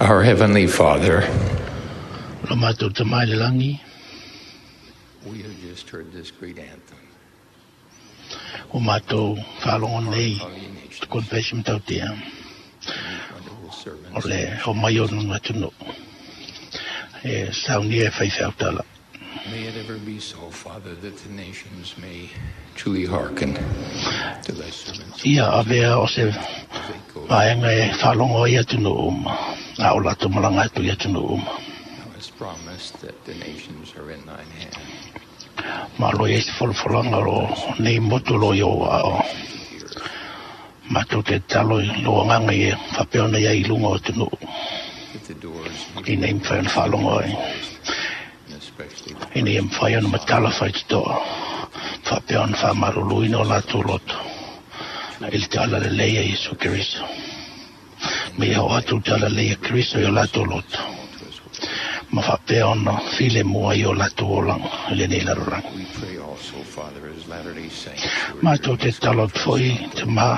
Our Heavenly Father, Lo mātou tamai le langi, we have just heard this great anthem. O mātou whalongo nei, te konfesi matautia. O le o mai o nunga tunu. E saunia e whaiwhau tala. May it ever be so, Father, that the nations may truly hearken to thy servants. Ia avea o se vaenga e whalongo i atunu uma. A o lato malanga atu i atunu uma. Thou hast promised that the nations are in thine hand. Ma lo i se folofolanga lo nei motu lo i o ao. Mātou te talo i lo anganga i whapeona ia i lunga o atunu. That the doors I nei mwhai ona whalongo ai. especially I nei mwhai ona matala whai te toa. Whapeona whamaruluina o lātou loto. I le te ala le leia Yesu Kristo. Me ia o atu te ala leia Kristo i o lātou loto. Ma whapeona file mua i o lātou olanga i le nei laroranga. We pray also, Father, as Latter-day Saints who are Mātou te talo foi te mā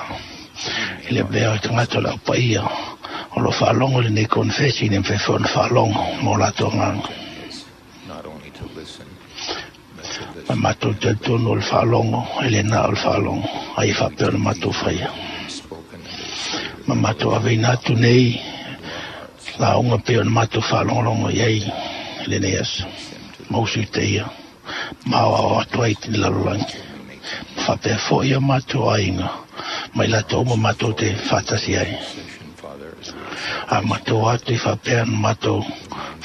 i le vea o te ngato lau paia o lo whaalongo le nei konfesi ne mwhewhona ona whaalongo mō lātou nganga. not only to listen, but to Ma listen mātou te tonu o le whaalongo e le nā o le whaalongo ai whapea ona mātou whaia. spoken under the Spirit Ma mātou aveina atu nei la unga pe ona mātou whaalongolongo i ai le nei aso. Mausu i te ia. Mao ao atu ai te lalolagi. Whapea fo ia mātou ainga. Mai lātou uma mātou te whātasi ai. Father, as we A mātou atu i whapea na mātou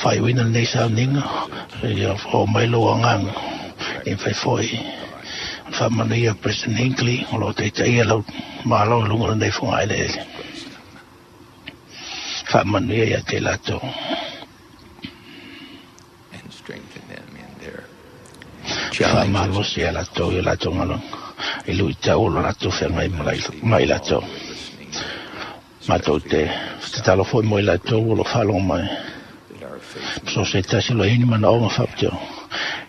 whaiwina nei sauninga. Ia o mai lo anganga. E whai foi. Whamanu ia President Hinckley. O lo te te ia lau mālo lunga nei whonga ele ele. Whamanu ia ia te lātou. and strengthen them in their challenges. Whamalosi ia lātou ia lātou ngalonga. I lui te olo lātou whengai mai lātou. Mātou te te talo foi mo i lātou o lo whalongo mai. That our faith So se tasi lo ini mana onga whapteo.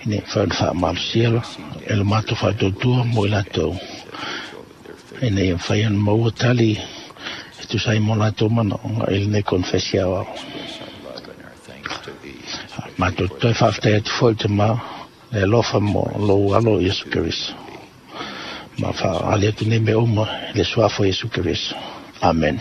Ine whaun wha la e lo mātou whaatautua mo i lātou. Ine ia whaian maua tali e tu sai mo lātou mana onga i le konfesia au. express our love and our thanks to thee, Mātou toi whaaftai atu foi te mā le alofa mo lo alo Yesu Kristo. Ma wha ali atu nei me uma le suafo Yesu Kristo. Amen.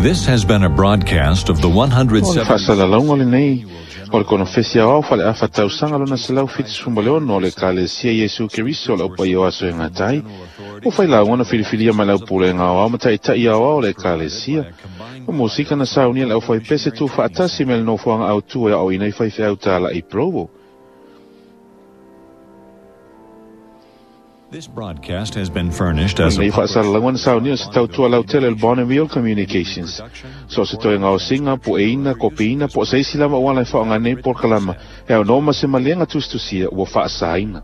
This has been a broadcast of the O le one hundred seventy faasalalauga lenei o le konofesi aoao faleafa tausaga lona selau fitusefulu ma le ono o le Ekalesia Iesu Keriso o le aupaia o aso e gata ai. Ua failauga na filifilia mai le aupulega aoao ma taʻitaʻi aoao o le Ekalesia. O musika na saunia le aufaipese tuufaatasi me le nofoaga autū e aoaoina i faifeau talaʻi Provo. This broadcast has been furnished as a Lenei public faasalalauga na saunia o se tautua lautele o le Bonneville Communications. So o se toega osiga, pueina, kopiina, po o se isi lava uala e faaaoga nei polokalama e aunoa ma se maliega tusitusia ua faasaina.